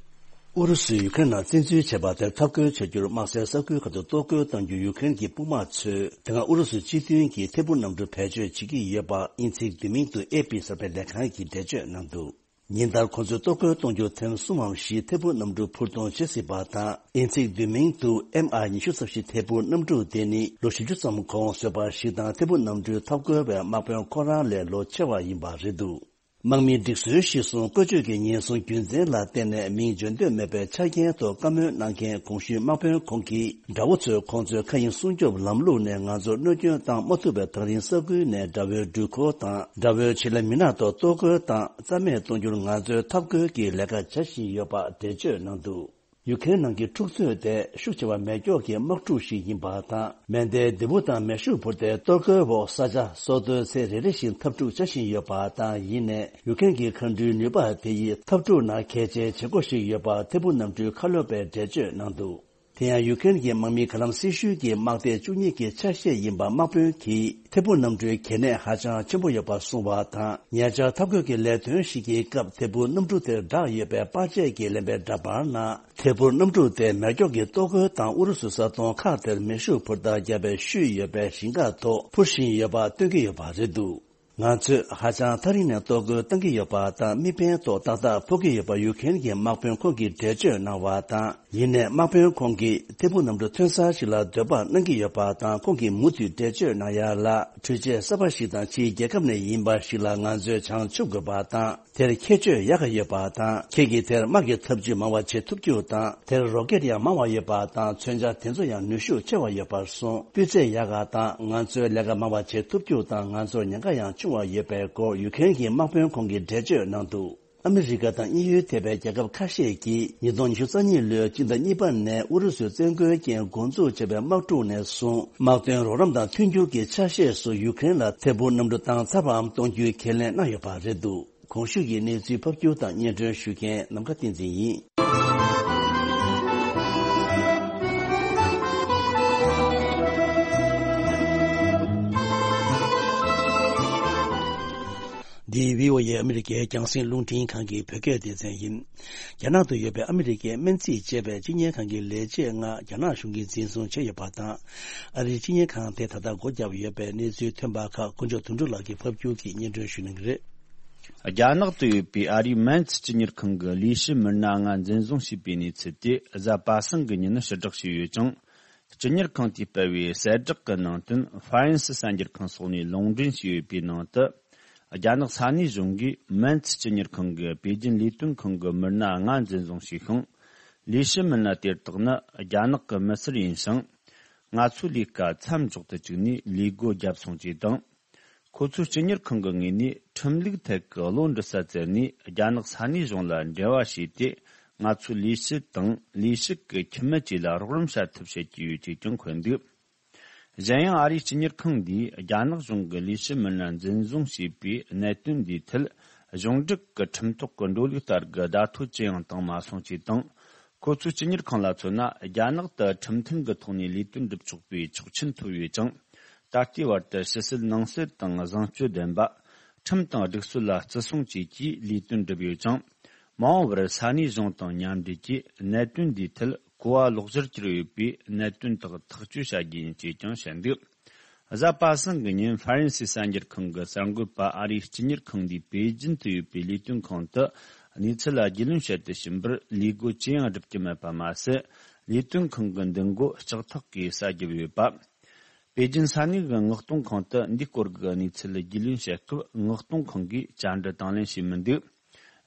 ཨུ་རུ་སུས་ཡུ་ཀེ་རེན་ནང་བཙན་འཛུལ་བྱས་པ་དེར་འཐབ་རྒོལ་བྱ་རྒྱུར་དམག་སའི་ས་ཁུལ་ཁག་ཏུ་གཏོར་རྒོལ་གཏོང་རྒྱུར་ཡུ་ཀེ་རེན་གྱི་དཔུང་དམག་ཚོས་དེ་སྔ་ཨུ་རུ་སུ་སྤྱི་མཐུན་གྱི་ཐད་འཕུར་གནམ་གྲུ་བེད་སྤྱོད་བྱེད་ཀྱི་ཡོད་པ་དབྱིན་ཚིག་བསྡུས་མིང་དུ་ཨེ་པི་གསར་པའི་ལས་ཁང་གིས་འགྲེལ་བརྗོད་གནང་འདུག་ཉིན་ལྟར་ཁོང་ཚོས་གཏོར་རྒོལ་གཏོང་རྒྱུ་ཐེངས་གསུམ་མམ་བཞི་ཐད་འཕུར་གནམ་གྲུ་འཕུར་གཏོང་བྱེད་སྲིད་པ་དང་། དབྱིན་ཚིག་བསྡུས་མིང་དུ་ཨེམ་ཨར་ཉི་ཤུ་རྩ་བཞི་ཐད་འཕུར་གནམ་གྲུ་དེ་ནི་ལོ་བཞི་བཅུ་ཙམ་གོང་བཟོས་པ་ཞིག་དང་། ཐད་འཕུར་གནམ་གྲུའི་འཐབ་རྒོལ་བའི་དམག་དཔོན་ཁོ་རང་ལས་ལོ་ཆེ་བ་ཡིན་པ་རེད་འདུག་དམག་མིའི་སྒྲིག་སྲོལ་གཞིར་བཟུང་བཀོལ་སྤྱོད་ཀྱི་ཉེན་སྲུང་རྒྱུ་མཚན་ལ་བརྟེན་ནས་མིང་བརྗོད་འདོད་མེད་པའི་ཆ་རྐྱེན་ཐོག་བཀའ་མོལ་གནང་མཁན་གོང་ཞུས་དམག་དཔོན་ཁོང་གིས། དགྲ་བོ་ཚོས་ཁོང་ཚོའི་མཁའ་དབྱིངས་སྲུང་སྐྱོབ་ལམ་ལུགས་ནས་ང་ཚོར་གནོད་སྐྱོན་བཏང་མ་ཐུབ་པའི་ཐག་རིང་ས་ཁུལ་ནས་དགྲ་བོའི་འགྲུལ་འཁོར་དང་། དགྲ་བོའི་ཆེད་ལས་མི་སྣ་ཐོག་གཏོར་རྒོལ་དང་རྩ་མེད་གཏོང་རྒྱུར་ང་ཚོས་འཐབ་རྒོལ་གྱི་ལས་ཀ་བྱ་བཞིན་ཡོད་པ་འགྲེལ་བརྗོད་གནང་འདུག་ཡུ་ཀེ་རེན་ནང་གི་འཁྲུག་རྩོད་དེ་ཤུགས་ཆེ་བ་མེ་སྒྱོགས་ཀྱི་དམག་འཁྲུག་ཞིག་ཡིན་པ་དང་། མེ་མདའི་ལྡེ་གུ་དང་མེ་ཤུགས་འཕུར་མདའི་གཏོར་རྒོལ་འོག་ས་ཆ་སོ་སོའི་ཚེ་རེ་རེ་བཞིན་འཐབ་འཁྲུག་བྱ་བཞིན་ཡོད་པ་དང་། ཡིན་ནའི་ཡུ་ཀེ་རེན་གྱི་མཁའ་འགྲུལ་ནུས་པ་དེ་ཡིས་འཐབ་འཁྲུག་ནང་གལ་ཆེའི་བྱེད་སྒོ་ཞིག་ཡོད་པ་ཐད་འཕུར་གནམ་གྲུའི་ཁ་སློབ་པས་འགྲེལ་བརྗོད་གནང་འདུག་དེ་ཡང་ཡུ་ཀེ་རེན་གྱི་དམག་མིའི་ག་ལམ་སྲི་ཤུལ་གྱི་དམག་སྡེ་བཅུ་གཉིས་ཀྱི་ཆ་ཤས་ཡིན་པ་དམག་དཔོན་གྱིས་ཐད་འཕུར་གནམ་གྲུའི་གལ་གནད་ཧ་ཅང་ཆེན་པོ་ཡོད་པ་གསུངས་པ་དང་། ཉེ་ཆར་འཐབ་རྒོལ་གྱི་ལས་དོན་ཞིག་གི་སྐབས་ཐད་འཕུར་གནམ་གྲུ་དེར་བསྒྲགས་ཡོད་པའི་པར་ཆས་ཀྱིས་ལེན་པའི་འདྲ་པར་ནང་། ཐད་འཕུར་གནམ་གྲུ་དེ་མེ་སྒྱོགས་ཀྱི་གཏོར་རྒོལ་དང་ཨུ་རུ་སུའི་ས་མཐོང་ཁག་དེར་མེ་ཤུགས་འཕུར་མདའ་བརྒྱབ་པའི་ཤུལ་ཡོད་པའི་ཞིང་ཁ་ཐོག་འཕུར་བཞིན་ཡོད་པ་སྟོན་གྱི་ཡོད་པ་རེད་འདུག་ང་ཚོས་ཧ་ཅང་ཐག་རིང་ནས་གཏོར་རྒོལ་བཏང་གི་ཡོད་པ་དང་། དམིགས་འབེན་ཐོག་ཏག་ཏག་ཕོག་གི་ཡོད་པ་ཡུ་ཀེ་རེན་གྱི་དམག་དཔོན་ཁོང་གིས་འགྲེལ་བརྗོད་གནང་བ་དང་། ཡིན་ནའི་དམག་དཔོན་ཁོང་གིས་ཐད་འཕུར་གནམ་གྲུ་ཐོན་ས་ཞིག་ལ་འདོད་པ་གནང་གི་ཡོད་པ་དང་། ཁོང་གིས་མུ་མཐུད་འགྲེལ་བརྗོད་གནང་ཡ་ལ། འཕྲུལ་ཆས་གསར་པ་ཞིག་དང་ཕྱིའི་རྒྱལ་ཁབ་ནས་ཡིན་པ་ཞིག་ལ་ང་ཚོས་བྱང་ཆུབ་དགོས་པ་དང་། དེར་ཁྱད་ཆོས་ཡག་ག་ཡོད་པ་དང་། ཁྱེད་ཀྱིས་དེར་དམག་གི་ཐབས་ཇུས་མང་བ་བྱེད་ཐུབ་རྒྱུ་དང་། དེར་རོ་ཀེད་ཡང་མང་བ་ཡོད་པ་དང་། མཚོན་ཆ་དེ་ཚོ་ཡང་ནུས་ཤུགས་ཆེ་བ་ཡོད་པར་སོང་། སྤུས་ཚད་ཡག་ག་དང་། ང་ཚོས་ལས་ཀ་མང་བ་བྱེད་ཐུབ་རྒྱུ་དང་། ང་ཚོར་ཉེན་ཁ་ཡང་ཆུང་བ་ཡོད་པའི་སྐོར་ཡུ་ཀེ་རེན་གྱི་དམག་དཔོན་ཁོང་གིས་འགྲེལ་བརྗོད་གནང་འདུག་ཨ་མི་རི་ཀ་དང་དབྱིན་ཡུལ་ཐེ་བའི་རྒྱལ་ཁབ་ཁ་ཤས་ཀྱིས་ཉིས་སྟོང་ཉི་ཤུ་རྩ་གཉིས་ལོའི་སྤྱི་ཟླ་གཉིས་པ་ནས་ཨུ་རུ་སུའི་བཙན་རྒོལ་རྐྱེན་འགོ་འཛུགས་བྱས་པའི་དམག་འཁྲུག་ནས་བཟུང་། དམག་དོན་རོགས་རམ་དང་མཐུན་འགྱུར་གྱི་ཆ་ཤས་སུ་ཡུ་ཀེ་རེན་ལ་ཐད་འཕུར་གནམ་གྲུ་བཏང་ཚར་བའམ་གཏོང་རྒྱུའི་ཁས་ལེན་གནང་ཡོད་པ་རེད་འདུག་གོང་ཞུས་ཀྱི་གནས་ཚུལ་ཕབ་སྒྱུར་དང་སྙན་སྒྲོན་ཞུ་མཁན་ནམ་མཁའ་བསྟན་འཛིན་ཡིན། འདི་བྷི་ཨོ་ཨེ་ཨ་མི་རི་ཀའི་རྒྱང་སྲིང་རླུང་འཕྲིན་ཁང་གི་བོད་སྐད་སྡེ་ཚན་ཡིན། རྒྱ་ནག་ཏུ་ཡོད་པའི་ཨ་མི་རི་ཀའི་སྨན་རྩིས་ཅེས་པའི་སྤྱི་གཉེར་ཁང་གི་ལས་བྱེད་ལྔ་རྒྱ་ནག་གཞུང་གིས་འཛིན་བཟུང་བྱས་ཡོད་པ་དང་། ཨ་རིའི་སྤྱི་གཉེར་ཁང་དེ་ད་ལྟ་སྒོ་བརྒྱབ་ཡོད་པའི་གནས་ཚུལ་ཐོན་པ་ཁག་དཀོན་མཆོག་དོན་གྲུབ་ལགས་ཀྱིས་ཕབ་སྒྱུར་གྱིས་སྙན་སྒྲོན་ཞུ་གནང་གི་རེད། རྒྱ་ནག་ཏུ་ཡོད་པའི་ཨ་རིའི་སྨན་རྩིས་སྤྱི་གཉེར་ཁང་གི་ལས་བྱེད་མི་སྣ་ལྔ་འཛིན་བཟུང་བྱས་པའི་གནས་ཚུལ་དེ་གཟའ་པ་སངས་ཀྱི་ཉིན་ཕྱིར་བསྒྲགས་བྱས་ཡོད་ཅིང་། སྤྱི་གཉེར་ཁང་དེས་སྤེལ་བའི་གསལ་བསྒྲགས་ཀྱི་ནང་དོན་ཧྥ་རན་སི་གསར་འགྱུར་ཁང་སོགས་ནས་ལུང་འདྲེན་བྱས་ཡོད་པའི་ནང་དུ། རྒྱ་ནག་ས་གནས་གཞུང་གིས་སྨན་རྩིས་སྤྱི་གཉེར་ཁང་གི་པེ་ཅིན་ལས་དོན་ཁང་གི་མི་སྣ་ལྔ་འཛིན་བཟུང་བྱས་ཤིང་། ལས་བྱེད་མི་སྣ་དེ་དག་ནི་རྒྱ་ནག་གི་མི་སེར་ཡིན་ཞིང་། ང་ཚོའི་ལས་ཀ་མཚམས་འཇོག་ཏུ་བཅུག་ནས་ལས་སྒོ་བརྒྱབ་སོང་ཅེས་དང་། ཁོ་ཚོའི་སྤྱི་གཉེར་ཁང་གི་ངོས་ནས་ཁྲིམས་ལུགས་ཐད་ཀྱི་བློ་འདྲི་ས་བཙལ་ནས་རྒྱ་ནག་ས་གནས་གཞུང་ལ་འབྲེལ་བ་བྱས་ཏེ། ང་ཚོའི་ལས་བྱེད་དང་ལས་བྱེད་ཀྱི་ཁྱིམ་མི་བཅས་ལ་རོགས་རམ་བྱ་ཐབས་བྱེད་ཀྱི་ཡོད་ཅེས་ཀྱང་འཁོད་འདུག་གཞན་ཡང་ཨ་རིའི་སྤྱི་གཉེར་ཁང་འདིས་རྒྱ་ནག་གཞུང་གི་ལས་བྱེད་མི་སྣ་འཛིན་བཟུང་བྱས་པའི་གནད་དོན་འདིའི་ཐད། གཞུང་འབྲེལ་གྱི་ཁྲིམས་ཐོག་གི་འགྲོ་ལུགས་ལྟར་གྱི་བརྡ་ཐོ་ཅི་ཡང་བཏང་མ་སོང་ཅེས་དང་། ཁོ་ཚོའི་སྤྱི་གཉེར་ཁང་ལ་མཚོན་ན། རྒྱ་ནག་ཏུ་ཁྲིམས་མཐུན་གྱི་ཐོག་ནས་ལས་དོན་སྒྲུབ་ཆོག་པའི་ཆོག་མཆན་ཐོབ་ཡོད་ཅིང་། ད་ལྟའི་བར་དུ་ཕྱི་སྲིད་ནང་སྲིད་དང་བཟང་སྤྱོད་ལྡན་པ། ཁྲིམས་དང་སྒྲིག་སྲོལ་ལ་བརྩི་སྲུང་བཅས་ཀྱིས་ལས་དོན་བསྒྲུབས་ཡོད་ཅིང་། མ་འོངས་པར་ས་གནས་གཞུང་དང་མཉམ་འབྲེལ་གྱིས་གནད་དོན་འདིའི་ཐད་གོ་བ་ལོག་སྦྱོར་གྱུར་ཡོད་པའི་གནད་དོན་དག་ཐག་གཅོད་བྱ་རྒྱུ་ཡིན་ཅེས་ཀྱང་བཤད་འདུག་གཟའ་པ་སངས་ཀྱི་ཉིན་ཧྥ་རན་སིའི་གསར་འགྱུར་ཁང་གི་གསར་འགོད་པ་ཨ་རིའི་སྤྱི་གཉེར་ཁང་འདིས་པེ་ཅིན་དུ་ཡོད་པའི་ལས་དོན་ཁང་དུ་གནས་ཚུལ་ལ་རྒྱུས་ལོན་བྱེད་དུ་ཕྱིན་པར་ལས་སྒོ་ཅི་ཡང་བསྒྲུབ་ཀྱི་མེད་པ་མ་ཟད། ལས་དོན་ཁང་གི་མདུན་སྒོ་ལྕགས་ཐག་གིས་ས་བརྒྱབ་ཡོད་པ། པེ་ཅིན་ས་གནས་ཀྱི་མངགས་གཏོང་ཁང་དུ་འདིའི་སྐོར་གྱི་གནས་ཚུལ་རྒྱུས་ལོན་བྱེད་སྐབས་མངགས་གཏོང་ཁང་གིས་བཅར་འདྲི་དང་ལེན་བྱས་མི་འདུག་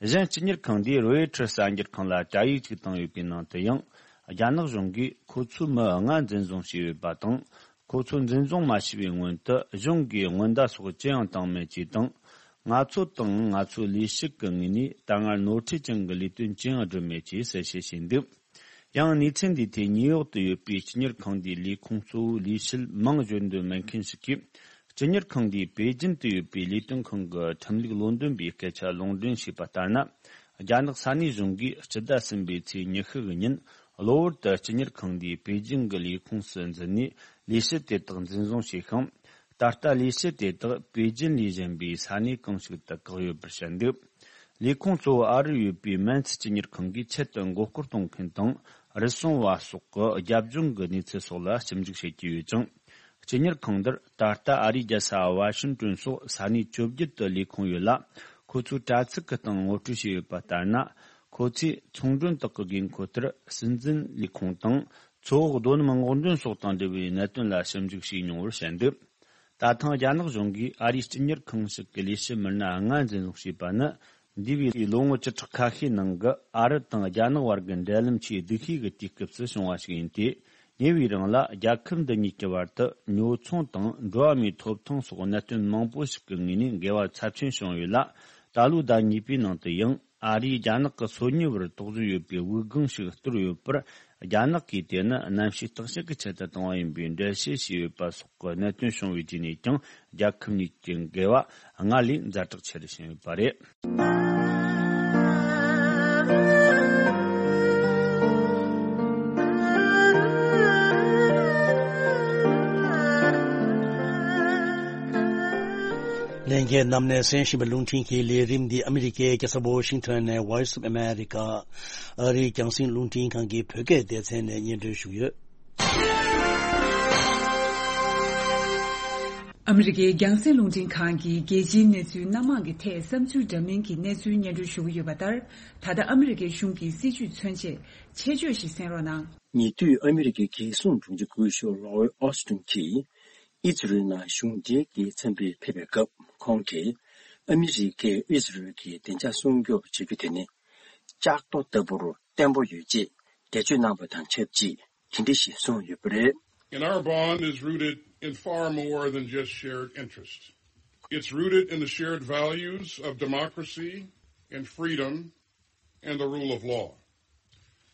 གཞན་སྤྱི་གཉེར་ཁང་འདིས་རོའི་ཊར་གསར་འགྱུར་ཁང་ལ་བཅར་ཡིག་ཅིག་བཏང་ཡོད་པའི་ནང་དུ་ཡང་། རྒྱ་ནག་གཞུང་གིས་ཁོ་ཚོའི་མི་ལྔ་འཛིན་བཟུང་བྱས་ཡོད་པ་དང་། ཁོ་ཚོ་འཛིན་བཟུང་མ་བྱས་པའི་སྔོན་དུ་གཞུང་གིས་སྔོན་བརྡ་སོགས་ཅི་ཡང་བཏང་མེད་ཅེས་དང་། ང་ཚོ་དང་ང་ཚོའི་ལས་ཞུགས་ཀྱི་ངོས་ནས་ད་སྔར་ནོར་འཁྲུལ་ཅན་གྱི་ལས་དོན་ཅི་ཡང་བསྒྲུབས་མེད་ཅེས་གསལ་བཤད་བྱས་འདུག་ཡང་གནས་ཚུལ་འདིའི་ཐད་ཉིའུ་ཡོག་ཏུ་ཡོད་པའི་སྤྱི་གཉེར་ཁང་འདིའི་ལས་ཁུངས་གཙོ་བོའི་ལས་བྱེད་མིང་བརྗོད་འདོད་མེད་མཁན་ཞིག་གིས། སྤྱི་གཉེར་ཁང་འདིས་པེ་ཅིན་དུ་ཡོད་པའི་ལས་དོན་ཁང་གི་ཁྲིམས་ལུགས་བློ་འདོན་པའི་སྐད་ཆ་ལུང་འདྲེན་བྱས་པ་ལྟར་ན། རྒྱ་ནག་ས་གནས་གཞུང་གིས་སྤྱི་ཟླ་གསུམ་པའི་ཚེས་ཉི་ཤུ་གི་ཉིན་གློ་བུར་དུ་སྤྱི་གཉེར་ཁང་འདིའི་པེ་ཅིང་གི་ལས་ཁུངས་སུ་འཛུལ་ནས་ལས་བྱེད་དེ་དག་འཛིན་བཟུང་བྱས་ཤིང་། ད་ལྟ་ལས་བྱེད་དེ་དག་པེ་ཅིན་ལས་གཞན་པའི་ས་གནས་གང་ཞིག་ཏུ་བཀག་ཡོད་པར་བཤད་འདུག་ལས་ཁུངས་གཙོ་བོ་ཨ་རིར་ཡོད་པའི་མན་ཚི་སྤྱི་གཉེར་ཁང་གིས་ཆེད་དུ་མགོ་སྐོར་གཏོང་མཁན་དང་རུལ་སུངས་པ་སོགས་ཀྱི་རྒྱབ་ལྗོངས་ཀྱི་གནས་ཚུལ་སོགས་ལ་ཞིབ་འཇུག་བྱེད་ཀྱི་ཡོད་ཅིང་། སྤྱི་གཉེར་ཁང་འདིར་ད་ལྟ་ཨ་རིའི་རྒྱལ་ས་ཝ་ཤིང་ཏོན་སོགས་ས་གནས་བཅོ་བརྒྱད་དུ་ལས་ཁུངས་ཡོད་ལ། ཁོ་ཚོའི་དྲ་ཚིགས་ཀྱི་སྟེང་ངོ་སྤྲོད་བྱས་ཡོད་པ་ལྟར་ན། ཁོ་ཚོས་ཚོང་མགྲོན་དག་གི་དགོས་མཁོ་ལྟར་སྲིད་འཛིན་ལས་ཁུངས་དང་། མཚོ་འོག་རྡོ་སྣུམ་སྔོག་འདོན་སོགས་དང་འབྲེལ་བའི་གནད་དོན་ལ་ཞིབ་འཇུག་བྱས་མྱོང་བར་བཤད་འདུག་ད་ཐེངས་རྒྱ་ནག་གཞུང་གིས་ཨ་རིའི་སྤྱི་གཉེར་ཁང་ཞིག་གི་ལས་བྱེད་མི་སྣ་ལྔ་འཛིན་བཟུང་བྱས་པ་ནི། འདས་པའི་ལོ་ངོ་བཅུ་ཕྲག་ཁ་ཤས་ནང་གི་ཨ་རི་དང་རྒྱ་ནག་བར་གྱི་འབྲེལ་ལམ་ཆེས་སྡུག་ཤོས་ཀྱི་དུས་སྐབས་སུ་བྱུང་བ་ཞིག་ཡིན་ཏེ། ཉེ་བའི་རིང་ལ་རྒྱལ་ཁབ་འདི་གཉིས་ཀྱི་བར་དུ་ཉོ་ཚོང་དང་འགྲོ་བ་མིའི་ཐོབ་ཐང་སོགས་གནད་དོན་མང་པོ་ཞིག་གི་ངོས་ནས་འགལ་བ་ཚབས་ཆེན་བྱུང་ཡོད་ལ། ད་ལོའི་ཟླ་གཉིས་པའི་ནང་དུ་ཡང་ཨ་རིས་རྒྱ་ནག་གི་སོ་ཉུལ་བར་དོགས་ཟོན་ཡོད་པའི་དབུགས་ལྒང་ཞིག་གཏོར་ཡོད་པར། རྒྱ་ནག་གིས་དེ་ནི་གནམ་གཤིས་བརྟག་དཔྱད་ཀྱི་ཆེད་དུ་བཏང་བ་ཡིན་པའི་འགྲེལ་བཤད་བྱས་ཡོད་པ་སོགས་ཀྱི་གནད་དོན་བྱུང་བའི་རྗེས་ནས་ཀྱང་རྒྱལ་ཁབ་གཉིས་ཀྱི་འགལ་བ་སྔར་ལས་ཛ་དྲག་ཆེ་རུ་ཕྱིན་ཡོད་པ་རེད། ལྷན་རྒྱས་རྣམས་ནས་གསན་བཞིན་པའི་རླུང་འཕྲིན་གྱི་ལས་རིམ་འདི་ཨ་མི་རི་ཀའི་རྒྱལ་ས་ཝོ་ཤིང་ཐོན་ནས་Voice of America ཨ་རིའི་རྒྱང་སྲིང་རླུང་འཕྲིན་ཁང་གི་བོད་སྐད་སྡེ་ཚན་ནས་སྙན་སྒྲོན་ཞུས་ཡོད། ཨ་མི་རི་ཀའི་རྒྱང་སྲིང་རླུང་འཕྲིན་ཁང་གིས་རྒྱལ་སྤྱིའི་གནས་ཚུལ་སྣ་མང་གི་ཐད་བསམ་ཚུལ་འདྲ་མིན་གྱི་གནས་ཚུལ་སྙན་སྒྲོན་ཞུ་གི་ཡོད་པ་ལྟར། ད་ལྟ་ཨ་མི་རི་ཀའི་གཞུང་གི་སྲིད་བྱུས་མཚོན་ཆེད་ཆེད་བརྗོད་ཞིག་གསན་རོགས་གནང་། ཉེ་དུས་ཨ་མི་རི་ཀའི་རྒྱལ་སྲུང་དྲུང་ཆེ་སྐུ་ཞབས་ལོའི་ཨོ་སི་ཏིན་གྱིས་ཨི་ཛི་རལ་ནང་གཞུང་འབྲེལ་གྱི་འཚམས་འདྲིར་ཕེབས་པའི་སྐབས། ཁོང་གིས་ཨ་མི་རི་ཀས་ཨི་ཛི་རལ་གྱི་བདེ་འཇགས་སྲུང་སྐྱོབ་བྱ་རྒྱུ་དེ་ནི་ལྕགས་རྡོ་ལྟ་བུར་བརྟན་པོ་ཡོད་ཅེས་འགྲེལ་བརྗོད་གནང་བ་དང་ཆབས་ཅིག་དེ་འདྲ་ཞིག་གསུངས་ཡོད་པ་རེད། And our bond is rooted in far more than just shared interests. It's rooted in the shared values of democracy and freedom and the rule of law.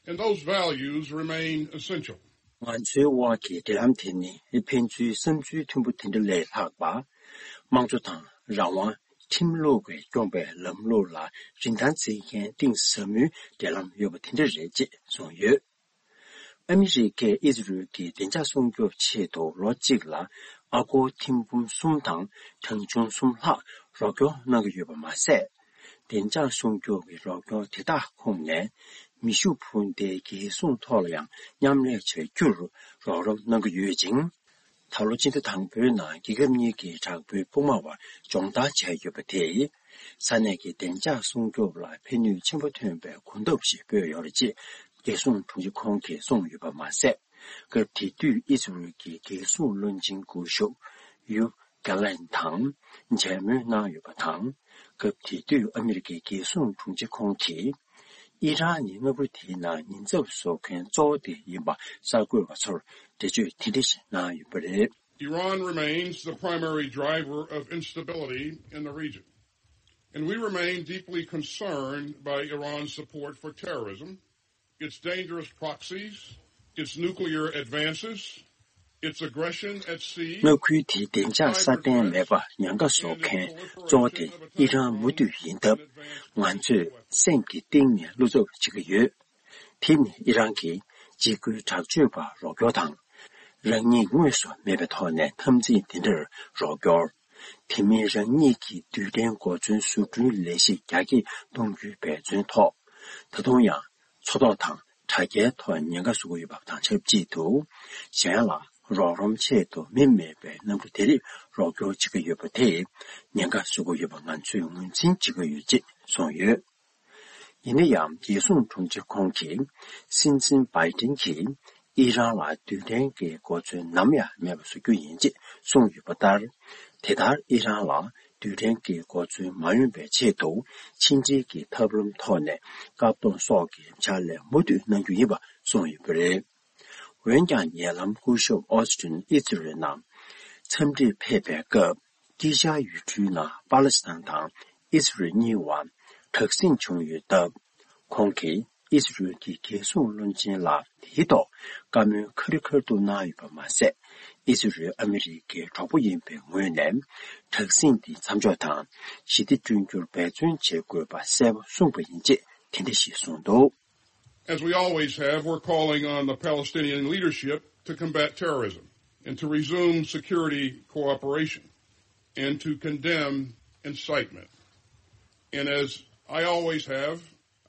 And those values remain essential. ང་ཚོའི་དབར་གྱི་འབྲེལ་ལམ་དེ་ནི་ཕན་ཚུན་བསམ་ཚུལ་མཐུན་པོ་དེ་འདྲ་ལས་ལྷག་པ། དམངས་གཙོ་དང་རང་དབང་། ཁྲིམས་ལུགས་ཀྱིས་སྐྱོང་པའི་ལམ་ལུགས་ལ་རིན་ཐང་འཛིན་མཁན་གཏིང་ཟབ་མོའི་འབྲེལ་ལམ་ཡོད་པ་དེ་འདྲ་རེད་ཅེས་གསུངས་ཡོད། ཨ་མི་རི་ཀས་ཨི་ཛི་རལ་གྱི་བདེ་འཇགས་སྲུང་སྐྱོབ་ཆེད་དུ་ལོ་གཅིག་ལ་ཨ་སྒོར་ཐེར་འབུམ་གསུམ་དང་གྲངས་ཆུང་གསུམ་ལྷག་རོགས་སྐྱོར་གནང་གི་ཡོད་པ་མ་ཟད། བདེ་འཇགས་སྲུང་སྐྱོབ་ཀྱི་རོགས་སྐྱོར་དེ་དག་ཁོངས་ནས་མེ་ཤུགས་འཕུར་མདེལ་རྒྱལ་སྲུང་ཐོག་ལ་ཡང་མཉམ་ལས་བྱ་རྒྱུར་རོགས་རམ་གནང་གི་ཡོད་ཅིང་། ད་ལོ་སྤྱི་ཟླ་དང་པོའི་ནང་རྒྱལ་ཁབ་གཉིས་ཀྱི་དྲག་པོའི་དཔུང་དམག་དབར་སྦྱོང་བརྡར་བྱས་ཡོད་པ་དེས། ས་གནས་ཀྱི་བདེ་འཇགས་སྲུང་སྐྱོབ་ལ་ཕན་ནུས་ཆེན་པོ་ཐོན་པའི་གོ་སྟོབས་ཤིག་སྤོས་ཡོད་རེད་ཅེས་རྒྱལ་སྲུང་དྲུང་ཆེ་ཁོང་གིས་གསུངས་ཡོད་པ་མ་ཟད། སྐབས་དེ་དུས་ཨི་ཟི་རལ་གྱི་རྒྱལ་སྲུང་བློན་ཆེན་སྐུ་ཞབས་ཡོབ་གྷ་ལན་དང་མཇལ་མོལ་གནང་ཡོད་པ་དང་། སྐབས་དེ་དུས་ཨ་མི་རི་ཀའི་རྒྱལ་སྲུང་དྲུང་ཆེ་ཁོང་གིས། ཨི་རན་ནི་མངའ་ཁུལ་དེའི་ནང་ཉེན་ཚབས་བཟོ་མཁན་གཙོ་བོ་དེ་ཡིན་པ་གསར་འགོད་པ་ཚོར་འགྲེལ་བརྗོད་དེ་འདྲ་ཞིག་གནང་ཡོད་པ་རེད། Iran remains the primary driver of instability in the region, and we remain deeply concerned by Iran's support for terrorism, its dangerous proxies, its nuclear advances, its aggression at sea, མངའ་ཁུལ་དེའི་བདེ་འཇགས་སྲ་བརྟན་མེད་པར་ཉེན་ཁ་བཟོ་མཁན་གཙོ་བོ་དེ་ཨི་རན་མུ་མཐུད་ཡིན་སྟབས། ང་ཚོས་སེམས་ཀྱི་གཏིང་ནས་བློ་འཚབ་བྱེད་ཀྱི་ཡོད། དེ་ནི་ཨི་རན་གྱིས་འཇིགས་སྐུལ་དྲག་སྤྱོད་པར་རོགས་སྐྱོར་དང་། རང་ཉིད་དངོས་སུ་མེད་པའི་ཐོག་ནས་འཐབ་འཛིང་དེ་འདྲར་རོགས་སྐྱོར། དེ་མིན་རང་ཉིད་ཀྱི་རྡུལ་ཕྲན་གོ་མཚོན་བཟོ་སྐྲུན་ལས་གཞི་རྒྱ་སྐྱེད་གཏོང་རྒྱུའི་འབད་བརྩོན་ཐོག་ད་དུང་ཡང་མཚོ་ཐོག་དང་དྲ་རྒྱའི་ཐོག་ཉེན་ཁ་བཟོ་གི་ཡོད་པ་དང་ཆབས་ཅིག་ཏུ། གཞན་ལ་རོགས་རམ་ཆེད་དུ་མི་མེད་པའི་གནམ་གྲུ་དེ་རིགས་རོགས་སྐྱོར་བྱེད་ཀྱི་ཡོད་པ་དེས་ཉེན་ཁ་བཟོ་གི་ཡོད་པ་ང་ཚོས་ངོས་འཛིན་བྱེད་ཀྱི་ཡོད་ཅེས་གསུངས་ཡོད། ཡིན་ན་ཡང་རྒྱལ་སྲུང་དྲུང་ཆེ་ཁོང་གིས་སྲིད་འཛིན་བྷའི་ཏིན་གྱིས་ཨི་རན་ལ་རྡུལ་ཕྲན་གྱི་གོ་མཚོན་ནམ་ཡང་མེད་པ་བཟོ་རྒྱུ་ཡིན་ཅེས་གསུངས་ཡོད་པ་ལྟར། དེ་ལྟར་ཨི་རན་ལ་རྡུལ་ཕྲན་གྱི་གོ་མཚོན་མ་ཡོང་བའི་ཆེད་དུ་ཕྱི་འབྲེལ་གྱི་ཐབས་ལམ་ཐོག་ནས་བཀག་སྡོམ་སོགས་ཀྱི་ཕྱག་ལས་མུ་མཐུད་གནང་རྒྱུ་ཡིན་པ་གསུངས་ཡོད་པ་རེད། འོན་ཀྱང་ཉེ་ལམ་སྐུ་ཞབས་ཨོ་སི་ཏིན་ཨི་ཛི་རལ་ནང་འཚམས་འདྲིར་ཕེབས་པའི་སྐབས། དཀྱིལ་ཤར་ཡུལ་གྲུའི་ནང་པ་ལེ་སི་ཐན་དང་ཨི་ཟི་རལ་གཉིས་བར་དྲག་ཟིང་བྱུང་ཡོད་སྟབས། ཁོང་གིས་ཨི་ཟི་རལ་གྱི་རྒྱལ་སྲུང་བློན་ཆེན་ལ་དེའི་ཐོག་བཀའ་མོལ་ཁ་རི་ཁ་ཐུག་གནང་ཡོད་པ་མ་ཟད། ཨི་ཟི་རལ་ཨ་མི་རི་ཀའི་གྲོགས་པོ་ཡིན་པའི་ངོས་ནས་དྲག་ཟིང་དེ་མཚམས་འཇོག་དང་ཞི་བདེ་བསྐྲུན་རྒྱུར་འབད་བརྩོན་བྱེད་དགོས་པ་གསལ་པོ་གསུངས་པ་ཡིན་ཅེས་ དེ་འདྲ་ཞིག་གསུངས་འདུག། As we always have, we're calling on the Palestinian leadership to combat terrorism and to resume security cooperation and to condemn incitement. And as I always have,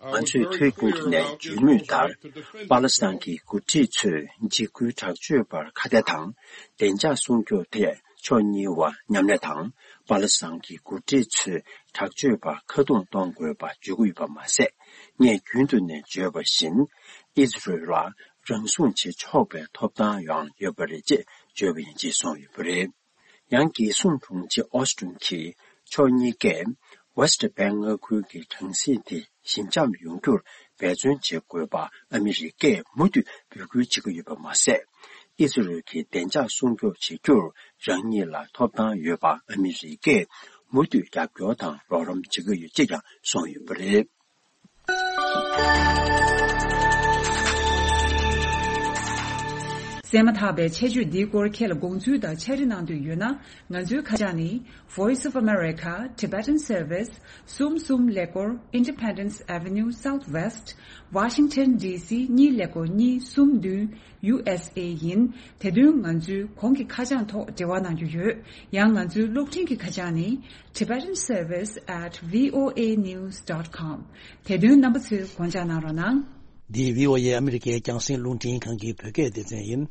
ང་ཚོས་ཐོལ་གྱིས་ནས་བརྗོད་མུས་ལྟར། པ་ལི་སི་ཐན་གྱི་འགོ་ཁྲིད་ཚོས་འཇིགས་སྐུལ་དྲག་སྤྱོད་པར་ཁ་གཏད་དང་བདེ་འཇགས་སྲུང་སྐྱོབ་ཐད་ཕྱོགས་གཉིས་བར་མཉམ་ལས་དང་། པ་ལི་སི་ཐན་གྱི་འགོ་ཁྲིད་ཚོས་དྲག་སྤྱོད་པར་ཁ་རྡུང་གཏོང་དགོས་པ་བརྗོད་ཀྱི་ཡོད་པ་མ་ཟད། ངས་རྒྱུན་དུ་ནས་བརྗོད་པ་བཞིན། ཨི་ཛི་རལ་ལ་རང་སྲུང་བྱེད་ཆོག་པའི་ཐོབ་ཐང་ཡང་ཡོད་པ་རེད་ཅེས་བརྗོད་པ་ཡིན་ཅེས་གསུངས་ཡོད་པ་རེད། ཡང་རྒྱལ་སྲུང་དྲུང་ཆེ་ཨོ་སི་ཊིན་གྱིས་ཕྱོགས་གཉིས་ཀས་ཝེ་སི་ཊི་བྷེང་མངའ་ཁུལ་གྱི་གྲངས་གཞི་དེ་ཞི་འཇམ་ཡོང་རྒྱུར་འབད་བརྩོན་བྱེད་དགོས་པ་ཨ་མི་རི་ཀས་མུ་མཐུད་འབོད་སྐུལ་བྱེད་ཀྱི་ཡོད་པ་མ་ཟད། ཨི་ཛི་རལ་གྱི་བདེ་འཇགས་སྲུང་སྐྱོབ་བྱེད་རྒྱུར་རང་ཉིད་ལ་ཐོབ་ཐང་ཡོད་པ་ཨ་མི་རི་ཀས་མུ་མཐུད་རྒྱབ་སྐྱོར་དང་རོགས་རམ་བྱེད་ཀྱི་ཡོད་ཅེས་ཀྱང་གསུངས་ཡོད་པ་རེད། གསན་མ་ཐག་པའི་ཆེད་བརྗོད་འདིའི་སྐོར་ཁྱེད་ལ་དགོངས་ཚུལ་དང་ཕྱག་བྲིས་གནང་འདོད་ཡོད་ན། ང་ཚོའི་ཁ་བྱང་ནི། Voice of America, Tibetan Service, གསུམ་གསུམ་ཀླད་ཀོར། Independence Avenue Southwest, Washington D C གཉིས་ཀླད་ཀོར་གཉིས་གསུམ་བདུན། ཡུ་ཨེས་ཨེ་ཡིན། དེ་དོན་ང་ཚོའི་གོང་གི་ཁ་བྱང་ཐོག་འབྲེལ་བ་གནང་རྒྱུ་ཡོད། ཡང་ང་ཚོའི་གློག་འཕྲིན་གྱི་ཁ་བྱང་ནི། Tibetan Service at V O A news dot com། དེ་དོན་རྣམ་པ་ཚོས་དགོངས་འཇགས་གནང་རོགས་གནང་། འདི་V O A ཨ་མི་རི་ཀའི་རྒྱང་སྲིང་རླུང་འཕྲིན་ཁང་གི་བོད་སྐད་སྡེ་ཚན་ཡིན།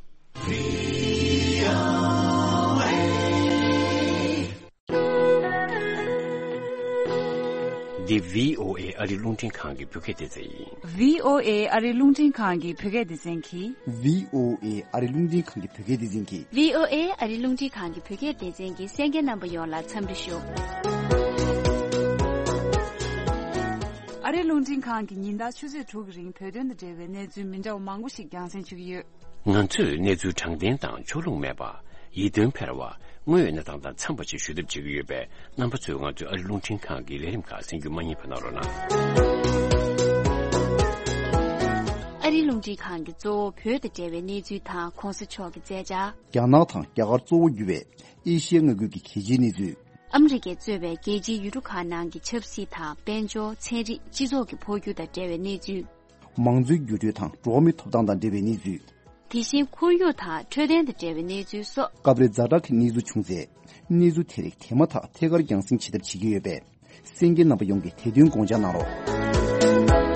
འདི་V O A ཨ་རི་རླུང་འཕྲིན་ཁང་གི་བོད་སྐད་སྡེ་ཚན་ཡིན། V O A ཨ་རི་རླུང་འཕྲིན་ཁང་གི་བོད་སྐད་སྡེ་ཚན་གྱིས། V O A ཨ་རི་རླུང་འཕྲིན་ཁང་གི་བོད་སྐད་སྡེ་ཚན་གྱིས། V O A ཨ་རི་རླུང་འཕྲིན་ཁང་གི་བོད་སྐད་སྡེ་ཚན་གྱི་གསན་མཁན་རྣམ་པ་ཡོངས་ལ་འཚམས་འདྲི་ཞུ། ཨ་རི་རླུང་འཕྲིན་ཁང་གིས་ཉིན་ལྟར་ཆུ་ཚོད་དྲུག་གི་རིང་བོད་དོན་དང་འབྲེལ་བའི་གནས་ཚུལ་མི་འདྲ་བ་མང་པོ་ཞིག་རྒྱང་སྲིང་ཞུ་གི་ཡོད། ང་ཚོས་གནས་ཚུལ་དྲང་བདེན་དང་ཕྱོགས་ལྷུང་མེད་པ། ཡིད་རྟོན་འཕེར་བ། དངོས་ཡོད་གནས་སྟངས་དང་འཚམས་པ་ཞིག་ཞུ་ཐབས་བྱེད་ཀྱི་ཡོད་པས། རྣམ་པ་ཚོས་ང་ཚོའི་ཨ་རི་རླུང་འཕྲིན་ཁང་གི་ལས་རིམ་ཁག་གསན་རྒྱུ་མ་བསྙེལ་བ་གནང་རོགས་གནང་། ཨ་རི་རླུང་འཕྲིན་ཁང་གིས་གཙོ་བོ་བོད་དང་འབྲེལ་བའི་གནས་ཚུལ་དང་གོང་ས་མཆོག་གི་མཛད་འཆར། རྒྱ་ནག་དང་རྒྱ་གར་གཙོ་བོ་གྱུར་བའི་ཨེ་ཤི་ཡའི་མངའ་ཁུལ་གྱི་གལ་ཆེའི་གནས་ཚུལ། ཨ་མི་རི་ཀས་གཙོས་པའི་རྒྱལ་སྤྱིའི་ཡུལ་གྲུ་ཁག་ནང་གི་ཆབ་སྲིད་དང་། དཔལ་འབྱོར། ཚན་རིག་སྤྱི་ཚོགས་ཀྱི་འཕོ་འགྱུར་དང་འབྲེལ་བའི་གནས་ཚུལ། མང་གཙོའི་འགྱུར་འགྲོས་དང་འགྲོ་བ་མིའི་ཐོབ་ཐང་དང་འབྲེལ་བའི་གནས་ཚུལ། དེ་བཞིན་ཁོར་ཡུག་དང་འཕྲོད་བསྟེན་དང་འབྲེལ་བའི་གནས་ཚུལ་སོགས། སྐབས་རེ་ཛ་དྲག་གི་གནས་ཚུལ་བྱུང་ཚེ། གནས་ཚུལ་དེ་རིགས་དེ་མ་ཐག་ཐད་ཀར་རྒྱང་སྲིང་བྱེད་ཐབས་བྱེད་ཀྱི་ཡོད་པས། གསན་མཁན་རྣམ་པ་ཡོངས་ཀྱིས་དེ་དོན་དགོངས་འཇགས་གནང་རོགས།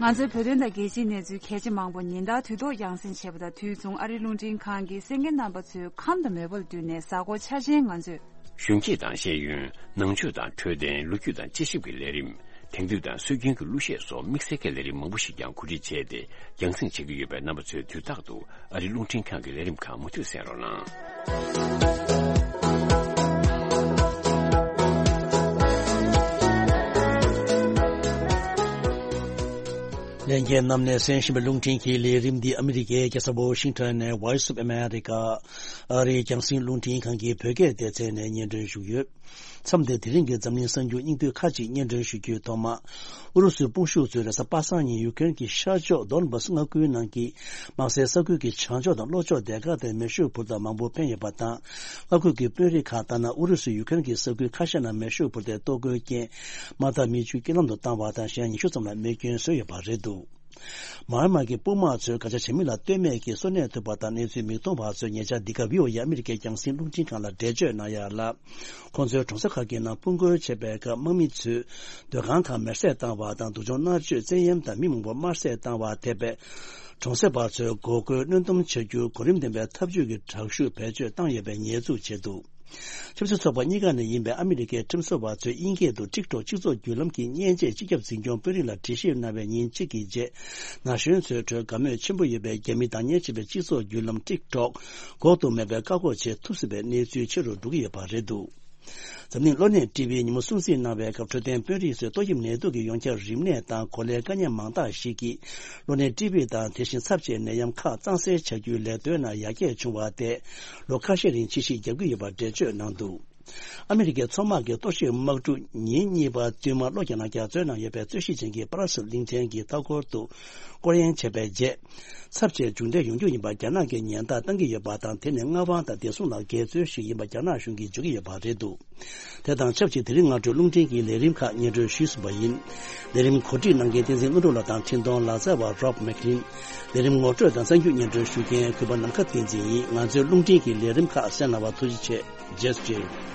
ང་ཚོའི་བོད་དོན་དང་རྒྱལ་སྤྱིའི་གནས་ཚུལ་གལ་ཆེ་མང་པོ་ཉིན་ལྟར་དུས་ཐོག་རྒྱང་སྲིང་བྱེད་པ་དང་དུས་མཚུངས་ཨ་རིའི་རླུང་འཕྲིན་ཁང་གིས་གསན་མཁན་རྣམ་པ་ཚོའི་ཁམས་དང་མོས་པ་ལ་བསྟུན་ནས་གཟའ་འཁོར་འཆར་ཅན་ང་ཚོས། གཞོན་སྐྱེས་དང་ཤེས་ཡོན། ནང་ཆོས་དང་འཕྲོད་བསྟེན། ལོ་རྒྱུས་དང་དཔྱད་ཞིབ་ཀྱི་ལས་རིམ། དེང་དུས་དང་སྲོལ་རྒྱུན་གྱི་གླུ་གཞས་སོགས་དམིགས་བསལ་གྱི་ལས་རིམ་མང་པོ་ཞིག་ཀྱང་གོ་སྒྲིག་བྱས་ཏེ་རྒྱང་སྲིང་བྱེད་ཀྱི་ཡོད་པས། རྣམ་པ་ཚོས་དུས་རྟག་ཏུ་ཨ་རིའི་རླུང་འཕྲིན་ཁང་གི་ལས་རིམ་ཁག་མུ་མཐུད་གསན་རོགས་གནང་། ལྷན་རྒྱས་རྣམས་ནས་གསན་བཞིན་པའི་རླུང་འཕྲིན་གྱི་ལས་རིམ་འདི་ཨ་མི་རི་ཀའི་རྒྱལ་ས་ཝོ་ཤིང་ཊོན་ནས་Voice of America ཨ་རིའི་རྒྱང་སྲིང་རླུང་འཕྲིན་ཁང་གི་བོད་སྐད་སྡེ་ཚན་ནས་སྙན་སྒྲོན་ཞུས་ཡོད། མཚམས་འདིར་དེ་རིང་གི་འཛམ་གླིང་གསར་འགྱུར་སྙིང་བསྡུས་ཁག་ཅིག་སྙན་སྒྲོན་ཞུ་རྒྱུའི་ཐོག་མ། ཨུ་རུ་སུའི་དཔུང་ཤུགས་ཚོས་རེས་གཟའ་པ་སངས་ཉིན་ཡུ་ཀེ་རེན་གྱི་ཤར་ཕྱོགས་དོན་བཱ་སི་མངའ་ཁུལ་ནང་གི་དམག་སའི་ས་ཁུལ་གྱི་བྱང་ཕྱོགས་དང་ལྷོ་ཕྱོགས་སྡེ་ཁག་དེར་མེ་ཤུགས་འཕུར་མདའ་མང་པོ་འཕེན་ཡོད་པ་དང་། མངའ་ཁུལ་གྱི་དཔོན་རིགས་ཁག་ལྟར་ན། ཨུ་རུ་སུས་ཡུ་ཀེ་རེན་གྱི་ས་ཁུལ་ཁ་ཤས་ནང་མེ་ཤུགས་འཕུར་མདའི་གཏོར་རྒོལ་རྐྱེན། དམག་འཐབ་མི་བཅུ་རྐྱེན་ལམ་དུ་བཏང་བ་དང་། གཞན་ཉི་ཤུ་ཙམ་ལ་རྨས་སྐྱོན་བཟོས་ཡོད་པ་རེད་འདུག། མར་མ་གི་དཔུང་དམག་ཚོས་བཀའ་རྒྱ་བྱེད་མི་ལ་ལྟོས་མེད་ཀྱིས་གསོ་གནས་ཐུབ་པ་དང་། གནས་ཚུལ་མིག་མཐོང་བ་ཚོས་ཉེ་ཆར་འདི་ག་བྷི་ཨོ་ཨེ་ཨ་མི་རི་ཀའི་རྒྱང་སྲིང་རླུང་འཕྲིན་ཁང་ལ་འགྲེལ་བརྗོད་གནང་ཡ་ལ། ཁོང་ཚོའི་གྲོང་གསེབ་ཁག་གི་ནང་དཔུང་རྒོལ་བྱས་པའི་སྐབས། དམག་མི་ཚོས་སྡོད་ཁང་ཁག་མེར་སྲེག་བཏང་བ་དང་། སྡུག་སྦྱོང་མནར་གཅོད། བཙན་གཡེམ་དང་མི་མང་པོ་དམར་གསོད་བཏང་བ་ཐེ་བའི་གྲོང་གསེབ་པ་ཚོས་འགོག་རྒོལ་གནོན་སྡོམ་བྱ་རྒྱུར་གོ་རིམ་ལྡན་པའི་ཐབས་ཇུས་ཀྱི་དྲག་ཤུགས་བེད་སྤྱོད་བཏང་ཡོད་པའི་ཉེས་འཛུགས་བྱས་འདུག། ཆབ་སྲིད་ཚོགས་པ་གཉིས་ཀ་ནས་ཡིན་པའི་ཨ་མི་རི་ཀའི་ཁྲིམས་བཟོ་བ་ཚོས་དབྱིན་སྐད་དུ་ཊིག་ཊོག་སྤྱི་ཚོགས་བརྒྱུད་ལམ་གྱི་མཉེན་ཆས་སྤྱི་ཁྱབ་འཛིན་སྐྱོང་དཔོན་རིགས་ལ་དྲི་ཞིབ་གནང་བའི་ཉིན་གཅིག་གི་རྗེས། ན་གཞོན་ཚོའི་ཁྲོད་དགའ་མོས་ཆེན་པོ་ཡོད་པའི་རྒྱ་མི་དང་མཉམ་གཤིབ་པའི་སྤྱི་ཚོགས་བརྒྱུད་ལམ་ཊིག་ཊོག་འགོག་ཏུ་མེད་པའི་བཀག་འགོག་བྱེད་ཐུབ་སྲིད་པའི་གནས་ཚུལ་ཆེ་རུ་འགྲོ་གི་ཡོད་པ་རེད་འདུག། འཛམ་གླིང་གློ་ནད་ཊི་བི་ཉིན་མོ་སྲུང་བརྩི་གནང་བའི་སྐབས། འཕྲོད་བསྟེན་དཔོན་རིགས་ཚོས་ཏོག་དབྱིབས་ནད་དུག་གི་ཡོངས་ཁྱབ་རིམས་ནད་དང་གོ་ལའི་དཀའ་ཉེན་མང་དག་ཞིག་གིས། གློ་ནད་ཊི་བི་དང་དེ་བཞིན་ཚབས་ཆེའི་ནད་ཡམས་ཁག་གཙང་སེལ་བྱ་རྒྱུའི་ལས་དོན་ནང་ཡར་རྒྱས་བྱུང་བ་དེས། ལོ་ཁ་ཤས་རིང་ཕྱི་བཤིག་རྒྱག་གི་ཡོད་པར་འགྲེལ་བརྗོད་གནང་འདུག། ཨ་མི་རི་ཀའི་མཚོ་དམག་གི་གཏོར་བཤིག་དམག་གྲུ་ཉིན་གཉིས་པ་བསྟུད་མར་ལྷོ་རྒྱ་ནག་རྒྱ་མཚོའི་ནང་ཡོད་པའི་རྩོད་གཞི་ཅན་གྱི་པ་ར་སིལ་གླིང་ཕྲན་གྱི་མཐའ་འཁོར་དུ་སྐོར་གཡེང་བྱས་པའི་རྗེས། ཚབས་ཆེའི་མཇུག་འབྲས་ཡོང་རྒྱུ་ཡིན་པར་རྒྱ་ནག་གིས་ཉེན་བརྡ་བཏང་གི་ཡོད་པ་དང་། དེ་ནི་མངའ་དབང་དང་བདེ་སྲུང་ལ་འགལ་འཛོལ་ཞིག་ཡིན་པ་རྒྱ་ནག་གཞུང་གིས་བརྗོད་ཀྱི་ཡོད་པ་རེད་འདུག་དེ་དང་ཆབས་ཅིག་དེ་རིང་སྔ་དྲོའི་རླུང་འཕྲིན་གྱི་ལས་རིམ་ཁག་སྙན་སྒྲོན་ཞུས་ཟིན་པ་ཡིན། ལས་རིམ་གོ་སྒྲིག་གནང་མཁན་བསྟན་འཛིན་ཀླུ་སྒྲུབ་ལགས་དང་འཕྲིན་གཏོང་ལག་རྩལ་བ་Rob McLean། ལས་རིམ་ངོ་སྤྲོད་དང་གསར་འགྱུར་སྙན་སྒྲོན་ཞུ་མཁན་གུས་པ་ནམ་མཁའ་བསྟན་འཛིན་ཡིན། ང་ཚོའི་རླུང་འཕྲིན་གྱི་ལས་རིམ་ཁག་གསན་གནང་བར་ཐུགས་རྗེ་ཆེ། རྗེས་སུ་མཇལ།